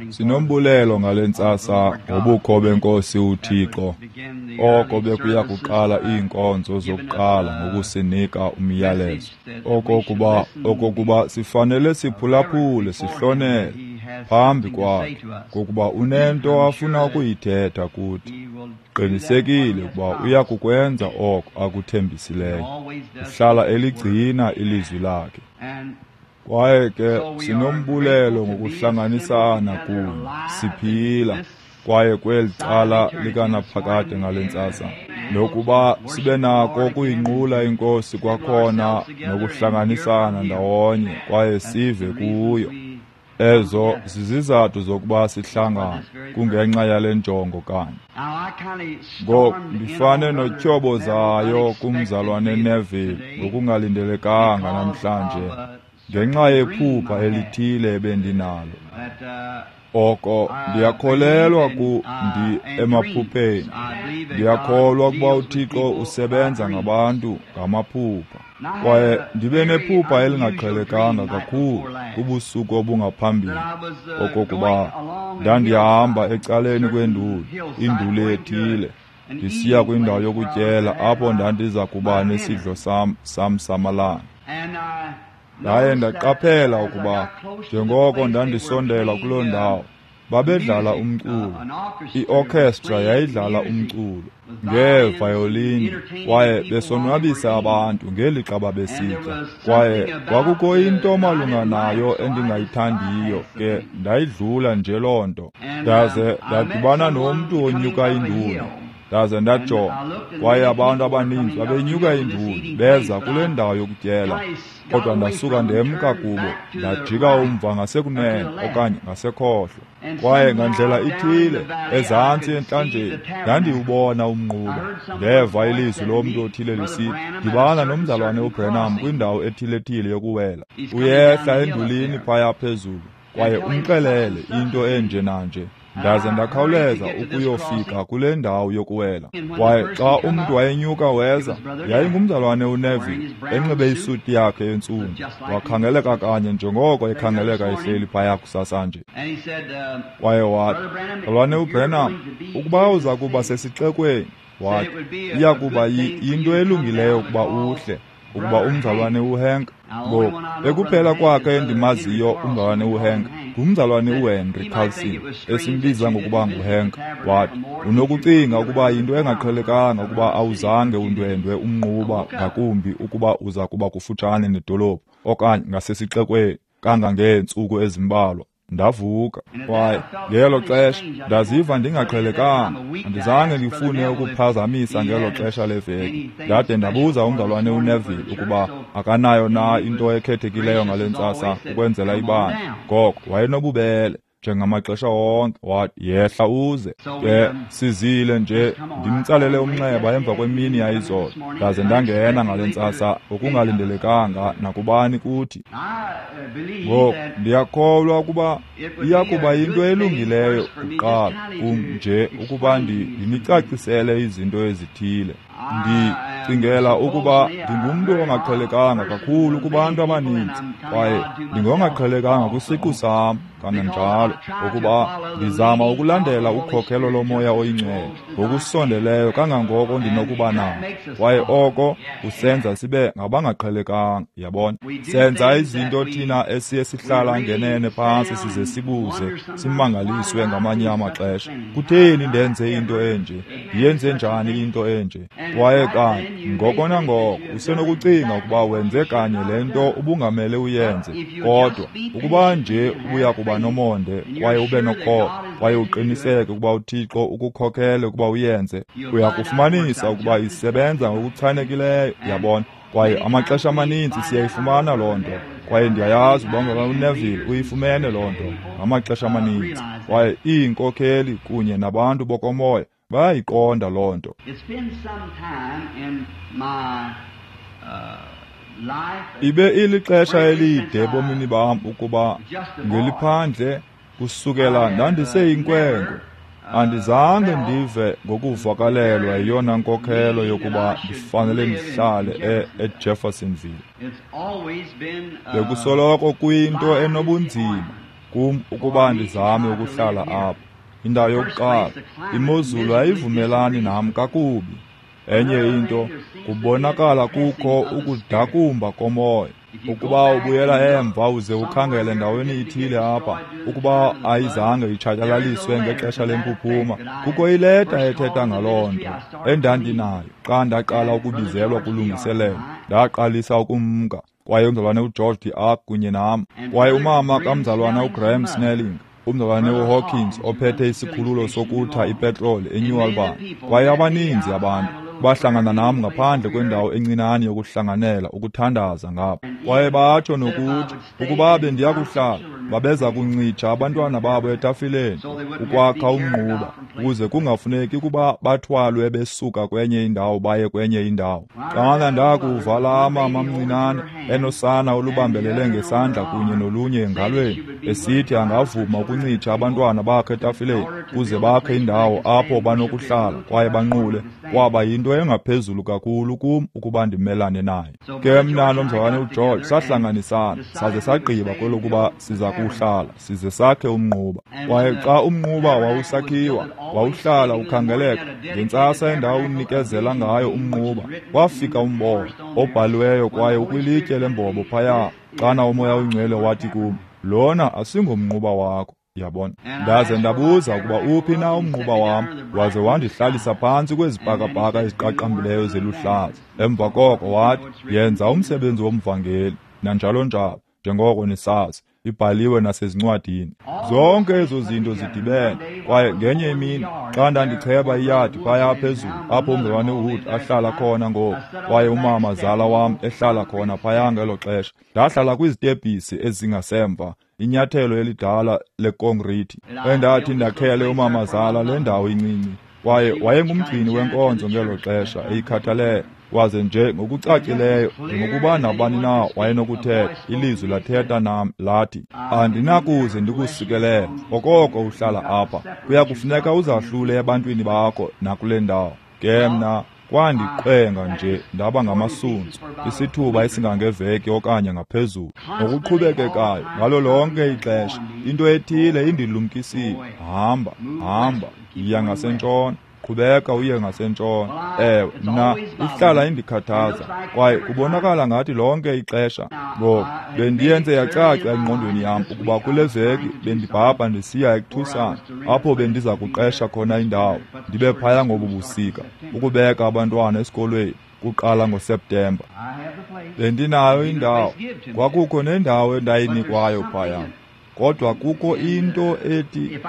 Sinombulelo ngale ntsasa ngobukho benkosi uThixo, oko bekuya kuqala iinkonzo zokuqala ngokusinika umyalezo, okokuba sifanele siphulaphule sihlonele phambi kwakhe, ngokuba unento afuna ukuyithetha kuthi. Qinisekile ukuba uya kukwenza oko akuthembisileyo. Uhlala eligcina ilizwi lakhe. Kwaye ke sinombulelo ngokuhlanganisana kunye siphila kwaye kweli cala likanaphakade ngale ntsasa, nokuba sibe nako ukuyinqula iNkosi kwakhona nokuhlanganisana ndawonye kwaye sive kuyo. Ezo zizizathu zokuba sihlangane, kungenxa yale njongo kanye. Ngoku ndifane notyhobozayo kumzalwane Neville ngokungalindelekanga namhlanje ngenxa yephupha elithile ebendinalo. Oko ndiyakholelwa emaphupheni. Ndiyakholwa ukuba uThixo usebenza ngabantu ngamaphupha. Kwaye ndibe nephupha elingaqhelekanga kakhulu kubusuku obungaphambili, okokuba ndandihamba ecaleni kwenduli, induli ethile, ndisiya kwindawo yokutyela apho ndandiza kuba nesidlo sam samalanga. Ndaye ndaqaphela ukuba njengoko ndandisondela kuloo ndawo, babedlala umculo. I-orchestra yayidlala umculo ngeevayolini kwaye besonwabisa abantu ngelixa babesitya. Kwaye kwakukho into malunga nayo endingayithandiyo, ke ndayidlula nje loo nto. Ndaze ndadibana nomntu onyuka induli. Ndaze ndajonga, kwaye abantu abaninzi babenyuka induli beza kule ndawo yokutyela, kodwa ndasuka ndemka kubo, ndajika umva ngasekunene okanye ngasekhohlo. Kwaye ngandlela ithile ezantsi entlanjeni ndandiwubona umnquba. Ndeva ilizwi lomntu othile lisithi, dibana nomzalwane uBrenham kwindawo ethile-thile yokuwela. Uyehla endulini phaya phezulu, kwaye umxelele into enje nanje. Ndaze ndakhawuleza ukuyofika kule ndawo yokuwela. Kwaye xa umntu wayenyuka weza, yayingumzalwane uNeville enxibe isuti yakhe entsundu, wakhangeleka kanye njengoko ekhangeleka ehleli phaya kusasa nje. Kwaye wathi, mzalwane uBrenham, ukuba uza kuba sesixekweni, wathi, iya kuba yinto elungileyo ukuba uhle, ukuba umzalwane uHank. Ngoku ekuphela kwakhe endimaziyo umzalwane uHank ngumzalwane uHenry Carlson, esimbiza ngokuba nguHank. Wathi, unokucinga ukuba yinto engaqhelekanga ukuba awuzange undwendwe umnquba, ngakumbi ukuba uza kuba kufutshane nedolophu okanye ngasesixekweni kangangeentsuku ezimbalwa. Ndavuka, kwaye ngelo xesha ndaziva ndingaqhelekanga. Andizange ndifune ukuphazamisa ngelo xesha leveki. Ndade ndabuza umzalwane uNeville ukuba akanayo na into ekhethekileyo ngale ntsasa ukwenzela ibandla. Ngoko wayenobubele njengamaxesha wonke, wathi, yehla uze. Ke sizile nje, ndimtsalele umnxeba emva kwemini yayizolo, ndaze ndangena ngale ntsasa ngokungalindelekanga nakubani kuthi. Ngoku ndiyakholwa ukuba iya kuba yinto elungileyo kuqala kum nje ukuba ndinicacisele izinto ezithile. Ndicingela ukuba ndingumntu ongaqhelekanga kakhulu kubantu abaninzi, kwaye ndingongaqhelekanga kwisiqu sam kananjalo, ukuba ndizama ukulandela ukhokelo lomoya oyingcwele ngokusondeleyo kangangoko ndinokuba nako, kwaye oko kusenza sibe ngabangaqhelekanga. Yabona, senza izinto thina esiye sihlala ngenene phantsi size sibuze, simangaliswe ngamanye amaxesha, kutheni ndenze into enje, ndiyenze njani into enje? Kwaye kanye ngoko nangoko usenokucinga ukuba wenze kanye le nto ubungamele uyenze, kodwa ukuba nje ubuya kuba nomonde kwaye ube nokholo kwaye uqiniseke ukuba uThixo ukukhokhele ukuba uyenze, uyakufumanisa ukuba isebenza ngokuchanekileyo. Yabona, kwaye amaxesha amaninzi siyayifumana loo nto, kwaye ndiyayazi uba uNeville uyifumene loo nto ngamaxesha amaninzi, kwaye iinkokheli kunye nabantu bokomoya bayayiqonda loo nto. Ibe ilixesha elide ebomini bam ukuba ngeliphandle kusukela ndandiseyinkwenkwe. Andizange ndive ngokuvakalelwa yeyona nkokhelo yokuba ndifanele ndihlale eJeffersonville. Bekusoloko kuyinto enobunzima kum ukuba ndizame ukuhlala apha. Indawo yokuqala, imozulu ayivumelani nam kakubi. Enye into, kubonakala kukho ukudakumba komoya. Ukuba ubuyela emva uze ukhangele ndaweni ithile apha, ukuba ayizange itshatyalaliswe ngexesha lempuphuma, kukho ileta ethetha ngaloo nto endandinayo xa ndaqala ukubizelwa kulungiselelo. Ndaqalisa ukumka, kwaye umzalwane uGeorge DeArk kunye nam, kwaye umama kamzalwana uGraham Snelling, umzalwane uHawkins ophethe isikhululo sokutha ipetroli eNew Albany, kwaye abaninzi abantu bahlangana nam ngaphandle kwendawo encinane yokuhlanganela ukuthandaza ngapha. Kwaye batsho nokuthi ukuba bendiyakuhlala babeza kuncitsha abantwana babo etafileni ukwakha umnquba, ukuze kungafuneki ukuba bathwalwe besuka kwenye indawo baye kwenye indawo. Xana ndakuva laa mama mncinane enosana olubambelele ngesandla kunye nolunye engalweni, esithi angavuma ukuncitsha abantwana bakhe etafileni ukuze bakhe indawo apho banokuhlala kwaye banqule, kwaba yinto engaphezulu kakhulu kum ukuba ndimelane naye. Ke mna nomzalwane uGeorge sahlanganisana saze sagqiba kwelokuba siza kuhlala size sakhe umnquba. Kwaye xa umnquba wawusakhiwa, wawuhlala ukhangeleka. Ngentsasa endawunikezela ngayo umnquba, kwafika umbono obhaliweyo kwaye ukwilitye lembobo phaya, xana uMoya oyiNgcwele wathi kum, lona asingomnquba wakho. Yabona? Ndaze ndabuza ukuba uphi na umnquba wam, waze wandihlalisa phantsi kwezibhakabhaka eziqaqambileyo zeluhlaza. Emva koko wathi, yenza umsebenzi womvangeli, nanjalo njalo, njengoko nisazi, ibhaliwe nasezincwadini. Zonke ezo zinto zidibene. Kwaye ngenye imini xa ndandicheba iyadi phaya phezulu apho umzalwane uWood ahlala khona ngoku, kwaye umama zala wam ehlala khona phaya ngelo xesha, ndahlala kwizitebhisi ezingasemva, inyathelo elidala lekonkrithi endathi ndakhele umamazala le ndawo incinci. Kwaye wayengumgcini wenkonzo ngelo xesha, eyikhathalele. Waze nje ngokucacileyo, njengokuba nabani na wayenokuthetha, ilizwi lathetha nam lathi, andinakuze ndikusikelele okoko uhlala apha. Kuya kufuneka uzahlule ebantwini bakho nakule ndawo. Ke mna kwandiqwenga nje ndaba ngamasuntswa isithuba esingangeveki okanye ngaphezulu. Ngokuqhubekekayo ngalo lonke ixesha into ethile indilumkisile, hamba, hamba, yiya ngasentshona, qhubeka uye ngasentshona. Ewe, mna ihlala indikhathaza, kwaye kubonakala ngathi lonke ixesha. Ngoku bendiyenze yacaca engqondweni yam ukuba kule veki bendibhabha ndisiya eTucson, apho bendiza kuqesha khona indawo, ndibe phaya ngobu busika, ukubeka abantwana esikolweni kuqala ngoSeptemba. Bendinayo indawo, kwakukho nendawo endayinikwayo phaya, kodwa kukho into ethi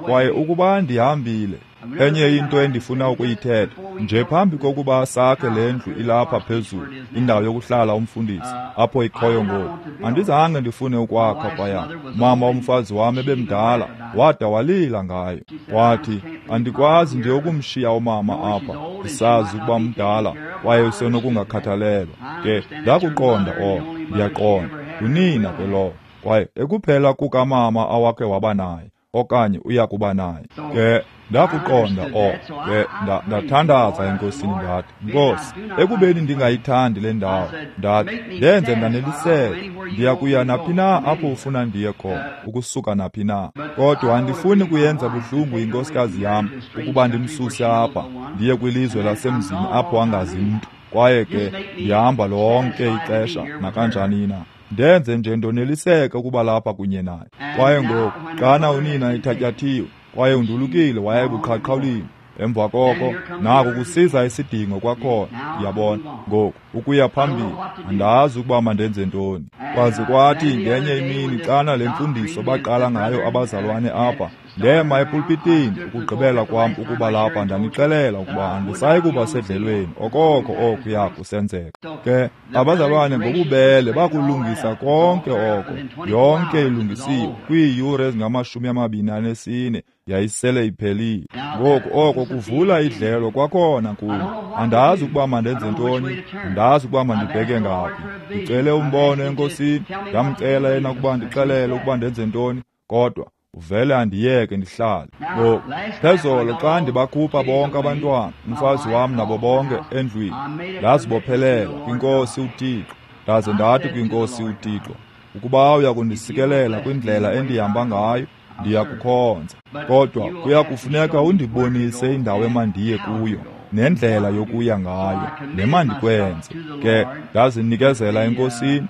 kwaye ukuba ndihambile. Enye into endifuna ukuyithetha nje phambi kokuba sakhe le ndlu ilapha phezulu, indawo yokuhlala umfundisi apho ikhoyo ngoku, andizange ndifune ukwakha phaya. Mama umfazi wam ebemdala, wada walila ngayo, wathi andikwazi nje ukumshiya umama apha, ndisazi ukuba mdala kwaye usenokungakhathalelwa. Ke ndakuqonda oko, ndiyaqonda ngunina ke lowo, kwaye ekuphela kukamama awakhe waba naye okanye uya kuba naye. Ke ndakuqonda oko. Ke ndathandaza enkosini ndathi, Nkosi, ekubeni ndingayithandi le ndawo, ndathi ndenze ndaneliseke, ndiya kuya naphi na apho ufuna ndiye khona, ukusuka naphi na. Kodwa andifuni kuyenza buhlungu inkosikazi yam ukuba ndimsuse apha ndiye kwilizwe lasemzini apho angazi mntu. Kwaye ke ndihamba lonke ixesha nakanjani na. Ndenze nje ndoneliseke ukuba lapha kunye naye. Kwaye ngoku xana unina ethatyathiwe kwaye undulukile waya ebuqhaqhawulini, emva koko nako kusiza isidingo kwakhona. Ndiyabona ngoku ukuya phambili, andazi ukuba mandenze ntoni. Kwaze kwathi ngenye imini xana le mfundiso baqala ngayo abazalwane apha, ndema epulpitini ukugqibela kwam ukuba lapha, ndanixelela ukuba andisayi kuba sedlelweni okoko okuya kusenzeka. Ke abazalwane ngobubele bakulungisa konke oko, yonke ilungisiwe kwiiyure ezingama-24 yayisele iphelile. Ngoku oko kuvula idlelo kwakhona kum. Andazi ukuba mandenze ntoni, andazi ukuba mandibheke ngaphi. Ndicele umbono enkosini, ndamcela yena ukuba ndixelele ukuba ndenze ntoni, kodwa uvele andiyeke ndihlale. Ngoku phezolo xa ndibakhupha bonke abantwana, umfazi wam nabo bonke endlwini, ndazibophelela kwinkosi uThixo. Ndaze ndathi kwinkosi uThixo, Ukuba uyakundisikelela kwindlela endihamba ngayo, ndiyakukhonza. Kodwa kuyakufuneka undibonise indawo emandiye kuyo nendlela yokuya ngayo nemandikwenze. Ke ndazinikezela eNkosini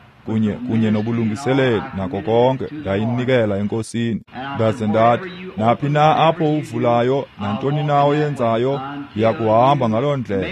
kunye nobulungiseleli nako konke, ndayinikela eNkosini. Ndaze ndathi, naphi na apho uvulayo, nantoni na oyenzayo, ndiyakuhamba ngaloo ndlela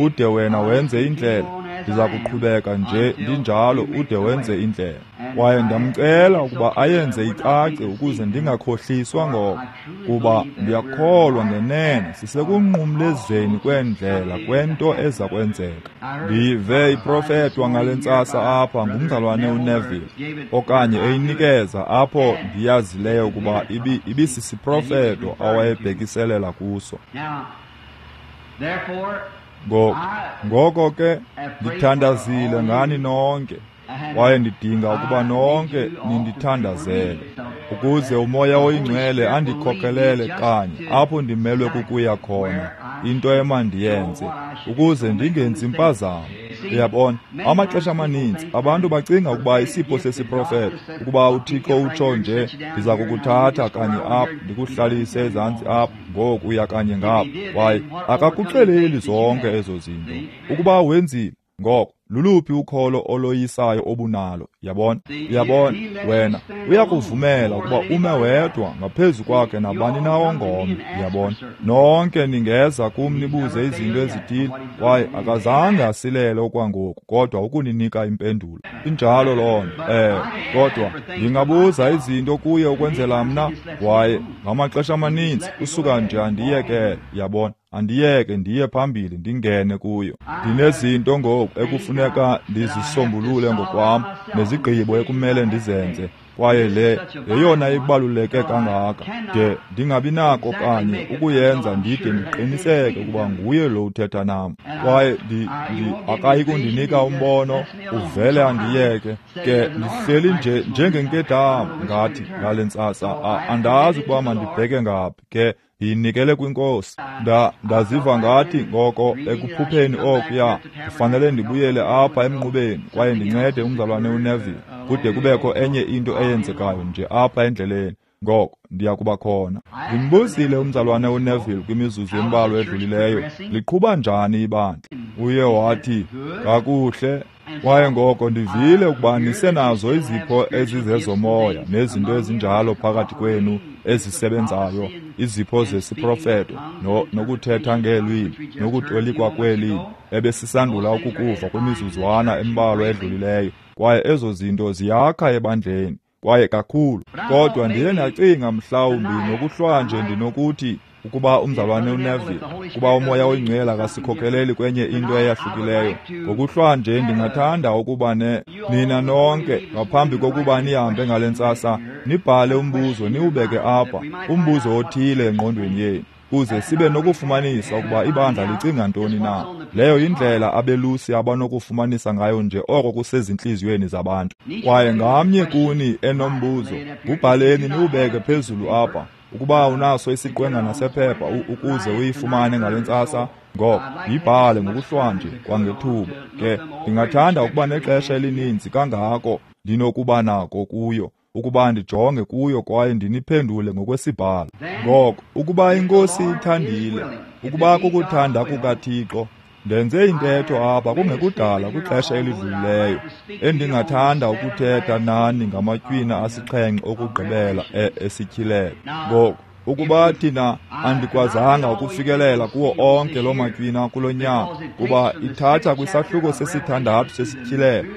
ude wena wenze indlela. Ndiza kuqhubeka nje ndinjalo ude wenze indlela. Kwaye ndamcela ukuba ayenze icace ukuze ndingakhohliswa ngoko, kuba ndiyakholwa ngenene sisekunqumlezweni kwendlela kwento eza kwenzeka. Ndive iprofetwa ngale ntsasa apha ngumzalwane uNeville, okanye eyinikeza apho ndiyazileyo ukuba ibisisiprofeto awayebhekiselela kuso. Ngoko ke ndithandazile ngani nonke, kwaye ndidinga ukuba nonke nindithandazele, ukuze uMoya oyiNgcwele andikhokelele kanye apho ndimelwe kukuya khona, into emandiyenze, ukuze ndingenzi impazamo. Uyabona, amaxesha amaninzi abantu bacinga ukuba isipho sesiprofeto, ukuba uThixo utsho nje, ndiza kukuthatha kanye apha ndikuhlalise ezantsi apha, ngoku uya kanye ngapha. Kwaye akakuxeleli zonke ezo zinto. Ukuba wenzile, ngoko luluphi ukholo oloyisayo obunalo? Yabona, uyabona, wena uyakuvumela ukuba ume wedwa ngaphezu kwakhe nabani na ongomnye. Yabona, nonke ningeza kum nibuze izinto ezithile, kwaye akazange asilele okwangoku kodwa ukuninika impendulo. Injalo loo nto. Kodwa ndingabuza izinto kuye ukwenzela mna, kwaye ngamaxesha amaninzi usuka nje andiyekele. Yabona, andiyeke ndiye phambili ndingene kuyo. Ndinezinto ngoku ekufuneka ndizisombulule ngokwam, nezigqibo ekumele ndizenze, kwaye le yeyona ibaluleke kangaka de ndingabi nako kanye ukuyenza ndide ndiqiniseke ukuba nguye lo uthetha nam. Kwaye akayi kundinika umbono, uvele andiyeke. Ke ndihleli nje njengenkedama ngathi ngale ntsasa, andazi ukuba mandibheke ngaphi. Ke ndiyinikele kwiNkosi. Ndaziva ngathi ngoko ekuphupheni okuya ndifanele ndibuyele apha emnqubeni kwaye ndincede umzalwane uNeville kude kubekho enye into eyenzekayo nje apha endleleni. Ngoko ndiya kuba khona. Ndimbuzile umzalwane uNeville kwimizuzu embalwa edlulileyo, liqhuba njani ibandla? Uye wathi, kakuhle. Kwaye ngoko ndivile ukuba nisenazo izipho ezizezomoya nezinto ezinjalo phakathi kwenu ezisebenzayo, izipho zesiprofeto nokuthetha ngeelwimi nokutolikwa kweelwimi ebesisandula ukukuva kwimizuzwana embalwa edlulileyo. Kwaye ezo zinto ziyakha ebandleni kwaye kakhulu. Kodwa ndiye ndacinga mhlawumbi ngokuhlwanje ndinokuthi ukuba umzalwane uNeville, kuba uMoya oyiNgcwele akasikhokeleli kwenye into eyahlukileyo, ngokuhlwanje ndingathanda ukuba nina nonke ngaphambi kokuba nihambe ngale ntsasa nibhale umbuzo niwubeke apha, umbuzo othile engqondweni yenu, kuze sibe nokufumanisa ukuba ibandla licinga ntoni na. Leyo yindlela abelusi abanokufumanisa ngayo nje oko kusezintliziyweni zabantu. Kwaye ngamnye kuni enombuzo, wubhaleni niwubeke phezulu apha. Ukuba unaso isiqwengana sephepha ukuze uyifumane ngale ntsasa, ngoko yibhale ngokuhlwanje kwangethuba. Ke ndingathanda ukuba nexesha elininzi kangako ndinokuba nako kuyo, ukuba ndijonge kuyo kwaye ndiniphendule ngokwesibhalo. Ngoko ukuba iNkosi ithandile, ukuba kukuthanda kukaThixo, ndenze intetho apha kungekudala kwixesha elidlulileyo endingathanda ukuthetha nani ngamatywina asixhenxe okugqibela esityhilelo. Ngoko ukuba thina andikwazanga ukufikelela kuwo onke loo matywina kulo nyaka, kuba ithatha kwisahluko sesithandathu sesityhilelo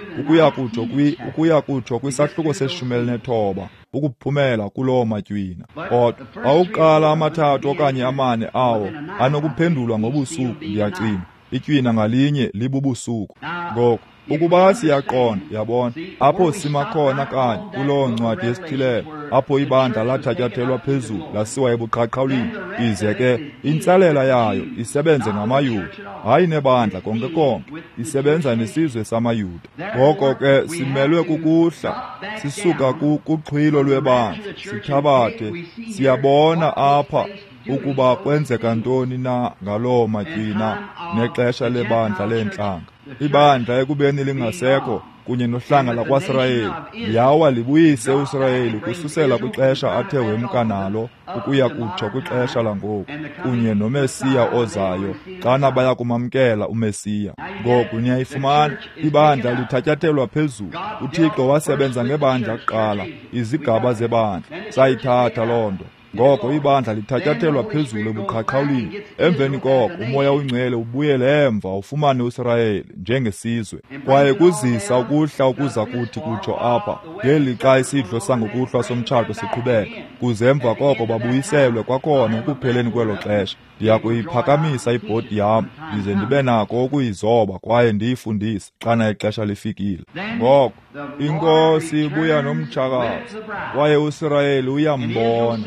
ukuya kutsho kwisahluko se-19 ukuphumela kuloo matywina. Kodwa awuqala amathathu okanye amane awo anokuphendulwa ngobusuku, ndiyacinga. Itywina ngalinye libubusuku. Ngoko ukuba siyaqonda, yabona, apho sima khona kanye kuloo ncwadi yesityhilelo, apho ibandla lathatyathelwa phezulu lasiwa ebuqhaqhawulini, ize ke intsalela yayo isebenze ngamaYuda, hayi nebandla konke konke, isebenza nesizwe samaYuda. Ngoko ke simelwe kukuhla sisuka kuxhwilo lwebandla sithabathe, siyabona apha ukuba kwenzeka ntoni na ngaloo matywina nexesha lebandla leentlanga. Ibandla ekubeni lingasekho, kunye nohlanga lakwaSirayeli, liyawa libuyise uSirayeli kususela kwixesha athe wemka nalo ukuya kutsho kwixesha langoku, kunye noMesiya ozayo, xana baya kumamkela uMesiya. Ngoku niyayifumana, ibandla lithatyathelwa phezulu. UThixo wasebenza ngebandla kuqala, izigaba zebandla. Sayithatha loo nto. Ngoko ibandla lithatyathelwa phezulu ebuqhaqhawulini. Emveni koko uMoya oyiNgcwele ubuyele emva ufumane uSirayeli njengesizwe, kwaye kuzisa ukuhla ukuza kuthi kutsho apha ngelixa isidlo sangokuhlwa somtshato siqhubeka, kuze emva koko babuyiselwe kwakhona ekupheleni kwelo xesha. Ndiya kuyiphakamisa ibhodi yam ndize ndibe nako ukuyizoba kwaye ndiyifundise xana ixesha lifikile. Ngoko iNkosi ibuya nomtshakazi, kwaye uSirayeli uyambona.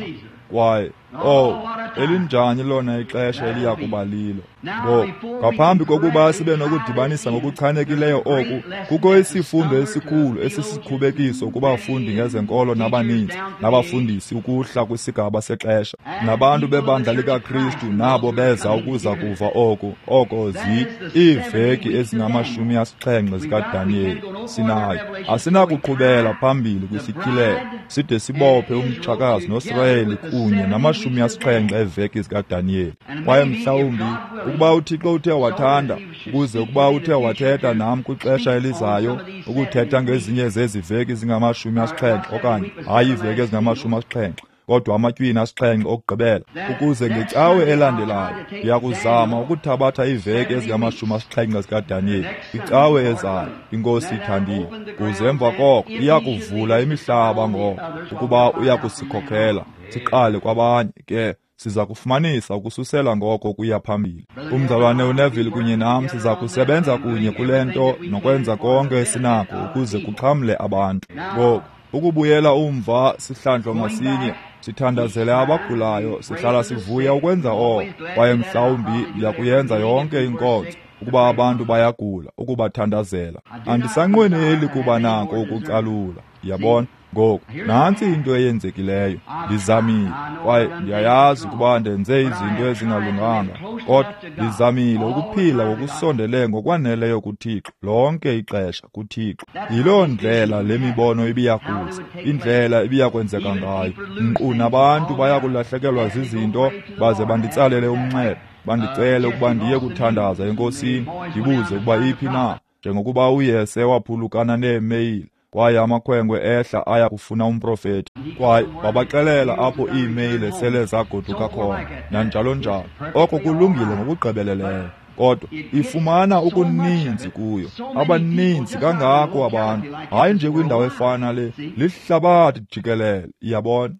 Kwaye elinjani lona ixesha eliya kuba lilo. Ngoku, ngaphambi kokuba sibe nokudibanisa ngokuchanekileyo oku, kukho isifundo esikhulu esisikhubekiso kubafundi ngezenkolo nabaninzi nabafundisi ukuhla kwisigaba sexesha, nabantu bebandla likaKristu nabo beza ukuza kuva oku, oko iiveki ezingama-70 zikaDaniyeli. Sinayo, asinakuqhubela phambili kwisityhilelo side sibophe umtshakazi noSirayeli kunye nama-70 eeveki zikaDaniyeli. Kwaye mhlawumbi ukuba uThixo uthe wathanda, ukuze ukuba uthe wathetha nam kwixesha elizayo ukuthetha ngezinye zezi veki zingama-70, okanye hayi iiveki ezingama-70, kodwa amatywina 7 okugqibela, ukuze ngecawe elandelayo ndiyakuzama ukuthabatha iiveki ezingama-70 zikaDaniyeli kwicawe ezayo, iNkosi ithandile, kuze emva koko iyakuvula imihlaba ngoko ukuba uyakusikhokhela siqale kwabanye. Ke siza kufumanisa ukususela ngoko kuya phambili. Umzalwane uNeville kunye nam siza kusebenza kunye kule nto nokwenza konke esinako ukuze kuxhamle abantu. Ngoku ukubuyela umva sihlandlo ngasinye, sithandazele abagulayo, sihlala sivuya ukwenza oko, kwaye mhlawumbi ndiyakuyenza yonke inkonzo ukuba abantu bayagula, ukubathandazela. Andisanqweneli kuba nako ukucalula, yabona. Ngoku nantsi into eyenzekileyo. Ndizamile, kwaye ndiyayazi ukuba ndenze izinto ezingalunganga, kodwa ndizamile ukuphila ngokusondele ngokwaneleyo kuThixo lonke ixesha kuThixo. Yiloo ndlela le mibono ibiyakuza, indlela ibiyakwenzeka ngayo. Nkqu nabantu bayakulahlekelwa zizinto baze banditsalele umnxeba, bandicele ukuba ndiye kuthandaza eNkosini, ndibuze ukuba iphi na, njengokuba uYese waphulukana neemeyile, kwaye amakhwenkwe ehla aya kufuna umprofeti, kwaye babaxelela apho iimeyile sele zagoduka khona, nanjalo njalo. Oko kulungile ngokugqibeleleyo, kodwa ifumana okuninzi kuyo, abaninzi kangako abantu, hayi nje kwindawo efana le, lihlabathi jikelele, iyabona.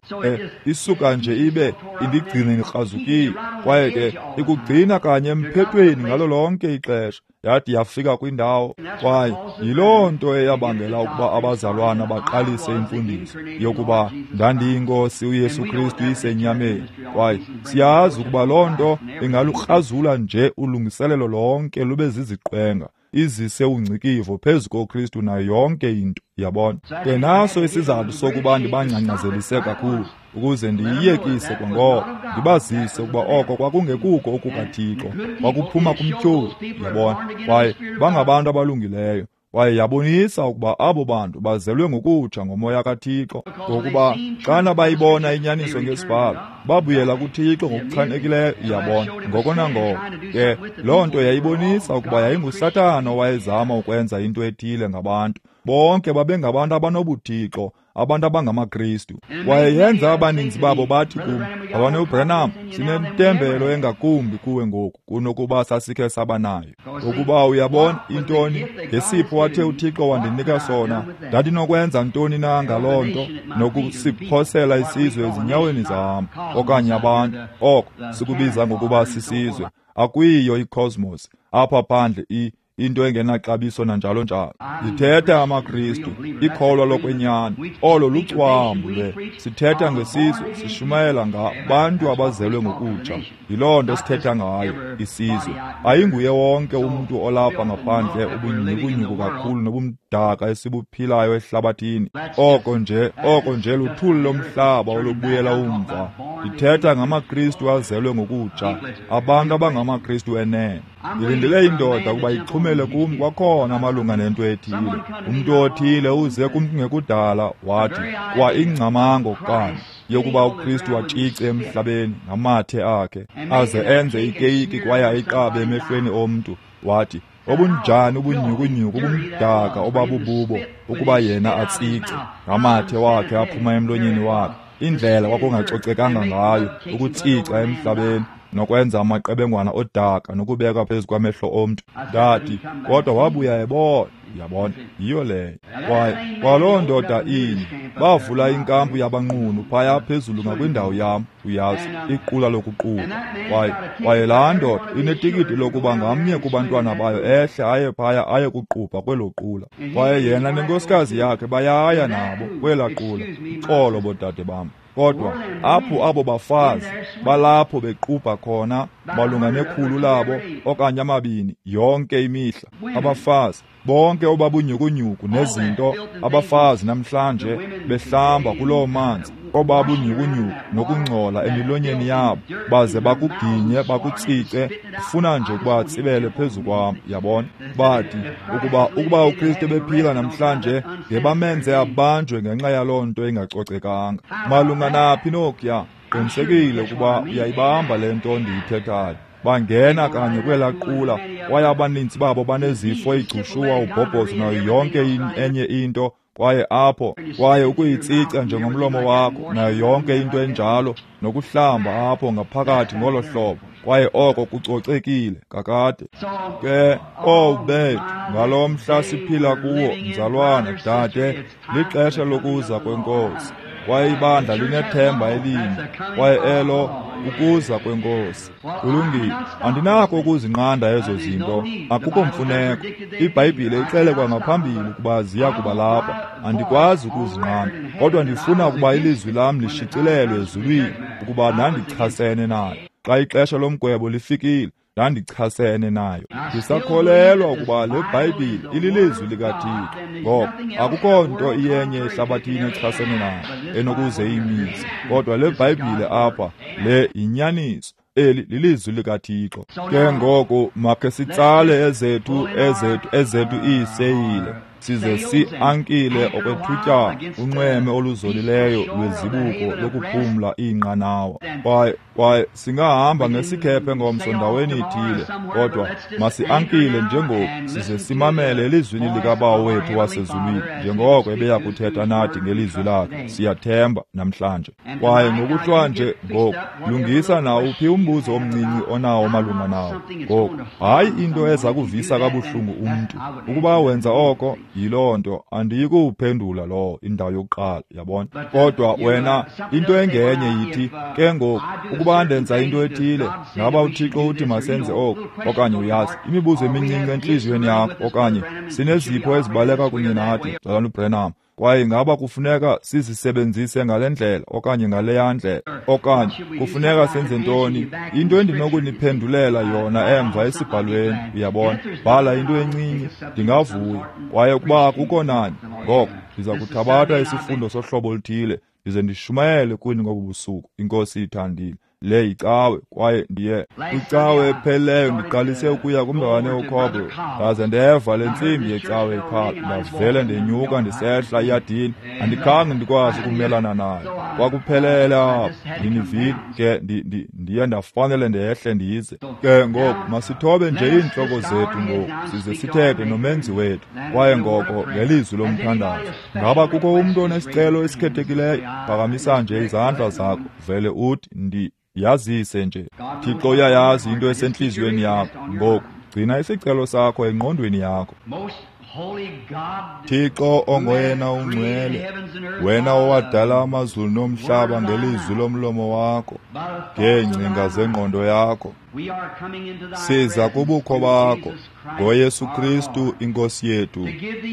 Isuka nje ibe indigcine ndikrazukile, kwaye ke ikugcina kanye emphethweni ngalo lonke ixesha. Yadi yafika kwindawo, kwaye yiloo nto eyabangela ukuba abazalwana baqalise imfundiso yokuba ndandiyinkosi uYesu Kristu isenyameni. Kwaye siyazi ukuba loo nto ingalukrazula nje ulungiselelo lonke lube ziziqwenga, izise ungcikivo phezu koKristu nayo yonke into, yabona. Ke naso isizathu sokuba ndibangcangcazelise kakhulu, ukuze ndiyiyekise kwangoko, ndibazise ukuba oko kwakungekuko okukaThixo, kwakuphuma kumtyholi, yabona. Kwaye bangabantu abalungileyo, kwaye yabonisa ukuba abo bantu bazelwe ngokutsha ngomoya kaThixo, ngokuba xana bayibona inyaniso ngesibhalo, babuyela kuThixo ngokuchanekileyo, yabona, ngoko nangoko. Ke loo nto yayibonisa ukuba yayinguSathana owayezama ukwenza into ethile ngabantu. Bonke babengabantu abanobuthixo, abantu abangamaKristu. Kwaye yenza abaninzi babo bathi kum, Mzalwane uBranham, sinentembelo engakumbi kuwe ngoku kunokuba sasikhe saba nayo. Ngokuba uyabona intoni, ngesipho athe uThixo wandinika sona, ndandinokwenza ntoni na ngaloo nto, nokusiphosela isizwe ezinyaweni zam, okanye abantu, oko sikubiza ngokuba sisizwe. Akuyiyo icosmos apha phandle, into engenaxabiso nanjalo njalo. Ndithetha amaKristu, ikholwa lokwenyani, olo lucwambu lwe. Sithetha ngesizwe, sishumayela ngabantu abazelwe ngokutsha. Yiloo nto sithetha ngayo, isizwe. Ayinguye wonke umntu olapha ngaphandle ubunyhukunyhuku kakhulu nobumdaka esibuphilayo ehlabathini. Oko nje luthuli lomhlaba olubuyela umva. Ndithetha ngamaKristu azelwe ngokutsha, abantu abangamaKristu enene. Ndilindele indoda ukuba ixhumele kum kwakhona malunga nento ethile. Umntu othile uze kum kungekudala wathi kwa ingcamango kanye yokuba uKristu atshice emhlabeni ngamathe akhe aze enze ikeyiki kwaye ayiqabe emehlweni omntu, wathi obunjani ubunyhukunyhuku ubumdaka obabububo ukuba yena atsice ngamathe wakhe aphuma emlonyeni wakhe, indlela kwakungacocekanga ngayo ukutsica emhlabeni nokwenza amaqebengwana odaka nokubeka phezu kwamehlo omntu. Ndathi, kodwa wabuya ebona. Yabona, yiyo leyo. Kwaye kwaloo ndoda inye bavula inkampu yabanqunu phaya phezulu ngakwindawo yam, uyazi, iqula lokuqubha. Kwaye laa ndoda inetikiti lokuba ngamnye kubantwana bayo ehle aye phaya aye kuqubha kwelo qula. Kwaye yena nenkosikazi yakhe bayaya nabo kwelaa qula. Uxolo boodade bam. Kodwa apho abo bafazi balapho bequbha khona malunga nekhulu labo okanye 2 yonke imihla, abafazi bonke obabunyhukunyhuku nezinto, abafazi namhlanje behlamba kuloo manzi obabunyhukunyhuku nokungcola emilonyeni yabo, baze bakuginye bakutsice, funa nje ukuba tsibele phezu kwam. Yabona, bathi ukuba uKristu bephila namhlanje ngebamenze abanjwe ngenxa yaloo nto ingacocekanga. Malunga naphi nokuya, qinisekile ukuba uyayibamba le nto ndiyithethayo. Bangena kanye kwelaa qula, kwaye abaninzi babo banezifo, igcushuwa, ubhobhozo nayo yonke enye into. Kwaye apho, kwaye ukuyitsica njengomlomo wakho nayo yonke into enjalo, nokuhlamba apho ngaphakathi ngolo hlobo, kwaye oko kucocekile kakade. Ke, owu bethu, ngalo mhla siphila kuwo, mzalwana, dade, lixesha lokuza kweNkosi. Kwaye ibandla linethemba elinye, kwaye elo ukuza kweNkosi. Kulungile, andinako ukuzinqanda ezo zinto, akukho mfuneko. IBhayibhile ixele kwangaphambili ukuba ziya kuba lapha. Andikwazi ukuzinqanda, kodwa ndifuna ukuba ilizwi lam lishicilelwe ezulwini ukuba ndandichasene nayo. Xa ixesha lomgwebo lifikile, ndandichasene nayo. Ndisakholelwa ukuba le Bhayibhile ililizwi likaThixo, ngoba akukho nto iyenye ehlabathini echasene nayo enokuze iyimise. Kodwa le Bhayibhile apha, le yinyaniso. Eli lilizwi likaThixo. Ke ngoku makhe sitsale ezethu iiseyile, size si-ankile okwethutyana unxweme oluzolileyo lwezibuko lokuphumla iinqanawa. Kwaye singahamba ngesikhephe ngomso ndaweni ithile, kodwa masi-ankile njengoku size simamele elizwini likaBawo wethu wasezulwini njengoko ebeya kuthetha nathi ngelizwi lakhe, siyathemba namhlanje. Kwaye ngokuhlwanje ngoku, lungisa nawuphi umbuzo omncinci onawo malunga nawo. Ngoku, hayi into eza kuvisa kabuhlungu umntu. Ukuba wenza oko, yiloo nto, andiyikuwuphendula lowo indawo yokuqala, yabona. Kodwa wena, into engenye yithi, ke ngoku, ukuba ndenza into ethile, ngaba uThixo uthi masenze oku, okanye uyazi, imibuzo emincinci entliziyweni yakho, okanye sinezipho ezibaleka kunye nathi, Mzalwana uBrenham, kwaye ngaba kufuneka sizisebenzise ngale ndlela okanye ngaleya ndlela, okanye kufuneka senze ntoni? Into endinokuniphendulela yona emva esibhalweni, uyabona, bhala into encinci, ndingavuya. Kwaye ukuba akukho nani, ngoko ndiza kuthabatha isifundo sohlobo oluthile ndize ndishumayele kuni ngobu busuku, iNkosi ithandile. Le yicawe, kwaye ndiye kwicawe ephelileyo ndiqalise ukuya kumzalwane uCoble, ndaze ndeva le ntsimbi yecawe ikhala, ndavele ndenyuka ndisehla iyadini, andikhange ndikwazi ukumelana nayo. Kwakuphelele apho, ndinivile ke, ndiye ndafanele ndehle ndize. Ke ngoku masithobe nje iintloko zethu ngoku, size sithethe noMenzi wethu, kwaye ngoko ngelizwi lomthandazo. Ngaba kukho umntu onesicelo esikhethekileyo? Phakamisa nje izandla zakho, vele uthi yazise nje. Thixo uyayazi into esentliziyweni yakho. Ngoku gcina isicelo sakho engqondweni yakho. Thixo ongoyena ungcwele, wena owadala amazulu nomhlaba ngelizwi lomlomo wakho, ngeengcinga zengqondo yakho, siza kubukho bakho ngoYesu Kristu iNkosi yethu,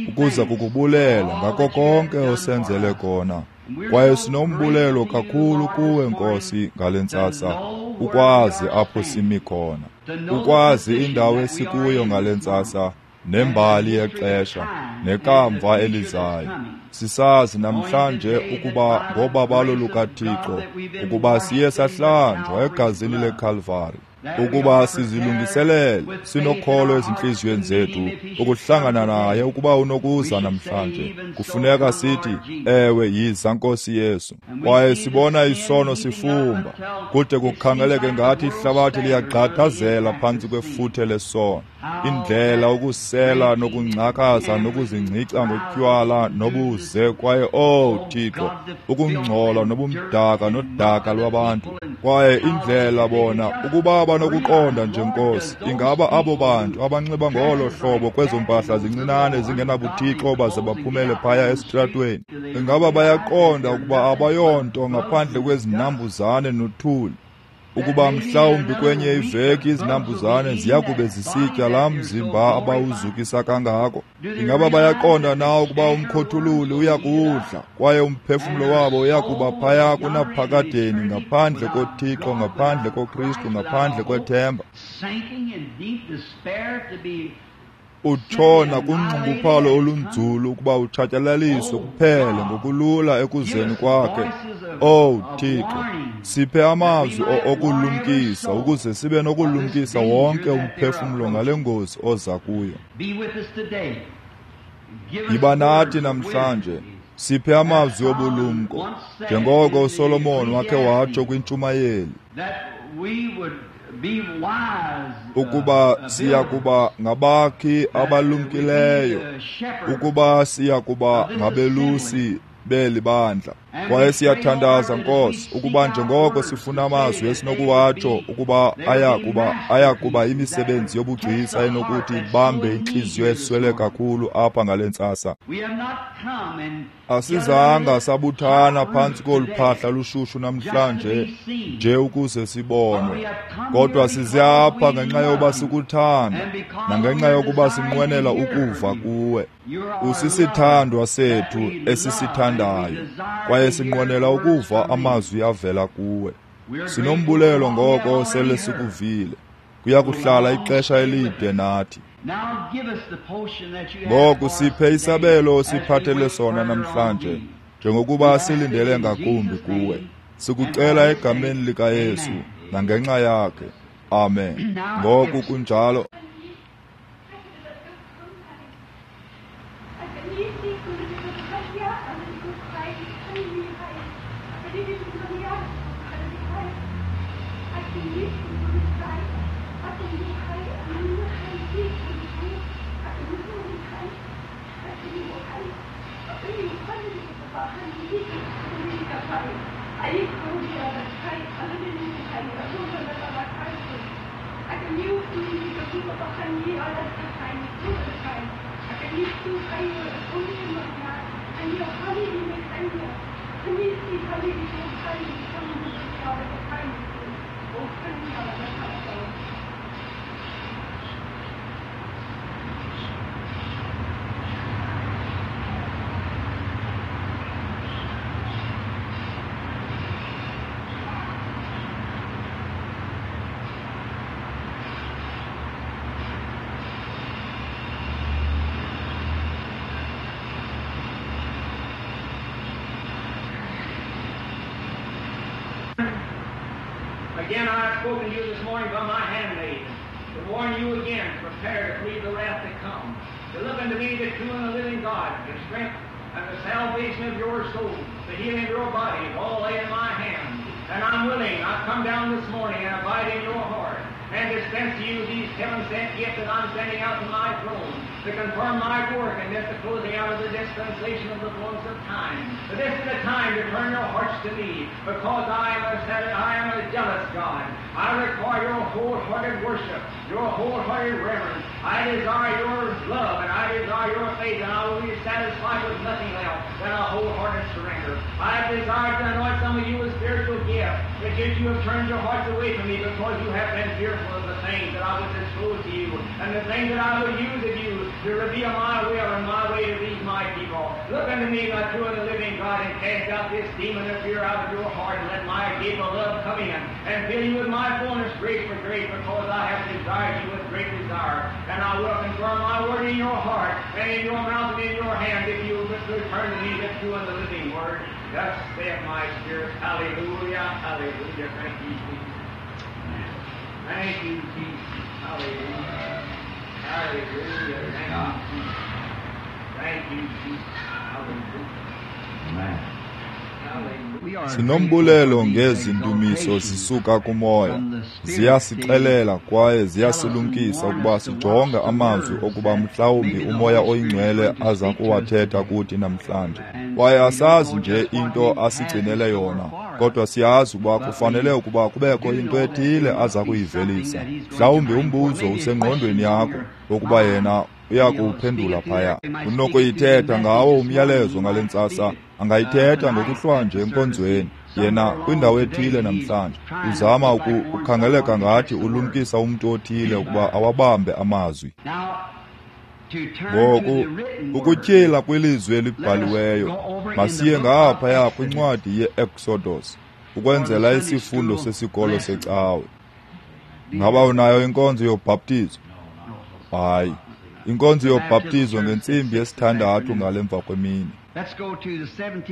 ukuza kukubulela ngako konke osenzele kona. Kwaye sinombulelo kakhulu kuwe, Nkosi, ngale ntsasa, ukwazi apho simi khona, ukwazi indawo esikuyo ngale ntsasa, nembali yexesha nekamva elizayo. Sisazi namhlanje ukuba ngobabalo lukaThixo ukuba siye sahlanjwa egazini leKalvari, ukuba sizilungiselele sinokholo ezintliziyweni zethu ukuhlangana naye ukuba unokuza namhlanje. Kufuneka sithi, ewe, yiza Nkosi Yesu. Kwaye sibona isono sifumba, kude kukhangeleke ngathi ihlabathi liyagqathazela phantsi kwefuthe lesono. Indlela ukusela nokungcakaza nokuzingcica ngotywala nobuze, kwaye oh Thixo, ukungcola nobumdaka nodaka lwabantu. Kwaye indlela bona ukuba banokuqonda nje, Nkosi, ingaba abo bantu abanxiba ngolo hlobo kwezo mpahla zincinane zingenabuthixo baze baphumele phaya esitratweni, ingaba bayaqonda ukuba abayonto ngaphandle kwezinambuzane nothuli, ukuba mhlawumbi kwenye iveki izinambuzane ziya kube zisitya laa mzimba abawuzukisa kangako? Ingaba bayaqonda na ukuba umkhothululi uya kuwudla kwaye umphefumlo wabo uya kuba phaya kunaphakadeni, ngaphandle koThixo, ngaphandle koKristu, ngaphandle kwethemba? Utshona kunxunguphalo olunzulu ukuba utshatyalaliswe kuphele ngokulula ekuzeni kwakhe. Oh Thixo, siphe amazwi okulumkisa ukuze sibe nokulumkisa wonke umphefumlo ngale ngozi oza kuyo. Yiba nathi namhlanje, siphe amazwi obulumko, njengoko uSolomon wakhe watsho kwintshumayeli, ukuba siya kuba ngabakhi abalumkileyo, ukuba siya kuba ngabelusi beli bandla. Kwaye siyathandaza, Nkosi, ukuba njengoko sifuna amazwi esinokuwatsho ukuba aya kuba imisebenzi yobugcisa enokuthi ibambe intliziyo eswele kakhulu apha ngale ntsasa. Asizanga sabuthana phantsi kolu phahla lushushu namhlanje nje ukuze sibonwe, kodwa size apha ngenxa yokuba sikuthanda nangenxa yokuba sinqwenela ukuva kuwe. Usisithandwa sethu esisithandayo, kwaye sinqwenela ukuva amazwi avela kuwe. Sinombulelo ngoko sele sikuvile. Kuya kuhlala ixesha elide nathi. Ngoku siphe isabelo osiphathele sona namhlanje, njengokuba silindele ngakumbi kuwe. Sikucela egameni likaYesu nangenxa yakhe. Amen. Ngoku kunjalo. Again, I have spoken to you this morning by my handmaid, to warn you again, prepare to flee the wrath to come, to look unto me, the true and the living God, the strength and the salvation of your soul, the healing of your body, all lay in my hand. And I'm willing, I've come down this morning and abide in your heart, and dispense to you these heaven-sent gifts that I'm sending out from my throne, to confirm my work and this the closing out of the dispensation of the fullness of time. But this is the time to turn your hearts to me, because I am a jealous God. I require your wholehearted worship, your wholehearted reverence. I desire your love, and I desire your faith, and I will be satisfied with nothing else than a wholehearted surrender. I desire to anoint some of you with spiritual gifts, but yet you have turned your hearts away from me because you have been fearful of the things that I would disclose to you, and the things that I will use of you to reveal my will and my way to these my people. all. Look unto me, the true and the living God, and cast out this demon of fear out of your heart, and let my gift of love come in, and fill you with my fullness, grace for grace, because I have desired you with great desire. And I will confirm my word in your heart, and in your mouth, and in your hand, if you will return to me the true and the living word. Thus saith my spirit. Hallelujah, hallelujah. Thank you, Jesus. Thank you, Jesus. Hallelujah. Hallelujah. Thank you, Jesus. Thank you, Jesus. Hallelujah. Amen. Sinombulelo ngezi ndumiso zisuka kumoya. Ziyasixelela kwaye ziyasilumkisa ukuba sijonge amazwi okuba mhlawumbi uMoya oyiNgcwele aza kuwathetha kuthi namhlanje. Kwaye asazi nje into asigcinele yona, kodwa siyazi ukuba kufanele ukuba kubekho into ethile aza kuyivelisa. Mhlawumbi umbuzo usengqondweni yakho wokuba yena uyakuwuphendula phaya. Unokuyithetha ngawo umyalezo ngale ntsasa, angayithetha ngokuhlwanje enkonzweni. Yena kwindawo ethile namhlanje uzama ukukhangeleka ngathi ulumkisa umntu othile ukuba awabambe amazwi. Ngoku ukutyhila kwilizwi elibhaliweyo, masiye ngaphaya kwincwadi ye-Exodus ukwenzela isifundo sesikolo secawe. Ngaba unayo inkonzo yobhaptizo? Hayi, inkonzo yobhaptizo ngentsimbi yesithandathu ngale mva kwemini.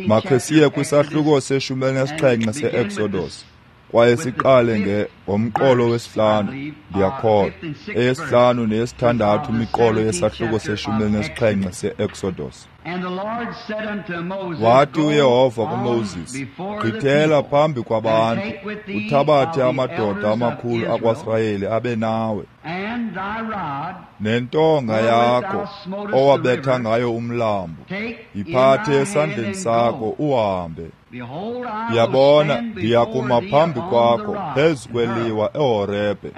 Makhe siye kwisahluko se-17 se-Exodus kwaye siqale ngomqolo wesihlanu, ndiyakholwa, eyesihlanu neyesithandathu imiqolo yesahluko se-17 se-Exodus. Wathi uYehova kuMoses, gqithela phambi kwabantu, uthabathe amadoda amakhulu akwaSirayeli abe nawe, nentonga yakho owabetha ngayo umlambo, yiphathe esandleni sakho uhambe. Yabona, ndiyakuma phambi kwakho phezu kweliwa eHorebhe,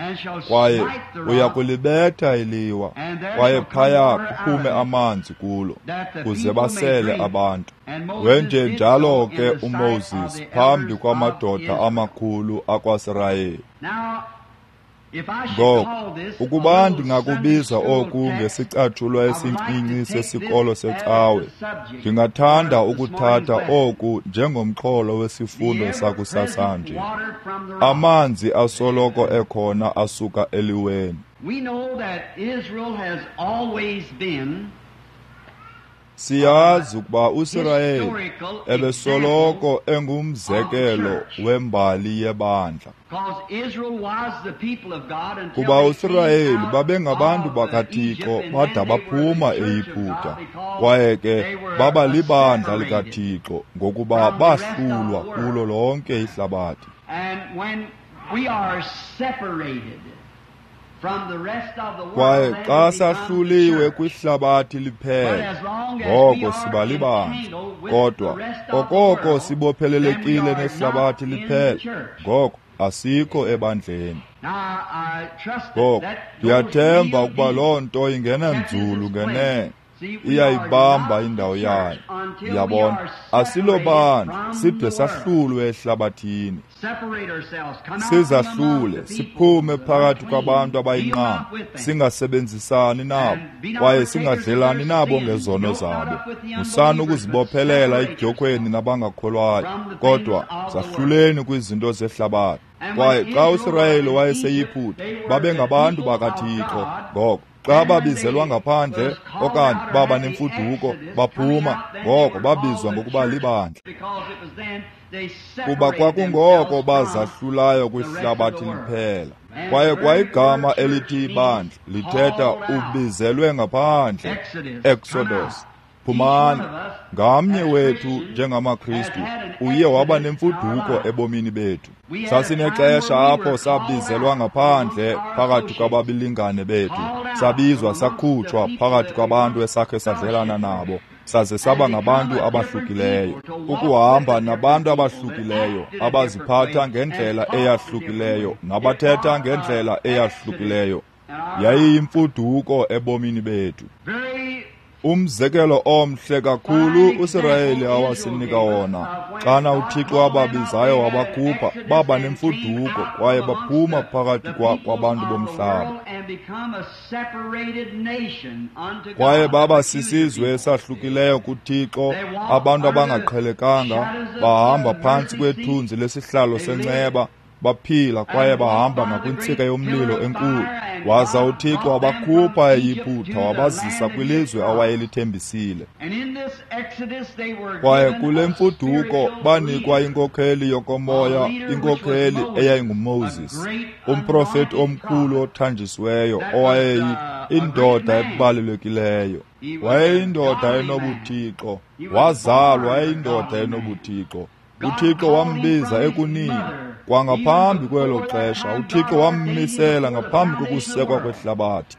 kwaye uyakulibetha iliwa, kwaye phaya kuphume amanzi kulo, kuze basele abantu. Wenje njalo ke uMoses phambi kwamadoda amakhulu akwaSirayeli. Ngoko, ukuba ndingakubiza oku ngesicatshulwa esincinci sesikolo secawe, ndingathanda ukuthatha oku njengomxholo wesifundo sakusasanje. Amanzi asoloko ekhona asuka eliweni. Siyazi ukuba uSirayeli ebesoloko engumzekelo wembali yebandla. Kuba uSirayeli babengabantu bakaThixo bada baphuma eYiputa, kwaye ke baba libandla likaThixo ngokuba bahlulwa kulo lonke ihlabathi. Kwaye xa sahluliwe kwihlabathi liphela, ngoko siba libandla. Kodwa okoko sibophelelekile nehlabathi liphela, ngoko asikho ebandleni. Ngoko ndiyathemba ukuba loo nto ingena nzulu ngenene, iyayibamba indawo yayo. Ndiyabona, asilobandla side sahlulwe ehlabathini. Sizahlule, siphume phakathi kwabantu abayinqama, singasebenzisani nabo kwaye singadlelani nabo ngezono zabo. Musani ukuzibophelela edyokhweni nabangakholwayo, kodwa zahluleni kwizinto zehlabathi. Kwaye xa uSirayeli wayeseYiputa, babengabantu bakaThixo. Ngoko xa babizelwa ngaphandle okanye baba nemfuduko baphuma, ngoko babizwa ngokuba libandla, kuba kwakungoko bazahlulayo kwihlabathi liphela. Kwaye kwayigama elithi ibandla lithetha ubizelwe ngaphandle, Exodus, phumani. Ngamnye wethu njengamaKristu uye waba nemfuduko ebomini bethu. Sasinexesha apho sabizelwa ngaphandle phakathi kwababilingane bethu, sabizwa sakhutshwa phakathi kwabantu esakhe sadlelana nabo, saze saba ngabantu abahlukileyo. Ukuhamba nabantu abahlukileyo, abaziphatha ngendlela eyahlukileyo nabathetha ngendlela eyahlukileyo, yayiyimfuduko ebomini bethu. Umzekelo omhle kakhulu uSirayeli awasinika wona, xana uThixo wababizayo wabakhupha, baba nemfuduko kwaye baphuma phakathi kwabantu bomhlaba. Kwaye baba sisizwe esahlukileyo kuThixo, abantu abangaqhelekanga, bahamba phantsi kwethunzi lesihlalo senceba, baphila kwaye bahamba ngakwintsika yomlilo enkulu. Waza uThixo wabakhupha eYiputa wabazisa kwilizwe awayelithembisile. Kwaye kule mfuduko banikwa inkokheli yokomoya, inkokheli eyayinguMoses, umprofeti omkhulu othanjisiweyo owayeyindoda ebalulekileyo. Wayeyindoda enobuthixo, wazalwa eyindoda enobuthixo. uThixo wambiza ekunini kwangaphambi kwelo xesha. uThixo wammisela ngaphambi kokusekwa kwehlabathi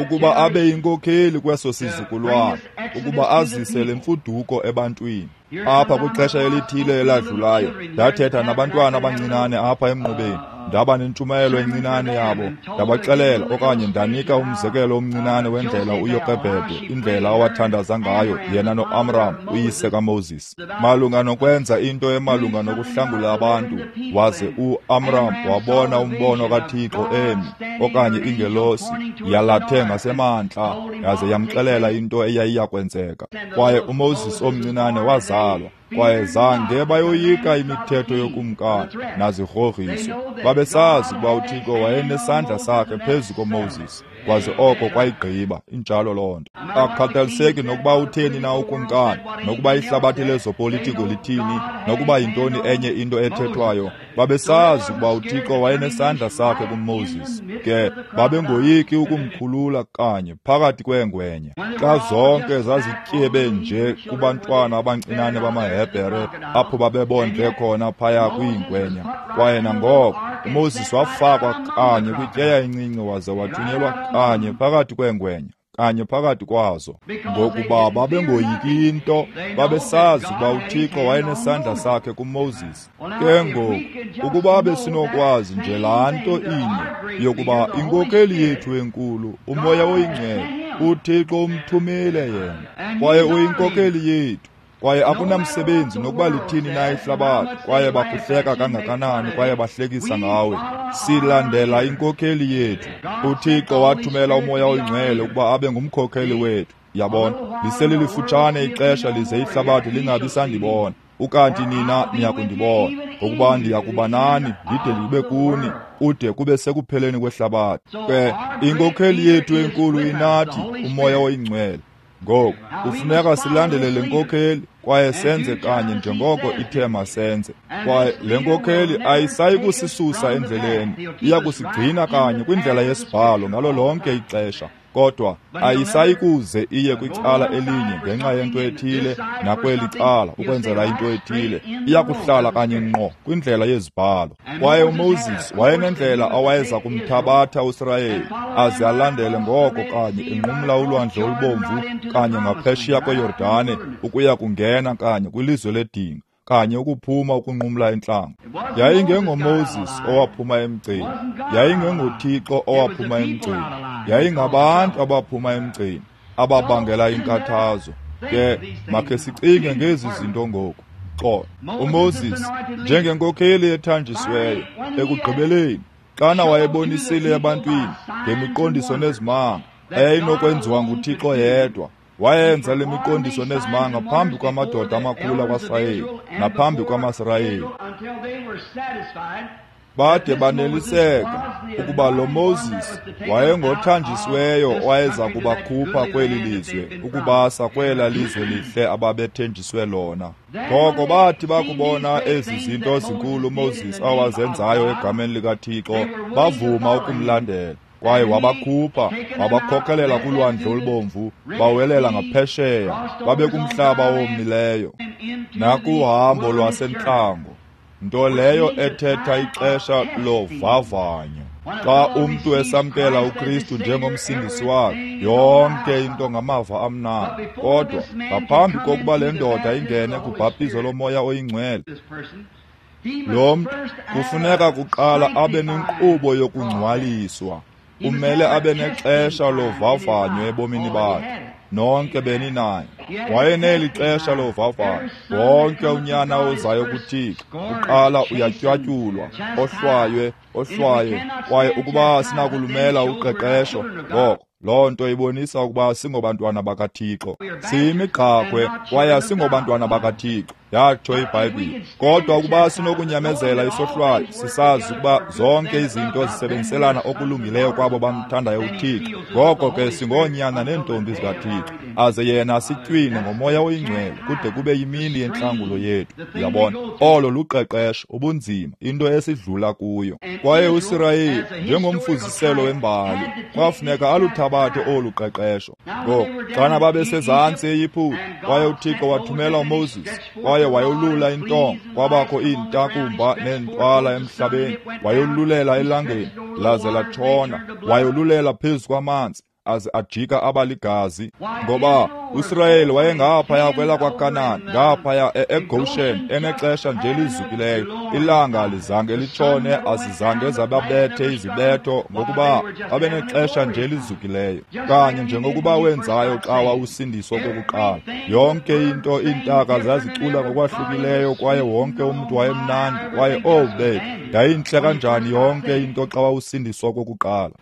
ukuba abe yinkokheli kweso sizukulwana, ukuba azise le mfuduko ebantwini. Apha kwixesha elithile eladlulayo ndathetha nabantwana abancinane apha emnqubeni, ndaba nentshumayelo encinane yabo, ndabaxelela okanye ndanika umzekelo omncinane wendlela uYokebhede, indlela awathandaza ngayo yena noAmram uyise kaMoses, malunga nokwenza into emalunga nokuhlangula abantu. Waze uAmram wabona umbono kaThixo emi, okanye ingelosi yalathe ngasemantla, yaze yamxelela into eyayiyakwenzeka. Kwaye uMoses omncinane wazalwa, kwaye zange bayoyika imithetho yokumkani nazigrogriso. Babesazi ukuba uThixo wayenesandla sakhe phezu koMoses, kwaze oko kwayigqiba. Injalo loo nto. Akukhathaliseki nokuba utheni na ukumkani, nokuba ihlabathi lezopolitiko lithini, nokuba yintoni enye into ethethwayo, babesazi ukuba uThixo wayenesandla sakhe kuMoses. Ke babengoyiki ukumkhulula kanye phakathi kweengwenya. Xa zonke zazityebe nje kubantwana abancinane bamaHebhere apho babebondle khona phaya kwiingwenya, kwaye nangoko uMoses wafakwa kanye kwityeya encinci waze wathunyelwa kanye phakathi kweengwenya, kanye phakathi kwazo. Ngokuba babengoyiki into, babesazi ukuba uThixo wayenesandla sakhe kuMoses. Ke ngoku ukuba besinokwazi nje laa nto inye, yokuba inkokheli yethu enkulu, uMoya oyiNgcwele, uThixo umthumile yena, kwaye uyinkokheli yethu. Kwaye akunamsebenzi nokuba lithini na ihlabathi, kwaye bakuhleka kangakanani, kwaye bahlekisa ngawe, silandela inkokheli yethu. uThixo wathumela uMoya oyiNgcwele ukuba abe ngumkhokheli wethu. Yabona, liselilifutshane ixesha lize ihlabathi lingabi sandibona, ukanti nina niyakundibona, ngokuba ndiyakuba nani ndide ndibe kuni kude kube sekupheleni kwehlabathi. Ke inkokheli yethu enkulu inathi, uMoya oyiNgcwele. Ngoku kufuneka silandele le nkokheli kwaye senze kanye njengoko ithe masenze. Kwaye le nkokheli ayisayi kusisusa endleleni, iya kusigcina kanye kwindlela yesibhalo ngalo lonke ixesha, kodwa ayisayi kuze iye kwicala elinye ngenxa yento ethile nakweli cala ukwenzela into ethile. Iya kuhlala kanye ngqo kwindlela yezibhalo. Kwaye uMoses wayenendlela awayeza kumthabatha uSirayeli aze alandele ngoko kanye enqumla ulwandle olubomvu kanye ngaphesheya kweYordane ukuya kungena kanye kwilizwe ledinga, kanye ukuphuma ukunqumla entlango. YayingengoMoses owaphuma emgceni, yayingengoThixo owaphuma emgceni, yayingabantu abaphuma emgceni ababangela inkathazo. Ke makhe sicinge ngezi zinto ngoku. Xolo, uMoses njengenkokheli ethanjisiweyo, ekugqibeleni xana wayebonisile ebantwini ngemiqondiso nezimanga eyayinokwenziwa nguThixo yedwa, wayenza le miqondiso nezimanga phambi kwamadoda amakhulu akwaSirayeli naphambi kwamaSirayeli, bade baneliseka ukuba lo Moses wayengothanjisiweyo owayeza kubakhupha kweli lizwe ukubasa kwela lizwe lihle ababethenjiswe lona. Ngoko bathi bakubona ezi zinto zinkulu uMoses awazenzayo egameni likaThixo, bavuma ukumlandela. Kwaye wabakhupha, wabakhokelela kulwandle olubomvu, bawelela ngaphesheya, babekumhlaba owomileyo nakuhambo lwasentlango, nto leyo ethetha ixesha lovavanyo. Xa umntu esamkela uKristu njengomsindisi wakhe, yonke into ngamava amnandi. Kodwa ngaphambi kokuba le ndoda ingene kubhaptizo loMoya oyiNgcwele, lo mntu kufuneka kuqala abe nenkqubo yokungcwaliswa. Umele abe nexesha lovavanyo ebomini bakhe. Nonke beninaye. Wayeneli xesha lovavanyo. Wonke unyana ozayo kuThixo uqala uyatywatyulwa, ohlwaywe, kwaye ukuba sinakulumela uqeqesho, ngoko loo nto ibonisa ukuba singobantwana bakaThixo. Siyimigqakhwe kwaye asingobantwana bakaThixo, yatsho iBhayibhile. Kodwa ukuba sinokunyamezela isohlwayo, sisazi ukuba zonke izinto zisebenziselana okulungileyo kwabo bamthandayo uThixo, ngoko ke singoonyana neentombi zikaThixo, aze yena asitywine ngoMoya oyiNgcwele kude kube yimini yentlangulo yethu. Uyabona, olo luqeqesho, ubunzima, into esidlula kuyo. Kwaye uSirayeli, njengomfuziselo wembali, kwafuneka aluthabathe olu qeqesho. Ngoku, xana babesezantsi eYiputa, kwaye uThixo wathumela uMoses, kwaye wayolula intonga, kwabakho iintakumba neentwala emhlabeni, wayolulela elangeni, laze latshona, wayolulela phezu kwamanzi, aze ajika abaligazi. Ngoba uSirayeli wayengaphaya kwelakwaKanani, ngaphaya eGoshen, enexesha nje lizukileyo. Ilanga alizange litshone, azizange zababethe izibetho, ngokuba babenexesha nje lizukileyo, kanye njengokuba wenzayo xa wawusindiswa kokuqala. Yonke into, iintaka zazicula ngokwahlukileyo, kwaye wonke umntu wayemnandi, kwaye oh bethu, yayintle kanjani yonke into xa wawusindiswa kokuqala.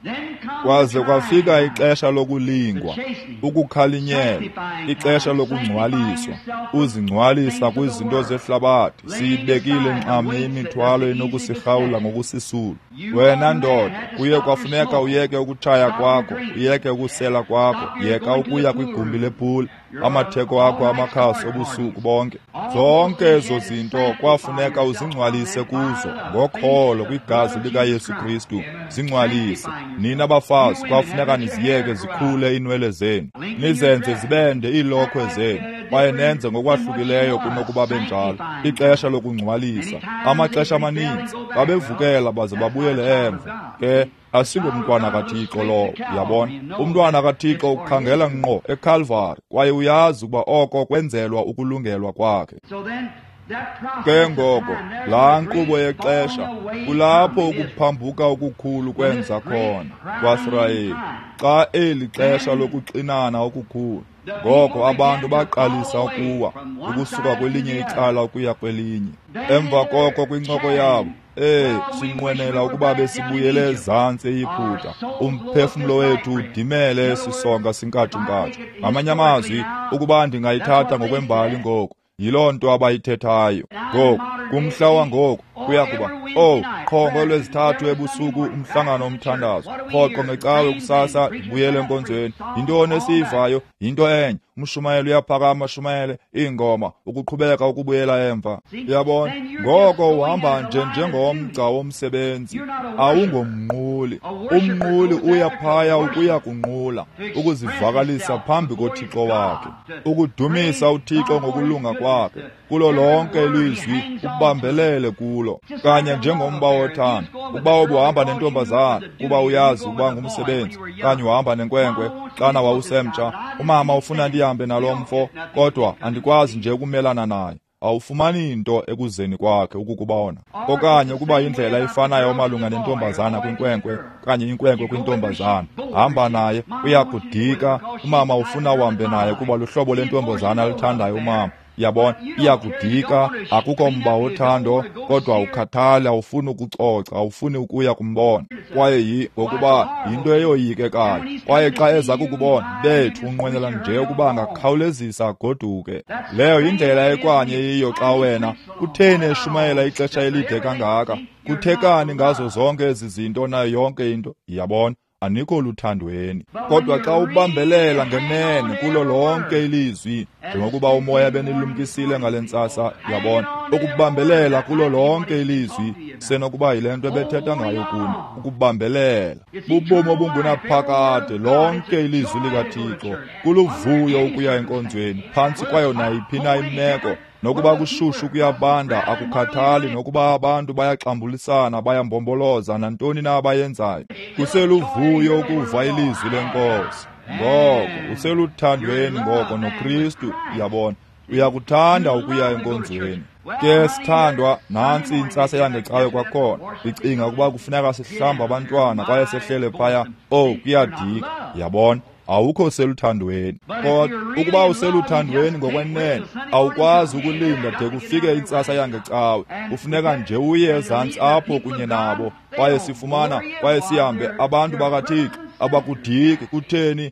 Kwaze kwafika ixesha lokulingwa, ukukhalinyelwa, ixesha lokungcwaliswa, uzingcwalisa kwizinto zehlabathi. Siyibekile nxamnye imithwalo enokusirhawula ngokusisulu. Wena ndoda, kuye kwafuneka uyeke ukutshaya kwakho, uyeke ukusela kwakho, yeka ukuya kwigumbi lepula, amatheko akho amakhasi obusuku bonke. Zonke ezo zinto kwafuneka uzingcwalise kuzo ngokholo kwigazi likaYesu Kristu. Zingcwalise. Nina bafazi, kwafuneka niziyeke zikhule iinwele zenu, nizenze zibende iilokhwe zenu, kwaye nenze ngokwahlukileyo kunokuba benjalo. Ixesha lokungcwalisa. Amaxesha amaninzi babevukela baze babuyele emva. Ke asingomntwana kaThixo lowo, uyabona. Umntwana kaThixo ukhangela ngqo eKalvari, kwaye uyazi ukuba oko kwenzelwa ukulungelwa kwakhe. Ke ngoko, laa nkqubo yexesha, kulapho ukuphambuka okukhulu kwenza khona kwaSirayeli, xa eli xesha lokuxinana okukhulu. Ngoko abantu baqalisa ukuwa, ukusuka kwelinye icala ukuya kwelinye. Emva koko kwincoko yabo, sinqwenela ukuba besibuyele ezantsi eYiputa, umphefumlo wethu udimele sisonka sinkatshunkatshu. Ngamanye amazwi, ukuba ndingayithatha ngokwembali ngoku, yiloo nto abayithethayo. Ngoku, kumhla wangoku, kuya kuba, qho ngolwezithathu ebusuku umhlangano omthandazo, rhoqo ngecawe kusasa ndibuyele enkonzweni. Yintoni esiyivayo? Yinto enye. Umshumayeli uyaphakama ashumayele iingoma, ukuqhubeka ukubuyela emva. Uyabona? Ngoko uhamba nje njengomgca womsebenzi, awungomnquli. Umnquli uya phaya ukuya kunqula, ukuzivakalisa phambi koThixo wakhe, ukudumisa uThixo ngokulunga kwakhe. Kulo lonke ilizwi ubambelele kulo, kanye njengomba wothando. Ukuba ubuhamba nentombazana kuba uyazi ukuba ngumsebenzi, kanye uhamba nenkwenkwe xana wawusemtsha, umama ufuna ndihambe nalo mfo, kodwa andikwazi nje ukumelana naye. Awufumani nto ekuzeni kwakhe ukukubona. Okanye ukuba indlela efanayo malunga nentombazana kwinkwenkwe, kanye inkwenkwe kwintombazana, hamba naye, uyakudika. Umama ufuna uhambe naye kuba luhlobo lentombazana aluthandayo umama. Yabona, iyakudika, akukho mba wothando, kodwa ukhathala, awufuni ukucoca, awufuni ukuya kumbona. Kwaye ngokuba yinto eyoyikekayo. Kwaye xa eza kukubona, bethu, unqwenela nje ukuba angakhawulezisa agoduke. Leyo yindlela ekwanye yiyo xa wena, kutheni eshumayela ixesha elide kangaka? Kuthekani ngazo zonke ezi zinto nayo yonke into? Yabona, anikho luthandweni. Kodwa xa ubambelela ngenene kulo lonke ilizwi, njengokuba umoya benilumkisile ngale ntsasa, yabona, ukubambelela kulo lonke ilizwi, senokuba yile nto ebethetha ngayo kuni, ukubambelela bubomi obungunaphakade, lonke ilizwi likaThixo. Kuluvuyo ukuya enkonzweni phantsi kwayo nayiphi na imeko, nokuba kushushu kuyabanda, akukhathali, nokuba abantu bayaxambulisana, bayambomboloza, nantoni na abayenzayo. Kuseluvuyo ukuva ilizwi lenkosi. Ngoko useluthandweni ngoko noKristu, uyabona. Uyakuthanda ukuya enkonzweni. Ke sithandwa, nantsi intsasa yangecawe kwakhona. Ndicinga ukuba kufuneka sihlamba abantwana kwaye sehlele phaya. Oh, kuyadika. Yabona, awukho seluthandweni. Kodwa ukuba useluthandweni ngokwenene, awukwazi ukulinda de kufike intsasa yangecawe. Kufuneka nje uye ezantsi apho kunye nabo, kwaye sifumana kwaye sihambe abantu bakaThixo abakudiki. Kutheni?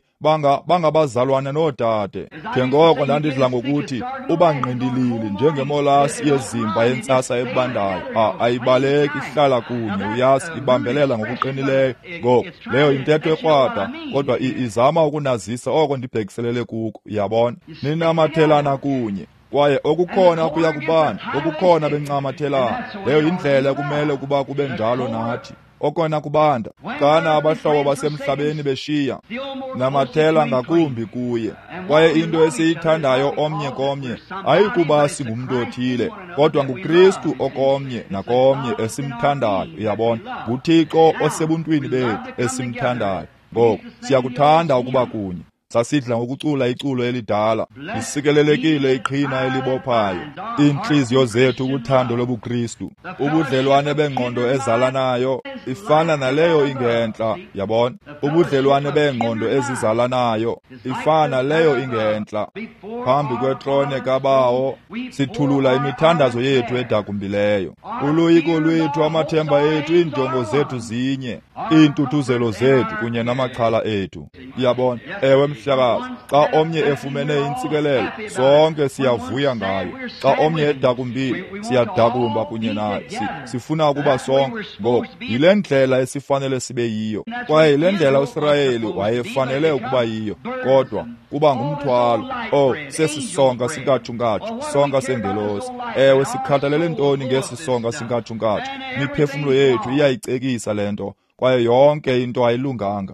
Bangabazalwane noodade. Njengoko ndandidla ngokuthi uba ngqindilili njengemolasi yezimba yentsasa ebandayo, ayibaleki, ihlala kunye, uyazi, ibambelela ngokuqinileyo. Ngoku leyo yintetho ekrwada, kodwa izama ukunazisa oko ndibhekiselele kuko. Uyabona, ninamathelana kunye, kwaye okukhona kuya kubanda, okukhona bencamathelana. Leyo yindlela ekumele ukuba kube njalo nathi. Okona kubanda, xana abahlobo basemhlabeni beshiya, namathela ngakumbi kuye. Kwaye into esiyithandayo omnye komnye ayikuba singumntu othile, kodwa nguKristu okomnye nakomnye esimthandayo. Uyabona, nguThixo osebuntwini bethu esimthandayo. Ngoku siyakuthanda ukuba kunye. Sasidla ngokucula iculo elidala, lisikelelekile iqhina elibophayo iintliziyo zethu kuthando lobuKristu. Ubudlelwane bengqondo ezalanayo ifana naleyo ingentla. Yabona, ubudlelwane bengqondo ezizalanayo ifana leyo ingentla. Phambi kwetrone kaBawo sithulula imithandazo yethu edakumbileyo. Uloyiko lwethu, amathemba ethu, iinjongo zethu zinye, iintuthuzelo zethu kunye namaxhala ethu. Uyabona, ewe mhlekazi, xa omnye efumene intsikelelo, sonke siyavuya ngayo. Xa omnye edakumbile, siyadakumba kunye naye. Sifuna ukuba sonke. Ngoku yile ndlela esifanele sibe yiyo, kwaye yile ndlela uSirayeli wayefanele ukuba yiyo, kodwa kuba ngumthwalo. Oh, sesisonka sinkatshunkatsu, sonka sengelosi. Ewe, sikhathalele ntoni ngesi sonka sinkatshunkatsu? Imiphefumlo yethu iyayicekisa le nto, kwaye yonke into ayilunganga.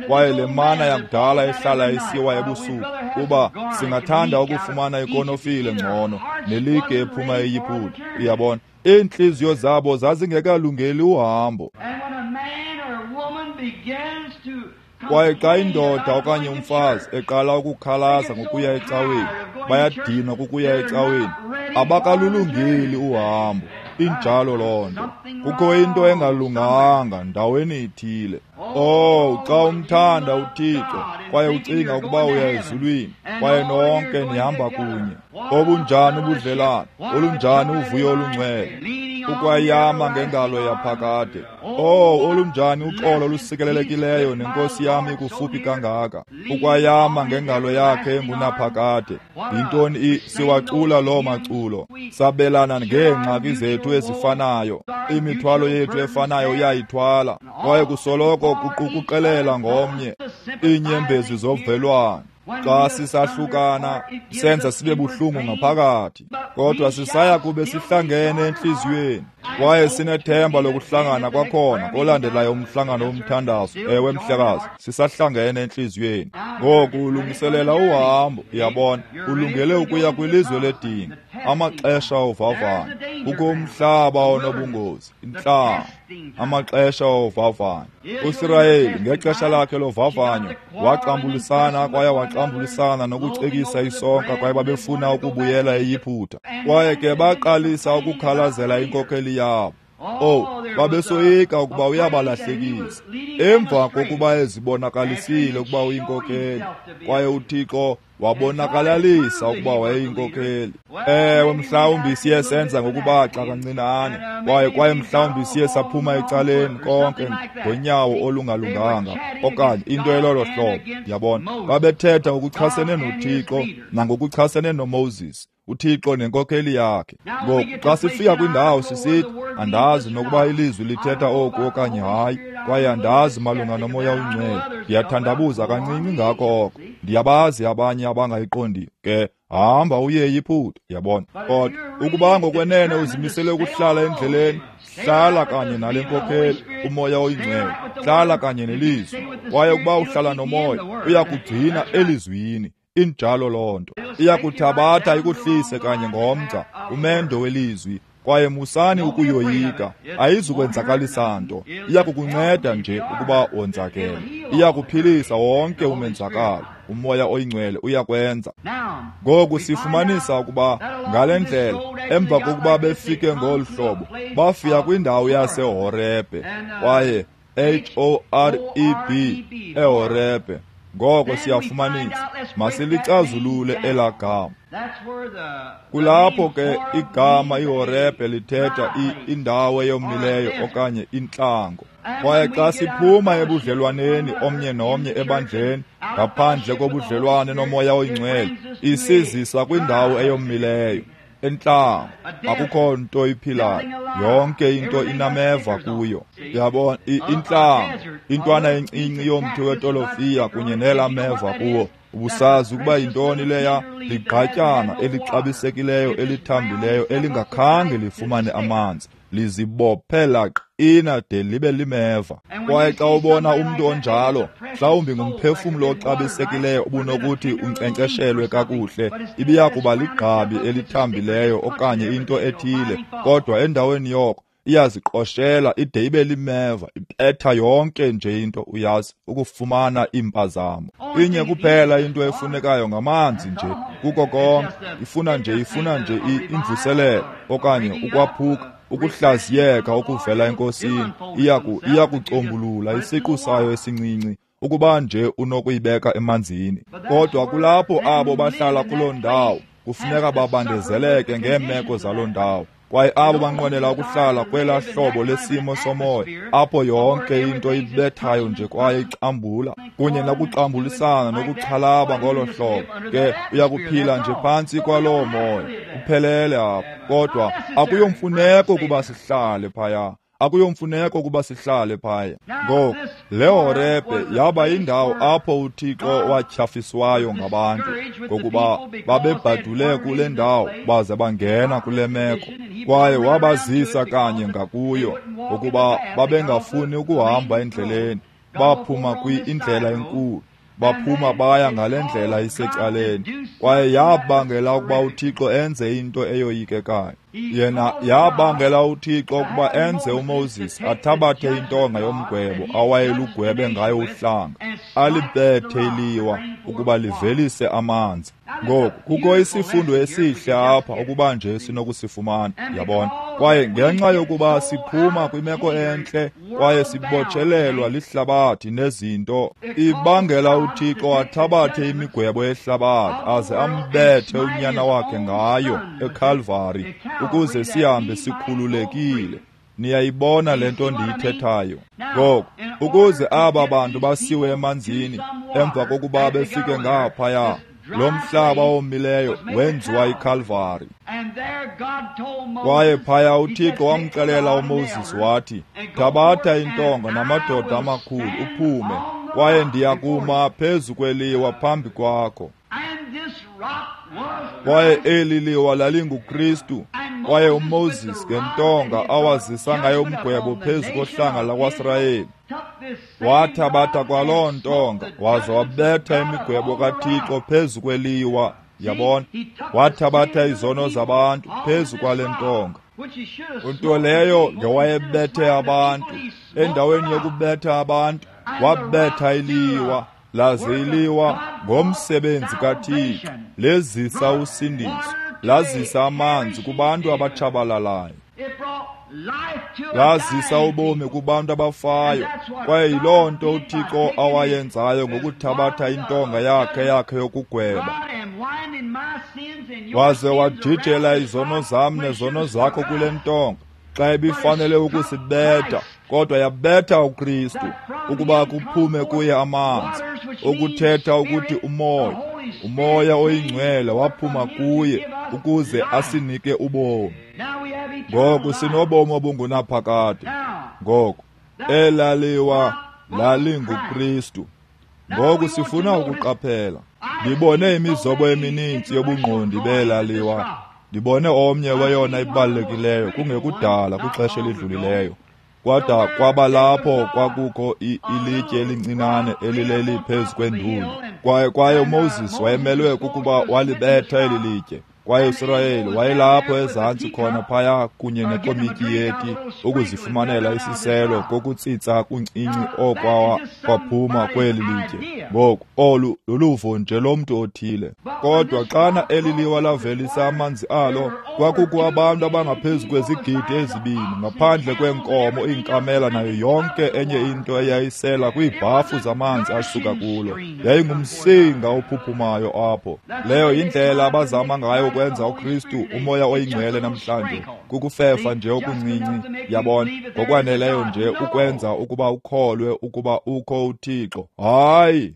Kwaye le mana yakudala ehlala isiwa ebusuku, kuba singathanda ukufumana ikonofile ngcono nelike ephuma eYiputa. Uyabona, iintliziyo zabo zazingekalungeli uhambo. Kwaye xa indoda okanye umfazi eqala ukukhalaza ngokuya ecaweni, bayadinwa kukuya ecaweni, abakalulungeli uhambo. Injalo loo nto. Kukho into engalunganga ndaweni ithile. Oh, xa umthanda uThixo kwaye ucinga ukuba uya ezulwini, kwaye nonke nihamba kunye, obunjani ubudlelane, olunjani uvuyo olungcwele, ukwayama ngengalo yaphakade. Oh, olunjani uxolo olusikelelekileyo nenkosi yam ikufuphi kangaka, ukwayama ngengalo yakhe engunaphakade. Yintoni siwacula loo maculo, sabelana ngeengxaki zethu ezifanayo, imithwalo yethu efanayo uyayithwala, kwaye kusoloko kuqukuqelela ngomnye, iinyembezi zovelwano. Xa sisahlukana senza sibe buhlungu ngaphakathi, kodwa sisaya kube sihlangene entliziyweni, kwaye sinethemba lokuhlangana kwakhona kolandelayo umhlangano womthandazo. Ewe mhlekazi, sisahlangene entliziyweni. Ngoku ulungiselela uhambo. Uyabona, ulungele ukuya kwilizwe ledinga, amaxesha ovavanyo. Kukho umhlaba onobungozi, intlanga, amaxesha ovavanyo. uSirayeli ngexesha lakhe lovavanyo waxambulisana kwaye waxambulisana nokucekisa isonka, kwaye babefuna ukubuyela eYiputa. Kwaye ke baqalisa ukukhalazela inkokheli yabo. Oh, babesoyika ukuba uyabalahlekisa. Emva kokuba ezibonakalisile ukuba uyinkokheli, kwaye uThixo wabonakalalisa ukuba wayeyinkokheli. Ewe, mhlawumbi siye senza ngokubaxa kancinane, kwaye mhlawumbi siye saphuma ecaleni konke ngonyawo olungalunganga okanye into elolo hlobo. Yabona, babethetha ngokuchasene noThixo nangokuchasene noMoses, uThixo nenkokheli yakhe. Ngoku xa sifika kwindawo sisithi, andazi nokuba ilizwi lithetha oku okanye hayi, kwaye andazi malunga noMoya oNgcwele, ndiyathandabuza kancinci ngako oko, ndiyabazi abanye abangayiqondiyo. Ke hamba uye eYiputa. Yabona, kodwa ukuba ngokwenene uzimisele ukuhlala endleleni, hlala kanye nale nkokheli, uMoya oyiNgcwele, hlala kanye nelizwi. Kwaye ukuba uhlala noMoya, uyakugcina elizwini. Injalo loo nto. Iyakuthabatha ikuhlise kanye ngomgca, umendo welizwi. Kwaye musani ukuyoyika, ayizukwenzakalisa nto. Iyakukunceda nje ukuba wonzakele, iyakuphilisa wonke umenzakalo. uMoya oyiNgcwele uyakwenza. Ngoku sifumanisa ukuba ngale ndlela, emva kokuba befike ngolu hlobo, bafika kwindawo yaseHorebhe, kwaye H-O-R-E-B, eHorebhe. Ngoko siyafumanisa, masilicazulule elaa gama. Kulapho ke igama iHorebhe lithetha indawo eyomileyo okanye intlango. Kwaye xa siphuma ebudlelwaneni omnye nomnye ebandleni, ngaphandle kobudlelwane noMoya oyiNgcwele, isizisa kwindawo eyomileyo, entlango. Akukho nto iphilayo, yonke into inameva kuyo. Uyabona, intlango, intwana encinci yomthi wetolofiya kunye nelameva kuwo. Ubusazi ukuba yintoni leya? Ligqatyana elixabisekileyo elithambileyo elingakhange lifumane amanzi, lizibophela qina de libe limeva. Kwaye xa ubona umntu onjalo, mhlawumbi ngumphefumlo oxabisekileyo obunokuthi unkcenkceshelwe kakuhle, ibiya kuba ligqabi elithambileyo okanye into ethile, kodwa endaweni yoko iyaziqoshela ide ibe limeva, ibetha yonke nje into, uyazi, ukufumana iimpazamo. Inye kuphela into efunekayo ngamanzi nje, kuko konke. Ifuna nje imvuselelo okanye ukwaphuka, ukuhlaziyeka okuvela eNkosini. Iyakucombulula isiqu sayo esincinci, ukuba nje unokuyibeka emanzini. Kodwa kulapho abo bahlala kuloo ndawo kufuneka babandezeleke ngeemeko zaloo ndawo. Kwaye abo banqwenela ukuhlala kwelaa hlobo lesimo somoya, apho yonke into ibethayo nje kwaye icambula, kunye nokuxambulisana nokuxhalaba ngolo hlobo, ke uyakuphila nje phantsi kwaloo moya, kuphelele apho. Kodwa akuyomfuneko ukuba sihlale phaya. Akuyomfuneko ukuba sihlale phaya. Ngoku, le Horebhe yaba yindawo apho uThixo watyhafiswayo ngabantu, ngokuba babebhadule kule ndawo baze bangena kule meko. Kwaye wabazisa kanye ngakuyo, ngokuba babengafuni ukuhamba endleleni. Baphuma indlela enkulu, baphuma baya ngale ndlela isecaleni. Kwaye yabangela ukuba uThixo enze into eyoyikekayo. Yena yabangela uThixo ukuba enze uMoses athabathe intonga yomgwebo awayelugwebe ngayo uhlanga, alibethe iliwa ukuba livelise amanzi. Ngoku kukho isifundo esihle apha ukuba nje sinokusifumana, yabona. Kwaye ngenxa yokuba siphuma kwimeko entle kwaye sibotshelelwa lihlabathi nezinto, ibangela uThixo athabathe imigwebo yehlabathi aze ambethe unyana wakhe ngayo eKalvari, ukuze sihambe sikhululekile. Niyayibona le nto ndiyithethayo. Ngoku, ukuze aba bantu basiwe emanzini emva kokuba befike ngaphaya, lo mhlaba omileyo wenziwa iKalvari. Kwaye phaya uThixo wamxelela uMoses wathi, thabatha intonga namadoda amakhulu uphume, kwaye ndiyakuma phezu kweliwa phambi kwakho. Kwaye eli liwa lalinguKristu. Kwaye uMoses ngentonga awazisa ngayo umgwebo phezu kohlanga lakwaSirayeli, wathabatha kwaloo ntonga waze wabetha imigwebo kaThixo phezu kweliwa. Yabona, wathabatha izono zabantu phezu kwale ntonga, nto leyo ngewayebethe abantu. Endaweni yokubetha abantu, wabetha iliwa, laze iliwa ngomsebenzi kaThixo lezisa usindiso, lazisa amanzi kubantu abatshabalalayo, lazisa ubomi kubantu abafayo. Kwaye yiloo nto uThixo awayenzayo ngokuthabatha intonga yakhe yokugweba, waze wajijela izono zam nezono zakho kule ntonga, xa ibifanele ukusibetha, kodwa yabetha uKristu ukuba kuphume kuye amanzi, okuthetha ukuthi uMoya oyiNgcwele waphuma kuye ukuze asinike ubomi. Ngoku sinobomi obungunaphakade. Ngoku elaliwa lalinguKristu. Ngoku sifuna ukuqaphela. Ndibone imizobo emininzi yobungqondi belaliwa. Ndibone omnye weyona ibalulekileyo kungekudala kwixesha elidlulileyo. Kwada kwaba lapho kwakukho ilitye elincinane elileli phezu kwenduli. Kwaye uMoses wayemelwe kukuba walibetha eli litye. Kwaye uSirayeli wayelapho ezantsi khona phaya kunye nekomityi yeti ukuzifumanela isiselo kokutsitsa kuncinci okwawa kwaphuma kweli litye. Ngoku olu luluvo nje lomntu othile. Kodwa xana eli liwa lavelisa amanzi alo, kwakukho abantu abangaphezu kwezigidi 2 ngaphandle kweenkomo, iinkamela nayo yonke enye into eyayisela kwiibhafu zamanzi asuka kulo. Yayingumsinga ophuphumayo apho. Leyo yindlela abazama ngayo ukwenza uKristu uMoya oyiNgcwele namhlanje, kukufefa nje okuncinci, yabona, ngokwaneleyo nje ukwenza ukuba ukholwe ukuba ukho uThixo. Hayi,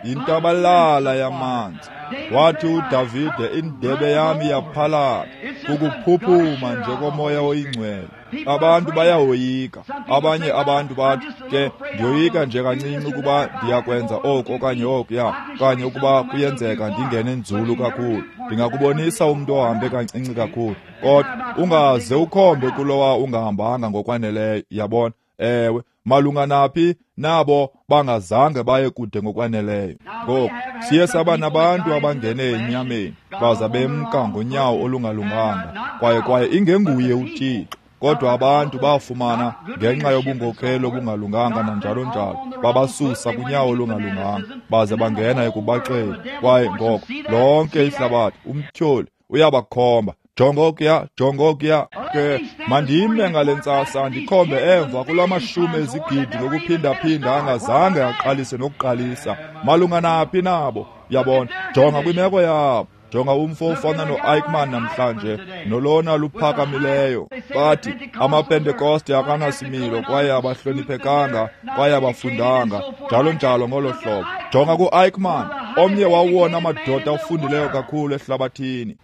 yintabalala yamanzi. Wathi uDavide, indebe yami yaphalala, kukuphuphuma nje koMoya oyiNgcwele. Abantu bayawoyika. Abanye abantu bathi, ke ndiyoyika nje kancinci ukuba ndiyakwenza oku okanye okuya, okanye ukuba kuyenzeka ndingene nzulu kakhulu. Ndingakubonisa umntu ohambe kancinci kakhulu. Kodwa ungaze ukhombe kulowa ungahambanga ngokwaneleyo, yabona. Ewe, malunga naphi nabo bangazange baye kude ngokwaneleyo. Ngoku siye saba nabantu abangene enyameni baza bemka ngonyawo olungalunganga, kwaye ingenguye uThixo. Kodwa abantu bafumana ngenxa yobungokhelo obungalunganga nanjalo njalo, babasusa kunyawo olungalunganga baze bangena ekubaxeni. Kwaye ngoko lonke ihlabathi, umtyholi uyabakhomba, jongokuya, jongokuya. Ke mandime ngale ntsasa ndikhombe emva kula mashumi ezigidi ngokuphindaphinda angazange aqalise nokuqalisa. Malunga naphi nabo? Yabona, jonga kwimeko yabo. Jonga umfo ofana no-Eichmann namhlanje, nolona luphakamileyo. Bathi amaPentekoste akanasimilo kwaye abahloniphekanga kwaye abafundanga, njalo njalo ngolo hlobo. Jonga ku-Eichmann, omnye wawona madoda afundileyo kakhulu ehlabathini,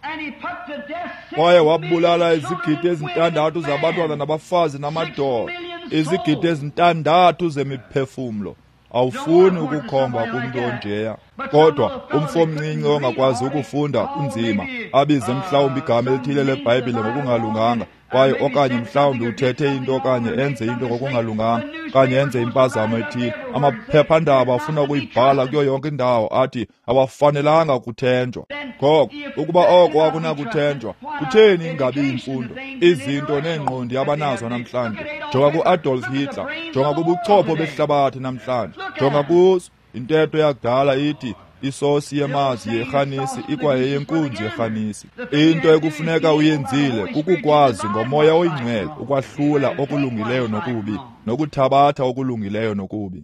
kwaye wabulala izigidi 6 zabantwana nabafazi namadoda, izigidi 6 zemiphefumlo. Awufuni ukukhomba kumntu onjeya. Kodwa umfo omncinci ongakwazi ukufunda kunzima, abize mhlawumbi igama elithile leBhayibhile ngokungalunganga, kwaye okanye mhlawumbi uthethe into okanye enze into ngokungalunganga, okanye enze impazamo ethile. Amaphephandaba afuna ukuyibhala kuyo yonke indawo, athi abafanelanga kuthenjwa. Ngoko ukuba oko akunakuthenjwa, kutheni ingabi imfundo, izinto neengqondi abanazo namhlanje? Jonga ku-Adolf Hitler, jonga kubuchopho behlabathi namhlanje, jonga kuzo. Intetho yakudala ithi isosi yemazi yerhanisi ikwayeyenkunzi yerhanisi. Into ekufuneka uyenzile kukukwazi ngoMoya oyiNgcwele ukwahlula okulungileyo nokubi, nokuthabatha okulungileyo nokubi.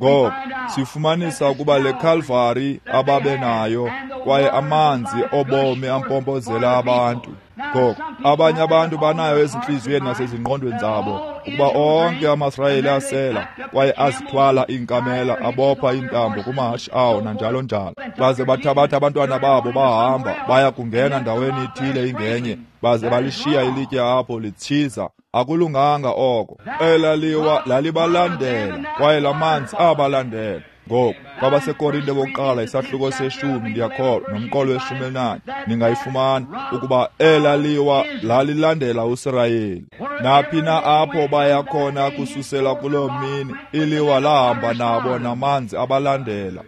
Ngoko sifumanisa ukuba le Calvary ababenayo, kwaye amanzi obomi ampompozela abantu. Ngoko abanye abantu banayo ezintliziyweni nasezingqondweni zabo ukuba onke amaSirayeli asela kwaye azithwala iinkamela, abopha iintambo kumahashe awo nanjalo njalo, baze bathabatha abantwana babo bahamba baya kungena ndaweni ithile ingenye, baze balishiya ilitye apho litshiza. Akulunganga oko. Elaliwa lalibalandela, kwaye lamanzi abalandela. Ngoku kwabaseKorinte bokuqala isahluko 10, ndiyakholwa, nomqolo we-14, ningayifumana ukuba elaliwa lalilandela uSirayeli. Naphi na apho baya khona kususela kuloo mini, iliwa lahamba nabo namanzi abalandela.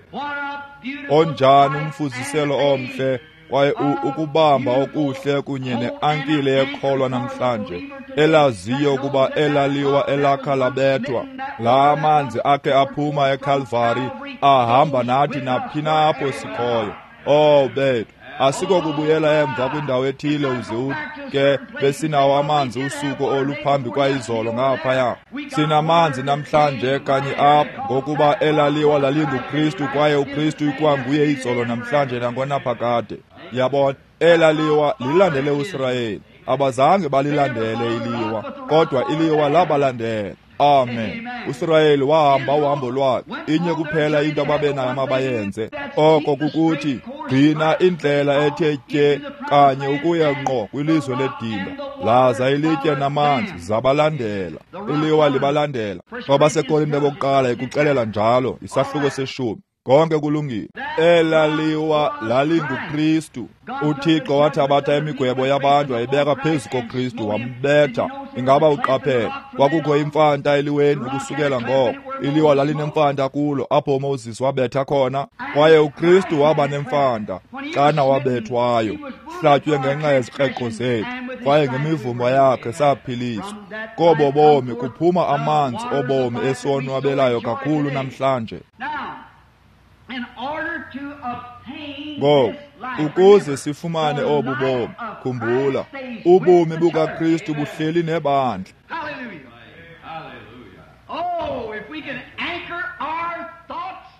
Onjani umfuziselo omhle, kwaye ukubamba okuhle kunye neankile yekholwa namhlanje, elaziyo ukuba elaliwa elakha labethwa. La manzi akhe aphuma eCalvary ahamba nathi naphi na apho sikhoyo. Oh bethu, asikokubuyela emva kwindawo ethile uze uthi ke besinawo amanzi usuku oluphambi kwayizolo ngaphaya. Sinamanzi namhlanje kanye apha, ngokuba elaliwa lalinguKristu, kwaye uKristu ikwanguye izolo namhlanje nangonaphakade. Yabona, elaliwa lilandele uSirayeli. Abazange balilandele iliwa, kodwa iliwa labalandela. Amen. uSirayeli wahamba uhambo lwakhe. Inye kuphela into ababenayo mabayenze, oko kukuthi gcina indlela ethe tye kanye ukuya ngqo kwilizwe ledinga. Laza ilitye namanzi zabalandela, iliwa libalandela. KwabaseKorinte bokuqala ikuxelela njalo, isahluko 10. Konke kulungile. Elaliwa lalinguKristu. uThixo wathabatha imigwebo yabantu wayibeka phezu koKristu, wambetha. Ingaba uqaphele, kwakukho imfanta eliweni ukusukela ngoko. Iliwa lalinemfanta kulo apho uMoses wabetha khona, kwaye uKristu waba nemfanta xana wabethwayo. Wayehlatywe ngenxa yezikreqo zethu, kwaye ngemivumbo yakhe saphiliswa. Kobo bomi kuphuma amanzi obomi esonwabelayo kakhulu namhlanje. Ngoku, ukuze sifumane obu bomi, khumbula, ubomi bukaKristu buhleli nebandla.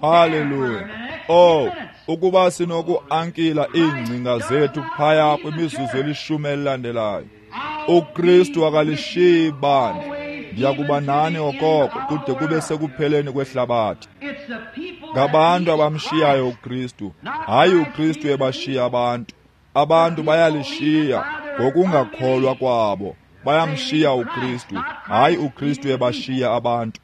Haleluya. Oh, ukuba sinoku-ankila iingcinga zethu phaya kwimizuzu elishumi elilandelayo. uKristu akalishiyi ibandla. Ndiyakuba nani okoko kude kube sekupheleni kwehlabathi. Ngabantu abamshiyayo uKristu, hayi uKristu ebashiya abantu. Abantu bayalishiya ngokungakholwa kwabo. Bayamshiya uKristu, hayi uKristu ebashiya abantu.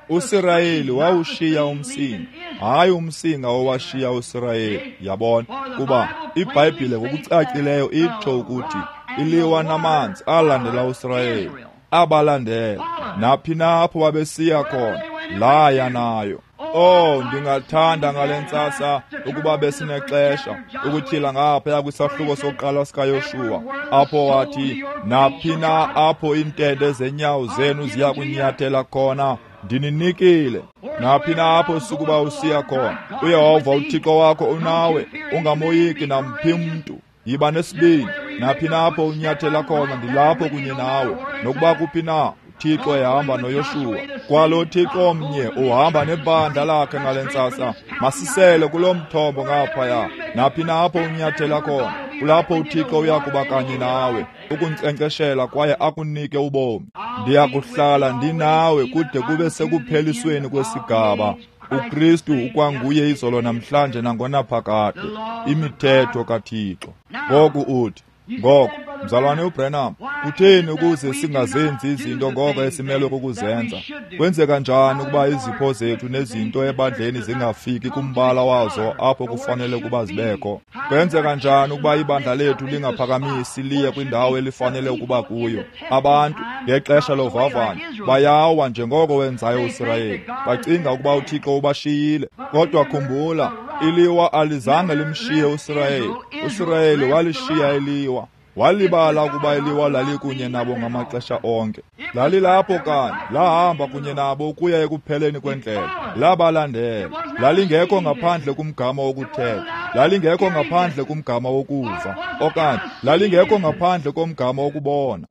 uSirayeli wawushiya umsinga, hayi umsinga owashiya uSirayeli. Yabona, kuba iBhayibhile ngokucacileyo itsho ukuthi iliwa namanzi alandela uSirayeli, abalandela naphi na apho babesiya khona, laya nayo. Oh, ndingathanda ngale ntsasa ukuba besinexesha ukutyhila ngaphaya kwisahluko sokuqala sikaYoshuwa, apho wathi, naphi na apho iintende zenyawo zenu ziya kunyathela khona, ndininikile. Naphi na apho sukuba usiya khona, uYehova uThixo wakho unawe, ungamoyiki namphi mntu. Yiba nesibindi. Naphi na apho unyathela khona, ndilapho kunye nawe. Nokuba kuphi na, uThixo ehamba noYoshuwa. Kwalo Thixo mnye uhamba nebandla lakhe ngale ntsasa. Masisele kulo mthombo ngaphaya. Naphi na apho unyathela khona, kulapho uThixo uyakuba kanye nawe, ukunkcenkceshela kwaye akunike ubomi. Ndiyakuhlala ndinawe kude kube sekuphelisweni kwesigaba. uKristu ukwanguye izolo namhlanje nangonaphakade. Imithetho kaThixo. Ngoku uthi, ngoko, mzalwane uBranham, kutheni ukuze singazenzi izinto ngoko esimelwe kukuzenza? Kwenzeka njani ukuba izipho zethu nezinto ebandleni zingafiki kumbala wazo apho kufanele ukuba zibekho? Kwenzeka njani ukuba ibandla lethu lingaphakamisi liye kwindawo elifanele ukuba kuyo? Abantu, ngexesha lovavanyo, bayawa njengoko wenzayo uSirayeli. Bacinga ukuba uThixo ubashiyile. Kodwa khumbula, iliwa alizange limshiye uSirayeli. uSirayeli walishiya iliwa. Walibala ukuba iliwa lalikunye nabo ngamaxesha onke. Lalilapho kanye, lahamba kunye nabo ukuya ekupheleni kwendlela. Labalandela. Lalingekho ngaphandle kumgama wokuthetha. Lalingekho ngaphandle kumgama wokuva. Okanye lalingekho ngaphandle komgama wokubona.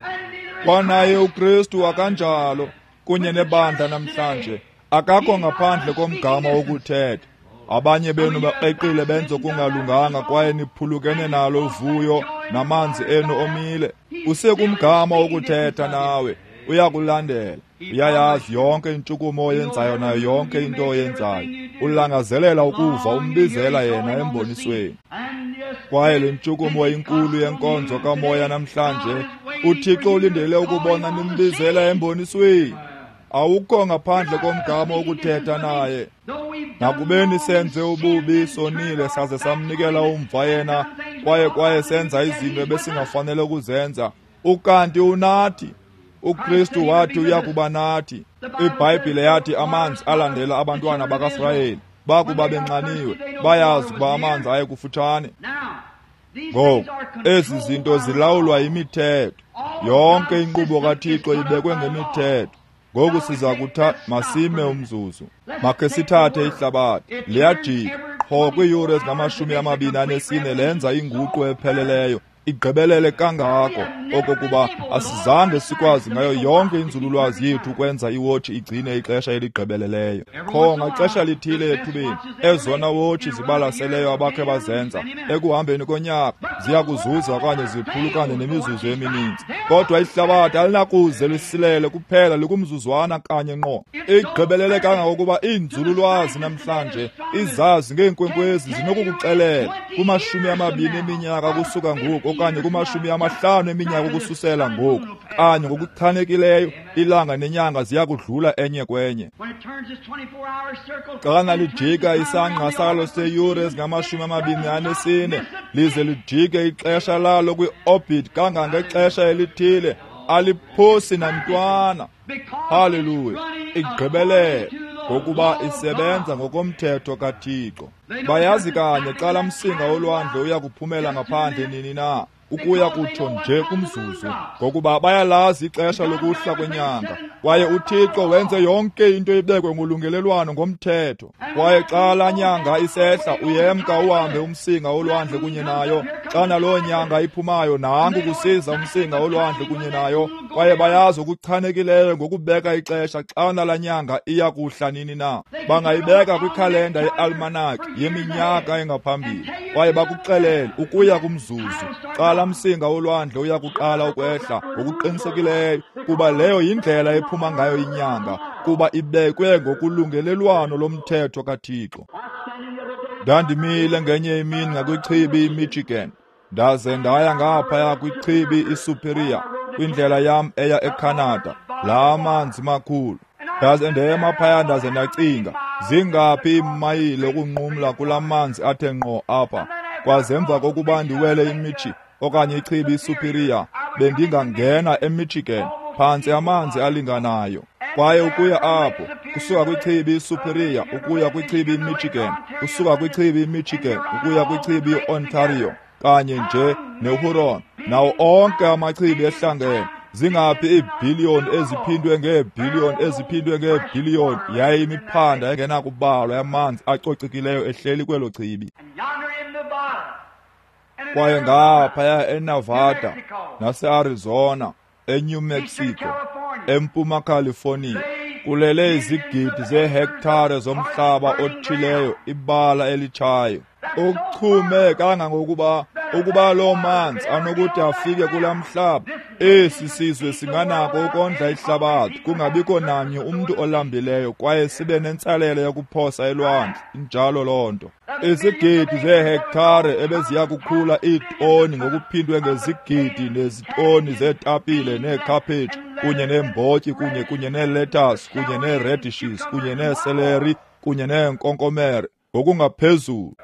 Kwanaye uKristu akanjalo kunye nebandla namhlanje. Akakho ngaphandle komgama wokuthetha. Abanye benu bakreqile benze okungalunganga kwaye niphulukene nalo uvuyo namanzi enu omile. Usekumgama wokuthetha nawe, uyakulandela. Uyayazi yonke intshukumo oyenzayo nayo yonke into oyenzayo. Ulangazelela ukuva umbizela yena embonisweni. Kwaye le ntshukumo inkulu yenkonzo kamoya namhlanje, uThixo ulindele ukubona nimbizela embonisweni. Awukho ngaphandle komgama wokuthetha naye. Nakubeni senze ububi, sonile, saze samnikela umva yena, kwaye senza izinto ebesingafanele ukuzenza, ukanti unathi. uKristu wathi uyakuba nathi. IBhayibhile yathi amanzi alandela abantwana bakaSirayeli. Bakuba benxaniwe, bayazi ukuba amanzi ayekufutshane. Ngoku, ezi zinto zilawulwa yimithetho. Yonke inkqubo kaThixo ibekwe ngemithetho. Ngoku siza kutha masime umzuzu. Makhe sithathe ihlabathi. Liyajika. Qho kwiiyure ezingu-24 lenza inguqu epheleleyo. Igqibelele kangako okokuba asizange sikwazi ngayo yonke inzululwazi yethu ukwenza iwotshi igcine ixesha eligqibeleleyo. Qho ngaxesha lithile ethubeni, ezona wotshi zibalaseleyo abakhe bazenza ekuhambeni konyaka ziya kuzuza okanye ziphulukane nemizuzu emininzi. Kodwa ihlabathi alinakuze lisilele kuphela likumzuzwana kanye ngqo. Igqibelele kangangokuba iinzululwazi namhlanje, izazi ngeenkwenkwezi zinokukuxelela kuma-20 eminyaka kusuka ngoku okanye kuma-50 eminyaka ukususela ngoku, kanye ngokuchanekileyo ilanga nenyanga ziya kudlula enye kwenye. Xana lijika isangqa salo seyure ezingu-24 lize lijike ixesha lalo kwi-orbit kangangexesha elithile, aliphosi nantwana. Haleluya! Igqibelele ngokuba isebenza ngokomthetho kaThixo. Bayazi kanye xa laa msinga wolwandle uya kuphumela ngaphandle nini na, ukuya kutsho nje kumzuzu, ngokuba bayalazi ixesha lokuhla kwenyanga. Kwaye uThixo wenze yonke into ibekwe ngolungelelwano ngomthetho. Kwaye xa laa nyanga isehla, uyemka uhambe umsinga wolwandle kunye nayo. Xa naloo nyanga iphumayo, nanku kusiza umsinga wolwandle kunye nayo. Kwaye bayazi okuchanekileyo ngokubeka ixesha xa nalaa nyanga iya kuhla nini na. Bangayibeka kwikhalenda yealmanaki yeminyaka engaphambili, kwaye bakuxelele ukuya kumzuzu xa laa msinga wolwandle uya kuqala ukwehla ngokuqinisekileyo, kuba leyo yindlela ephuma ngayo inyanga, kuba ibekwe ngokulungelelwano lomthetho kaThixo. Ndandimile ngenye imini ngakwichibi iMichigan, ndaze ndaya ngaphaya kwichibi iSuperior, kwindlela yam eya eCanada, laa manzi makhulu. Ndaze ndema phaya ndaze ndacinga, zingaphi iimayile ukunqumla kulaa manzi athe ngqo apha. Kwaze emva kokuba ndiwele iMichi okanye ichibi iSuperior, bendingangena eMichigan, phantse amanzi alinganayo. Kwaye ukuya apho, kusuka kwichibi iSuperior ukuya kwichibi iMichigan, kusuka kwichibi iMichigan ukuya kwichibi iOntario, kanye nje neHuron, nawo onke amachibi ehlangene, zingaphi iibhiliyoni eziphindwe ngeebhiliyoni eziphindwe ngeebhiliyoni, yaye imiphanda engenakubalwa yamanzi acocekileyo ehleli kwelo chibi. Kwaye ngaphaya eNevada naseArizona, eNew Mexico, eMpuma California, kulele izigidi zeehektare zomhlaba othileyo, ibala elitshayo, ochume kangangokuba ukuba loo manzi anokuthi afike kulaa mhlaba, esi sizwe singanako ukondla ihlabathi, kungabikho namnye umntu olambileyo, kwaye sibe nentsalela yokuphosa elwandle. Injalo loo nto. Izigidi zeehektare ebeziya kukhula iitoni ngokuphindwe ngezigidi nezitoni zeetapile neekhaphetshu kunye neembotyi kunye neeletasi kunye neeradishes kunye neeseleri kunye neenkonkomere ngokungaphezulu.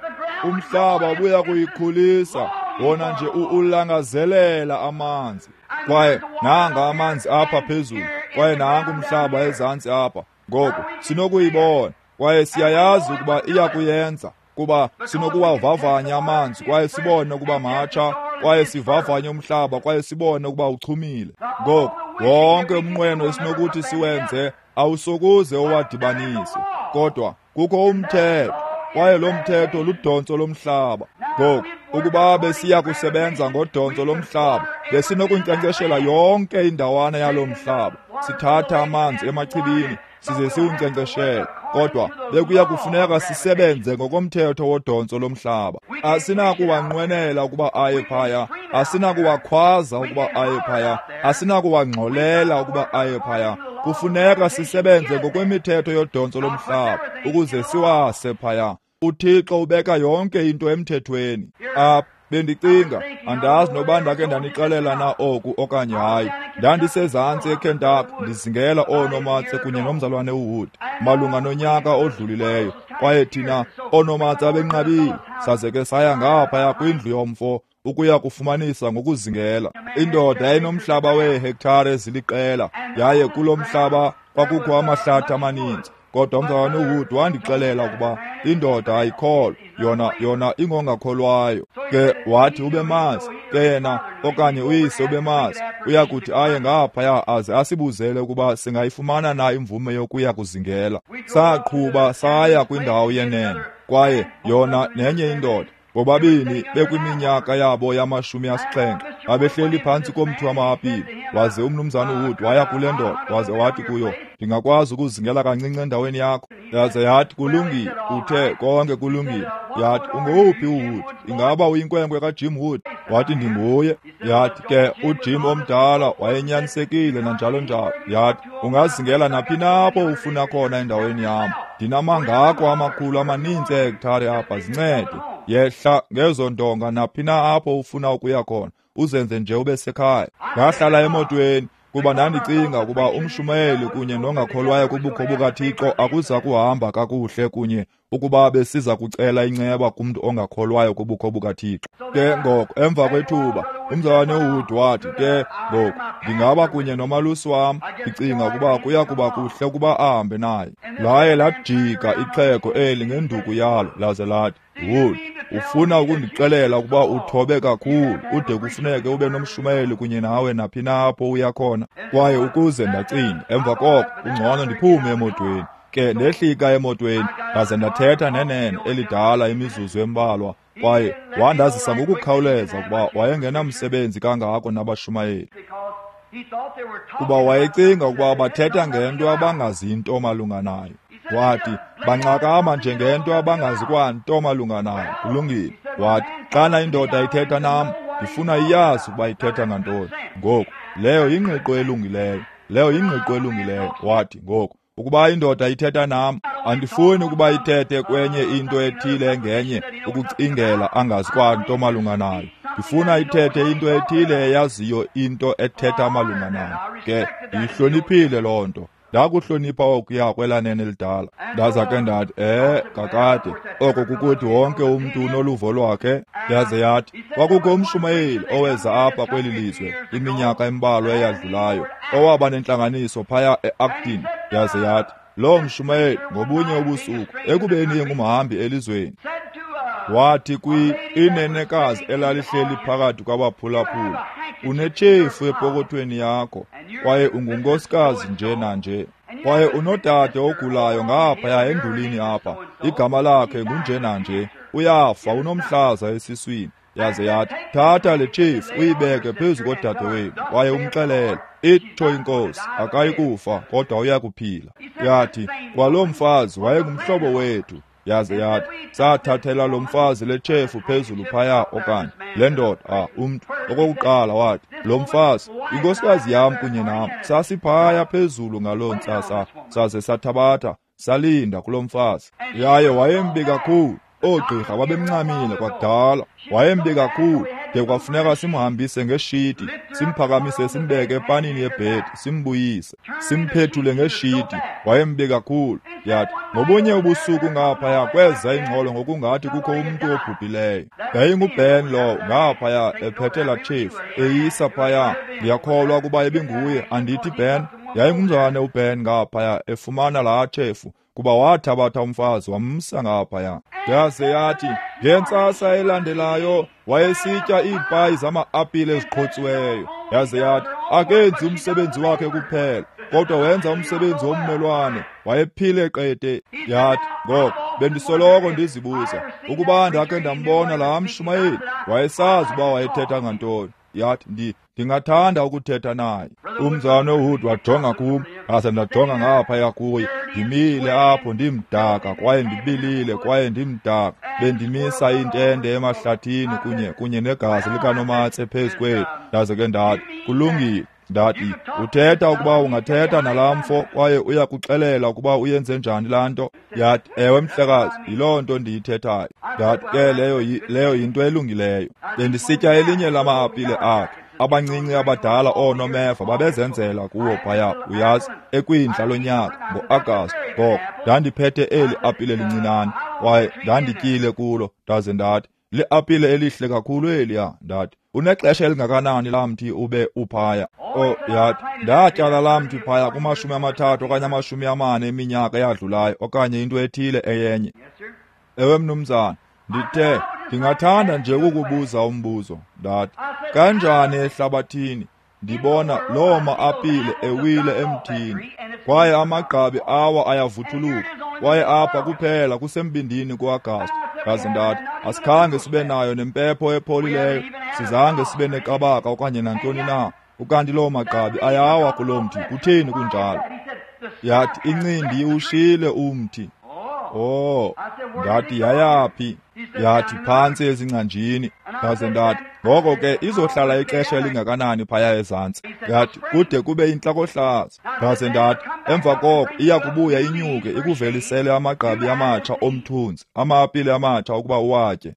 Umhlaba ubuya kuyikhulisa wona nje ulangazelela amanzi. Kwaye nanga amanzi apha phezulu, kwaye nanku umhlaba ezantsi apha. Ngoku sinokuyibona kwaye siyayazi ukuba iya kuyenza, kuba sinokuwavavanya amanzi kwaye sibone ukuba matsha, kwaye sivavanye umhlaba kwaye sibone ukuba uchumile. Ngoku wonke umnqweno esinokuthi siwenze awusokuze uwadibanise, kodwa kukho umthetho, kwaye lo mthetho ludontso lomhlaba. Ngoku ukuba besiya kusebenza ngodontso lomhlaba, besinokunkcenkceshela yonke indawana yalo mhlaba, sithatha amanzi emachibini size siwunkcenkceshele, kodwa bekuya kufuneka sisebenze ngokomthetho wodontso lomhlaba. Asinakuwanqwenela ukuba aye phaya, asinakuwakhwaza ukuba aye phaya, asinakuwangxolela ukuba aye phaya. Kufuneka sisebenze ngokwemithetho yodontso lomhlaba ukuze siwase phaya. UThixo ubeka yonke into emthethweni. Apha bendicinga, andazi noba ndake ndanixelela na oku okanye hayi. Ndandisezantsi eKentucky ndizingela oonomatse kunye nomzalwane uWood malunga nonyaka odlulileyo, kwaye thina oonomatse abenqabile saze ke saya ngaphaya kwindlu yomfo ukuya kufumanisa ngokuzingela. Indoda yayinomhlaba weehektare eziliqela, yaye kulo mhlaba kwakukho amahlathi amaninzi. Kodwa umzalwane uWood wandixelela ukuba indoda ayikholwa, yona ingongakholwayo. Ke wathi ubemazi, ke yena okanye uyise ubemazi, uyakuthi aye ngaphaya aze asibuzele ukuba singayifumana na imvume yokuya kuzingela. Saqhuba saya kwindawo yenene, kwaye yona nenye indoda, bobabini bekwiminyaka yabo yama-70, babehleli phantsi komthi wama-apile. Waze umnumzana uWood waya kule ndoda waze wathi kuyo, ndingakwazi ukuzingela kancinci endaweni yakho? Yaze yathi, kulungile. Uthe konke kulungile. Yathi, ungowuphi uWood? Ingaba uyinkwenkwe kaJim Wood? Wathi, ndinguye. Yathi, ke uJim omdala wayenyanisekile nanjalo njalo. Yathi, ungazingela naphi na apho ufuna khona endaweni yam. Ndinamangako amakhulu amaninzi eehektare apha, zincede. Yehla ngezo ndonga naphi na apho ufuna ukuya khona, uzenze nje ube sekhaya. Ndahlala emotweni kuba ndandicinga ukuba umshumayeli kunye nongakholwayo kubukho bukaThixo akuza kuhamba kakuhle kunye ukuba besiza kucela inceba kumntu ongakholwayo kubukho bukaThixo. Ke ngoko emva kwethuba Umzalwane uWood wathi, ke ngoku ndingaba kunye nomalusi wam, ndicinga ukuba kuya kuba kuhle ukuba ahambe naye. Laye lajika ixhego eli ngenduku yalo laze lathi, Wood, ufuna ukundixelela ukuba uthobe kakhulu ude kufuneke ube nomshumayeli kunye nawe naphi na apho uya khona? Kwaye ukuze ndacinga, emva koko kungcono ndiphume emotweni. Ke ndehlika emotweni ndaze ndathetha nenene elidala imizuzu embalwa, kwaye wandazisa ngokukhawuleza ukuba wayengenamsebenzi kangako nabashumayeli, kuba wayecinga ukuba bathetha ngento abangazinto malunga nayo. Wathi, banxakama njengento abangazi kwanto malunga nayo. Kulungile. Wathi, xana indoda ithetha nam, ndifuna iyazi ukuba ithetha ngantoni. Ngoku, leyo yingqiqo elungileyo. Leyo yingqiqo elungileyo. Wathi, ngoku, ukuba indoda ithetha nam, andifuni ukuba ithethe kwenye into ethile engenye ukucingela angazi kwanto malunga nayo. Ndifuna ithethe into ethile eyaziyo into ethetha malunga nayo. Ke ndiyihloniphile loo nto. Ndakuhlonipha okuya kwelanene elidala. Ndaza ke ndathi, kakade, oko kukuthi wonke umntu unoluvo lwakhe. Yaze yathi, kwakukho umshumayeli oweza apha kweli lizwe iminyaka embalwa eyadlulayo, owaba nentlanganiso phaya e-Acton. Yaze yathi, loo mshumayeli ngobunye ubusuku, ekubeni engumhambi elizweni, wathi inenekazi elalihleli phakathi kwabaphulaphula, unetshefu epokothweni yakho, kwaye ungunkosikazi nje nanje, kwaye unodade ogulayo ngaphaya endulini apha, igama lakhe ngunje nanje, uyafa, unomhlaza esiswini. Yaze yathi, thatha le tshefu uyibeke phezu kodade wenu, kwaye umxelele, itsho inkosi, akayi kufa kodwa uyakuphila. Yathi, kwaloo mfazi wayengumhlobo wethu. Yaze yathi, sathathela lo mfazi le tshefu phezulu phaya, okanye le ndoda, umntu okokuqala wathi, lo mfazi, inkosikazi yam kunye nam, sasiphaya phezulu ngaloo ntsasa, saze sathabatha, salinda kulo mfazi. Yaye wayembi kakhulu. Oogqirha babemncamile kwakudala. Wayembi kakhulu de kwafuneka simhambise ngeshiti, simphakamise simbeke epanini yebhedi, simbuyise, simphethule ngeshiti. Wayembi kakhulu. Yathi, ngobunye ubusuku ngaphaya kweza ingxolo ngokungathi kukho umntu obhubhileyo. YayinguBen lowo ngaphaya ephethe laa tshefu eyisa phaya. Ndiyakholwa ukuba ibinguye, andithi Ben? Yayingumzalwane uBen ngaphaya efumana laa tshefu, kuba wathabatha umfazi wamsa ngaphaya. Yaze yathi, ngentsasa elandelayo wayesitya iipayi zama-apile eziqhotsiweyo. Yaze yathi, akenzi umsebenzi wakhe kuphela, kodwa wenza umsebenzi wommelwane. Wayephile qete. Yathi, ngoko bendisoloko ndizibuza ukuba ndakhe ndambona laa mshumayeli, wayesazi uba wayethetha ngantoni. Yathi, ndingathanda ukuthetha naye. Umzalwane uWood wajonga kum, ndaze ndajonga ngaphaya kuye. Ndimile apho ndimdaka kwaye ndibilile kwaye ndimdaka. Bendimisa intende emahlathini kunye negazi likanomatse phezu kwethu. Ndaze ke ndathi, kulungile. Ndathi, uthetha ukuba ungathetha nalaa mfo kwaye uyakuxelela ukuba uyenze njani laa nto? Yathi, ewe mhlekazi, yiloo nto ndiyithethayo. Ndathi, ke leyo yinto elungileyo. Bendisitya elinye lama-apile akhe. Abancinci abadala oonomeva babezenzela kuwo phaya, uyazi, ekwindla lonyaka ngo-Agasti. Ngoko ndandiphethe eli apile lincinane kwaye ndandityile kulo. Ndaze ndathi, liapile elihle kakhulu eliya. Ndathi, unexesha elingakanani laa mthi ube uphaya? Yathi, ndatyala laa mthi phaya kuma-30 okanye 40 eminyaka eyadlulayo, okanye into ethile eyenye. Ewe mnumzana, ndithe, ndingathanda nje ukukubuza umbuzo. Ndathi, kanjani ehlabathini ndibona loo ma-apile ewile emthini, kwaye amagqabi awa ayavuthuluka, kwaye apha kuphela kusembindini ku-Agasti. Ndaze ndathi, asikhange sibe nayo nempepho epholileyo, sizange sibe neqabaka okanye nantoni na, ukanti loo magqabi ayawa kuloo mthi. Kutheni kunjalo? Yathi, incindi iwushile umthi. Ndathi, yayaphi? Yathi, phantsi ezingcanjini. Ndaze ndathi, ngoko ke izohlala ixesha elingakanani phaya ezantsi? Yathi, kude kube intlakohlaza. Ndaze ndathi, emva koko iya kubuya inyuke ikuvelisele amagqabi amatsha omthunzi, ama-apile amatsha ukuba uwatye.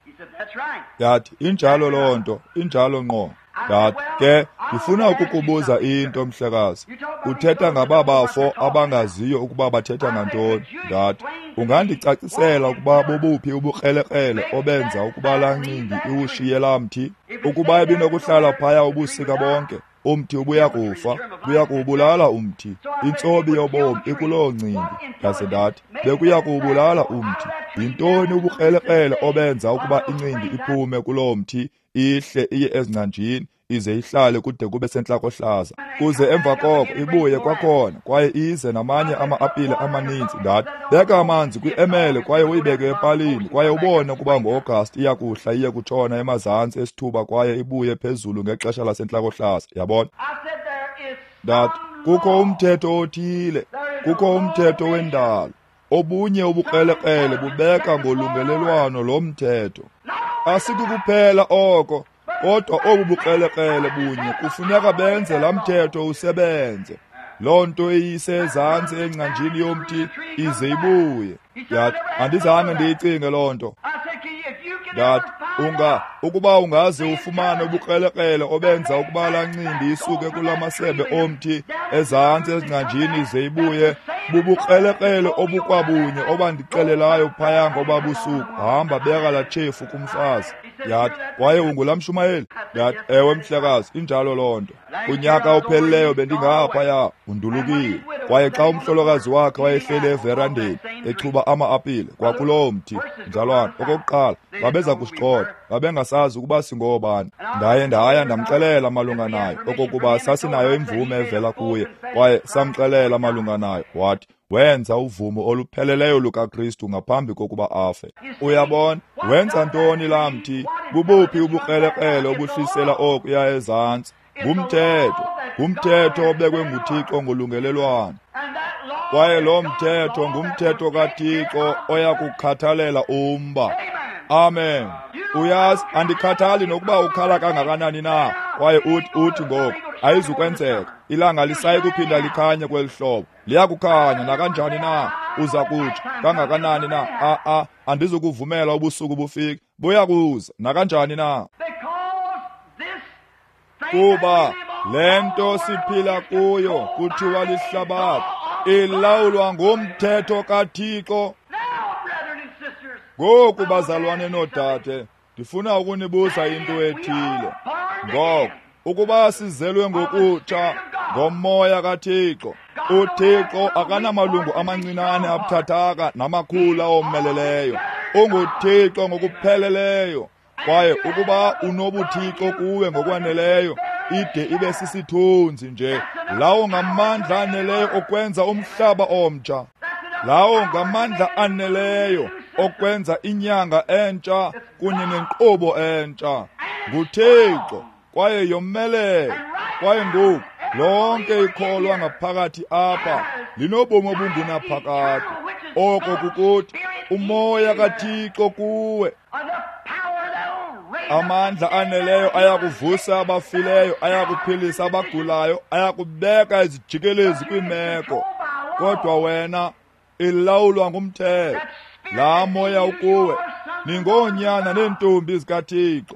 Yathi, injalo loo nto, injalo ngqo. Ndathi, ke ndifuna ukukubuza into, mhlekazi. Uthetha ngababafo abangaziyo ukuba bathetha ngantoni. Ndathi, ungandicacisela ukuba bobuphi ubukrelekrele obenza ukuba laa ncindi iwushiye laa mthi? Ukuba ibinokuhlala phaya ubusika bonke, umthi ubuya kufa, buya kuwubulala umthi. Intsobi yobomi ikuloo ncindi. Ndaze ndathi, bekuya kuwubulala umthi. Yintoni ubukrelekrele obenza ukuba incindi iphume kuloo mthi, ihle iye ezingcanjini, ize ihlale kude kube sentlakohlaza, kuze emva koko ibuye kwakhona kwaye ize namanye ama-apile amaninzi? Ndathi, beka amanzi kwi-emele kwaye uyibeke epalini kwaye ubone ukuba ngo-Agasti iyakuhla iye kutshona emazantsi esithuba kwaye ibuye phezulu ngexesha lasentlakohlaza. Yabona? Ndathi, kukho umthetho othile, kukho umthetho wendalo. Obunye ubukrelekrele bubeka ngolungelelwano lo mthetho. Asikukuphela oko, kodwa obu bukrelekrele bunye kufuneka benze laa mthetho usebenze. Loo nto iyisezantsi engcanjini yomthi ize ibuye. Ndathi, andizange ndiyicinge loo nto. Ndathi, ukuba ungaze ufumane ubukrelekrele obenza ukuba laa ncindi isuke kula masebe omthi ezantsi ezingcanjini ize ibuye, bubukrelekrele obukwabunye obandixelelayo phaya ngoba busuku, hamba beka laa tshefu kumfazi. Yathi, kwaye ungulaa mshumayeli? Ndathi, ewe mhlekazi, injalo loo nto. Unyaka opheleleyo bendingaphaya, undulukile. Kwaye xa umhlolokazi wakhe wayehleli everandeni echuba ama-apile kwakuloo mthi, mzalwane, okokuqala babeza kusigxotha, babengasazi ukuba singoobani. Ndaye ndaya ndamxelela malunga nayo, okokuba sasinayo imvume evela kuye, kwaye samxelela malunga nayo. Wathi, wenza uvumo olupheleleyo lukaKristu ngaphambi kokuba afe. Uyabona, wenza ntoni laa mthi? Bubuphi ubukrelekrele obuhlisela okuya ezantsi? Ngumthetho, ngumthetho obekwe nguThixo ngolungelelwano. Kwaye lo mthetho ngumthetho kaThixo oya kukhathalela umba. Amen. Uyazi, andikhathali nokuba ukhala kangakanani na, kwaye uthi ngoku ayizukwenzeka. Ilanga lisayi kuphinda likhanye kweli hlobo. Liyakukhanya nakanjani na? Uza kutsho kangakanani na? A andizukuvumela ubusuku bufike. Buyakuza nakanjani na? Kuba le nto siphila kuyo kuthiwa lihlabathi ilawulwa ngumthetho kaThixo. Ngoku bazalwane noodade, ndifuna ukunibuza into ethile. Ngoko ukuba sizelwe ngokutsha ngomoya kaThixo, uThixo akanamalungu amancinane abuthathaka namakhulu awomeleleyo. UnguThixo ngokupheleleyo. Kwaye ukuba unobuThixo kuwe ngokwaneleyo, ide ibe sisithunzi nje, lawo ngamandla aneleyo okwenza umhlaba omtsha, lawo ngamandla aneleyo okwenza inyanga entsha kunye nenkqubo entsha. NguThixo, kwaye yomelele. Kwaye ngoku lonke ikholwa ngaphakathi apha linobomi obungunaphakade. Oko kukuthi umoya kaThixo kuwe, amandla aneleyo ayakuvusa abafileyo, ayakuphilisa abagulayo, ayakubeka izijikelezi kwiimeko. Kodwa wena ilawulwa ngumthetho. Laa moya ukuwe, ningoonyana neentombi zikaThixo.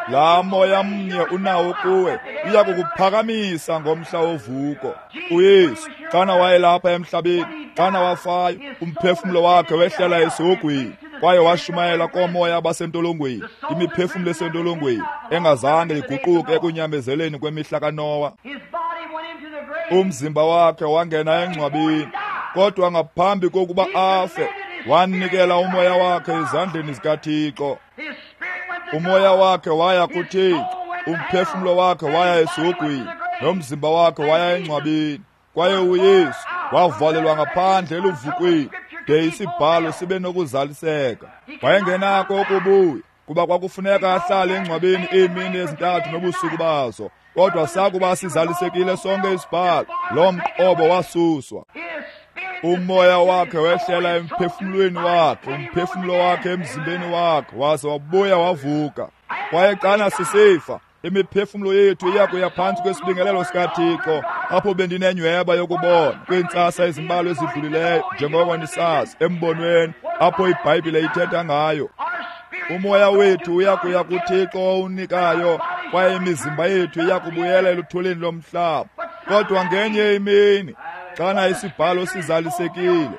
Laa moya mnye unawo kuwe uya kukuphakamisa ngomhla wovuko. uYesu xana wayelapha emhlabeni, xana wafayo, umphefumlo wakhe wehlela esihogweni, kwaye washumayela koomoya abasentolongweni, imiphefumlo esentolongweni engazange iguquke ekunyamezeleni kwemihla kaNowa. Umzimba wakhe wangena engcwabeni, kodwa ngaphambi kokuba afe wanikela umoya wakhe ezandleni zikaThixo. Umoya wakhe waya kuThixo, umphefumlo wakhe waya esihogweni, nomzimba wakhe waya engcwabeni. Kwaye uYesu wavalelwa ngaphandle eluvukweni de isibhalo sibe nokuzaliseka. Wayengenako ukubuya, kuba kwakufuneka ahlale engcwabeni iimini ezintathu nobusuku bazo. Kodwa sakuba sizalisekile sonke isibhalo, loo mqobo wasuswa. Umoya wakhe wehlela emphefumlweni wakhe, umphefumlo wakhe emzimbeni wakhe, waze wabuya wavuka. Kwaye xana sisifa, imiphefumlo yethu iya kuya phantsi kwesibingelelo sikaThixo, apho bendinenyhweba yokubona kwiintsasa ezimbalwa ezidlulileyo, njengoko nisazi, embonweni apho iBhayibhile ithetha ngayo. Umoya wethu uyakuya kuThixo owunikayo, kwaye imizimba yethu iyakubuyela eluthulini lomhlaba. Kodwa ngenye imini, xana isibhalo sizalisekile,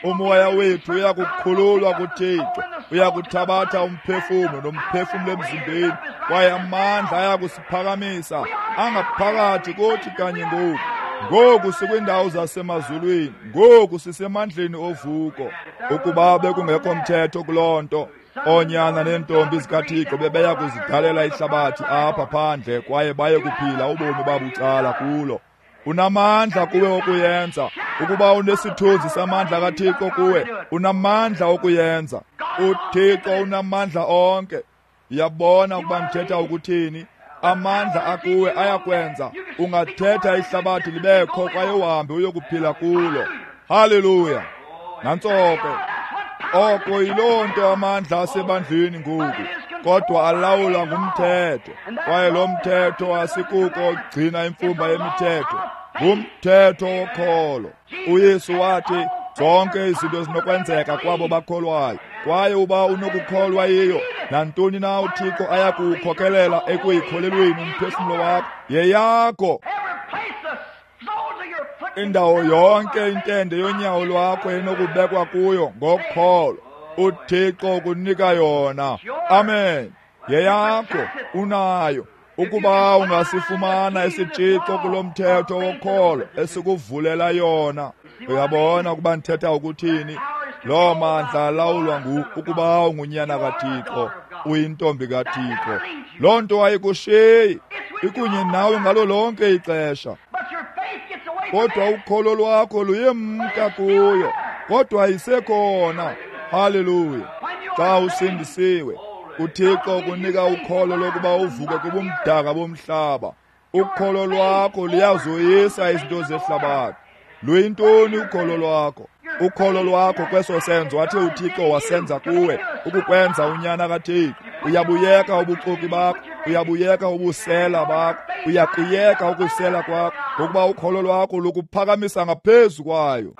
umoya wethu uyakukhululwa kuThixo, uyakuthabatha umphefumlo nomphefumlo emzimbeni, kwaye amandla ayakusiphakamisa angaphakathi kuthi kanye ngoku. Ngoku sikwindawo zasemazulwini, ngoku sisemandleni ovuko. Ukuba bekungekho mthetho kuloo nto, oonyana neentombi zikaThixo bebeya kuzidalela ihlabathi apha phandle kwaye baye kuphila ubomi babucala kulo. Unamandla kuwe okuyenza. Ukuba unesithunzi samandla kaThixo kuwe, unamandla okuyenza. UThixo unamandla onke. Uyabona ukuba ndithetha ukuthini? Amandla akuwe ayakwenza ungathetha ihlabathi libekho kwaye uhambe uyokuphila kulo. Haleluya! Nantso ke. Oko yiloo nto amandla asebandleni ngoku, kodwa alawulwa ngumthetho, kwaye lo mthetho asikuko ogcina imfumba yemithetho, ngumthetho wokholo. uYesu wathi zonke izinto zinokwenzeka kwabo bakholwayo, kwaye uba unokukholwa yiyo nantoni na uThixo ayakuwukhokelela ekuyikholelweni umphefumlo wakho, yeyakho. Indawo yonke intende yonyawo lwakho enokubekwa kuyo ngokholo, uThixo ukunika yona. Amen. Yeyakho, unayo. Ukuba ungasifumana isitshixo kulo mthetho wokholo esikuvulela yona. Uyabona ukuba ndithetha ukuthini? Loo mandla alawulwa ukuba ungunyana kaThixo, uyintombi kaThixo. Loo nto ayikushiyi, ikunye nawe ngalo lonke ixesha. Kodwa ukholo lwakho luyemka kuyo, kodwa isekhona. Haleluya! Xa usindisiwe, uThixo ukunika ukholo lokuba uvuke kubumdaka bomhlaba. Ukholo lwakho luyazoyisa izinto zehlabathi. Luyintoni ukholo lwakho? Ukholo lwakho kweso senzo athe uThixo wasenza kuwe, ukukwenza unyana kaThixo. Uyabuyeka ubuxoki bakho, uyabuyeka ubusela bakho, uyakuyeka ukusela kwakho, ngokuba ukholo lwakho lukuphakamisa ngaphezu kwayo.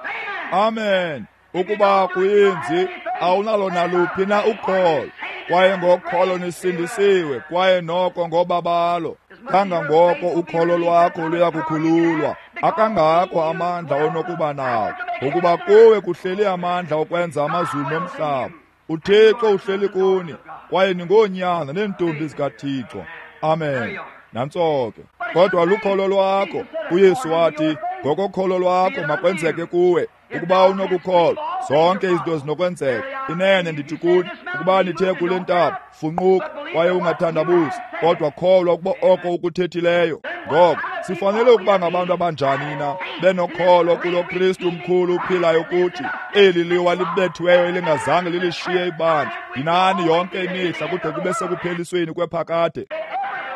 Amen. Ukuba kuyenzi, awunalo naluphi na ukholo, kwaye ngokholo nisindisiwe, kwaye noko ngobabalo. Kangangoko ukholo lwakho luyakukhululwa, akangako amandla onokuba nawo, ngokuba kuwe kuhleli amandla okwenza amazulu nomhlaba. uThixo uhleli kuni, kwaye ningoonyana neentombi zikaThixo. Amen. Nantso ke. Kodwa lukholo lwakho. uYesu wathi, ngokokholo lwakho makwenzeke kuwe. Ukuba unokukholwa, zonke izinto zinokwenzeka. Inene ndithi kuni, ukuba nithe kule ntaba, funquka, kwaye ungathandabuzi, kodwa kholwa ukuba oko ukuthethileyo. Ngoko sifanele ukuba ngabantu abanjani na, benokholo kulo Kristu mkhulu uphilayo kuthi, eli liwa libethiweyo elingazange lilishiye ibandla, yinani yonke imihla kude kube sekuphelisweni kwephakade.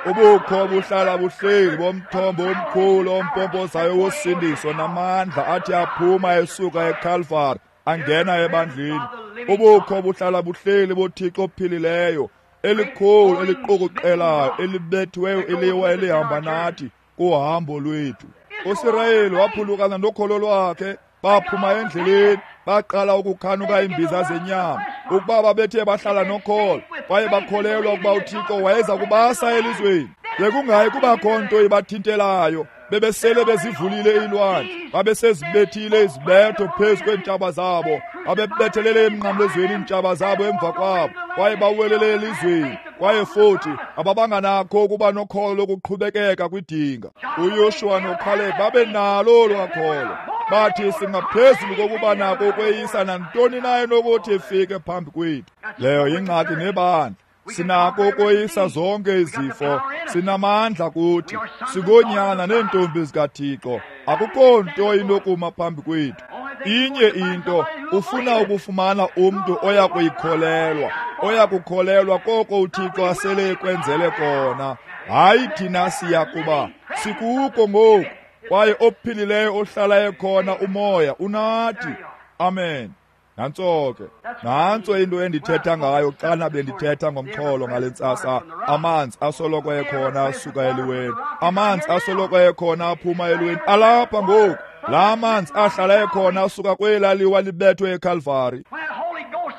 Ubukho buhlala buhleli bomthombo omkhulu ompompozayo wosindiso namandla athi aphuma esuka eKalvari angena ebandleni. Ubukho buhlala buhleli boThixo ophilileyo, elikhulu eliqukuqelayo elibethiweyo iliwa elihamba nathi kuhambo lwethu. uSirayeli waphulukana nokholo lwakhe, baphuma endleleni, baqala ukukhanuka iimbiza zenyama. Ukuba babethe bahlala nokholo kwaye bakholelwa ukuba uThixo wayeza kubasa elizweni, bekungayi kubakho nto ibathintelayo. Bebesele bezivulile iilwandle, babesezibethile izibetho phezu kweentshaba zabo, babebethelele emnqamlezweni iintshaba zabo emva kwabo, kwaye bawelele elizweni. Kwaye futhi ababanganakho ukuba nokholo lokuqhubekeka kwidinga. uYoshuwa noKhaleb babenalo olwakholo. Bathi singaphezulu kokuba nako ukweyisa nantoni na enokuthi ifike phambi kwethu. Leyo yingxaki nebandla. Sinako ukoyisa zonke izifo, sinamandla kuthi, singoonyana neentombi zikaThixo. Akukho nto inokuma phambi kwethu. Inye into, ufuna ukufumana umntu oya kuyikholelwa, oya kukholelwa koko uThixo asele ekwenzele kona. Hayi, thina siya kuba sikuko ngoku, kwaye ophilileyo ohlala ekhona umoya unathi. Amen. Nantso ke. Nantso into endithetha ngayo xana bendithetha ngomxholo ngale ntsasa. Amanzi asoloko ekhona asuka eliweni, amanzi asoloko ekhona aphuma eliweni, alapha ngoku. La manzi ahlala ekhona asuka kwelaa liwa libethwe eKalvari.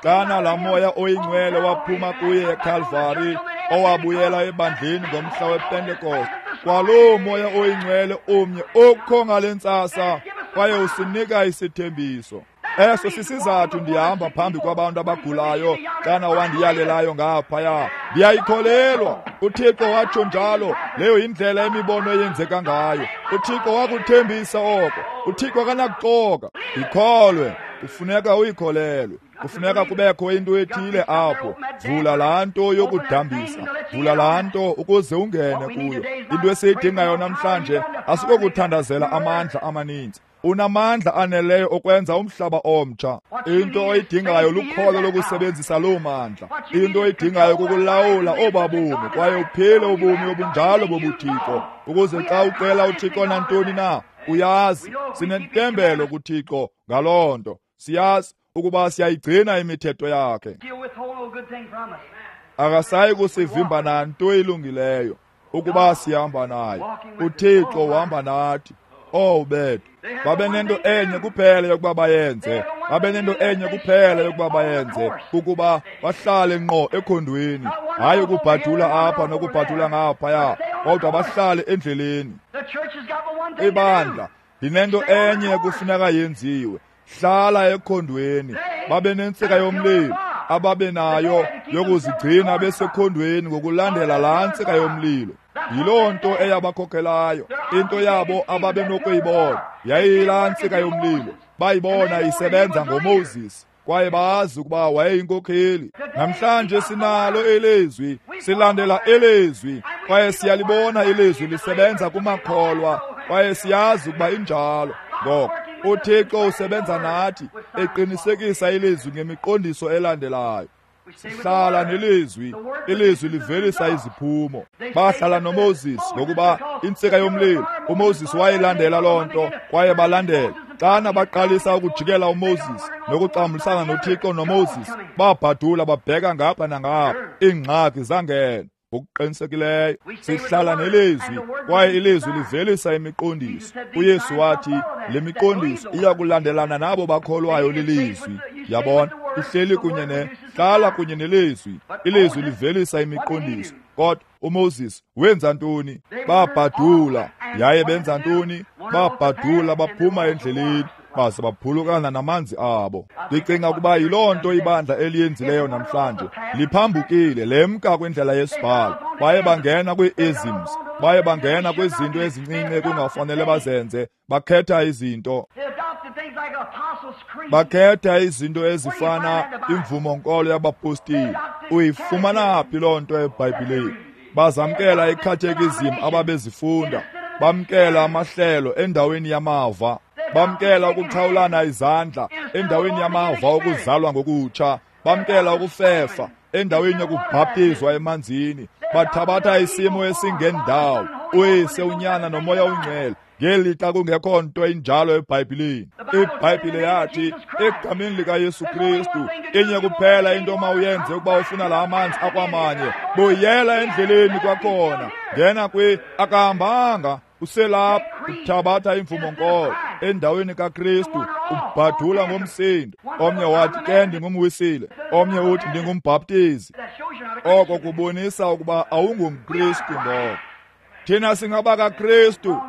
Xana laa Moya oyiNgcwele waphuma kuye eKalvari, owabuyela ebandleni ngomhla wePentekoste, kwaloo Moya oyiNgcwele omnye okho ngale ntsasa, kwaye usinika isithembiso. Eso sisizathu ndihamba phambi kwabantu abagulayo xana wandiyalelayo ngaphaya. Ndiyayikholelwa. UThixo watsho njalo. Leyo yindlela imibono eyenzeka ngayo. UThixo wakuthembisa oko. UThixo akanakuxoka. Ikholwe. Kufuneka uyikholelwe. Kufuneka kubekho into ethile apho. Vula laa nto yokudambisa. Vula laa nto ukuze ungene kuyo. Into esiyidingayo namhlanje asikokuthandazela amandla amaninzi. Unamandla aneleyo okwenza umhlaba omtsha. Into oyidingayo lukholo lokusebenzisa loo mandla. Into oyidingayo kukulawula oba bomi kwaye uphile ubomi obunjalo bobuThixo, ukuze xa ucela uThixo nantoni na, uyazi sinentembelo kuThixo ngaloo nto. Siyazi ukuba siyayigcina imithetho yakhe. Akasayi kusivimba nanto ilungileyo ukuba sihamba naye. uThixo uhamba nathi. Oh bethu, babenento enye kuphela yokuba bayenze, babenento enye kuphela yokuba bayenze, kukuba bahlale ngqo ekhondweni, hayi ukubhadula apha nokubhadula ngaphaya, kodwa bahlale endleleni. Ibandla linento enye kufuneka yenziwe, hlala ekhondweni. Babe nentsika yomlilo ababenayo yokuzigcina besekhondweni ngokulandela laa ntsika yomlilo. Yiloo nto eyabakhokhelayo. Into yabo ababenokuyibona yayiyilaa ntsika yomlilo. Bayibona isebenza ngoMoses, kwaye bazi ukuba wayeyinkokheli. Namhlanje sinalo ilizwi, silandela ilizwi, kwaye siyalibona ilizwi lisebenza kumakholwa, kwaye siyazi ukuba injalo. Ngoko uThixo usebenza nathi, eqinisekisa ilizwi ngemiqondiso elandelayo. Sihlala nelizwi, ilizwi livelisa iziphumo. Bahlala noMoses ngokuba intsika yomlilo, uMoses wayelandela loo nto, kwaye balandela. Xana baqalisa ukujikela uMoses nokuxambulisana noThixo noMoses, babhadula babheka ngapha nangapha, iingxaki zangena. Ngokuqinisekileyo sihlala nelizwi, kwaye ilizwi livelisa imiqondiso. uYesu wathi le miqondiso iya kulandelana nabo bakholwayo lilizwi. Yabona, ihleli kunye hlala kunye nelizwi. Ilizwi livelisa imiqondiso. Kodwa uMoses wenza ntoni? Babhadula. Yaye benza ntoni? Babhadula baphuma endleleni, baze baphulukana namanzi abo. Ndicinga ukuba yiloo nto ibandla eliyenzileyo namhlanje. Liphambukile, lemka kwindlela yesibhalo. Baye bangena kwii-isms, baye bangena kwizinto ezincinci ekungafanele bazenze. Bakhetha izinto, bakhetha izinto ezifana imvumo-nkolo yabapostile. Uyifumana phi loo nto eBhayibhileni? Bazamkela ikhathekizim ababezifunda, bamkela amahlelo endaweni yamava, bamkela ukuxhawulana izandla endaweni yamava okuzalwa ngokutsha, bamkela ukufefa endaweni yokubhaptizwa emanzini. Bathabatha isimo esingendawo, uYise, uNyana noMoya oNgcwele, ngelixa kungekho nto injalo eBhayibhileni. IBhayibhile yathi egameni likaYesu Kristu, inye kuphela into mawuyenze ukuba ufuna la amanzi akwamanye, buyela endleleni kwakhona, ngena akahambanga, uselapha, uthabatha imvumo-nkolo endaweni kaKristu, ubhadula ngomsindo. Omnye wathi ke ndingumwisile, omnye uthi ndingumbhaptizi. Oko kubonisa ukuba awungumKristu. Ngoko thina singabakaKristu,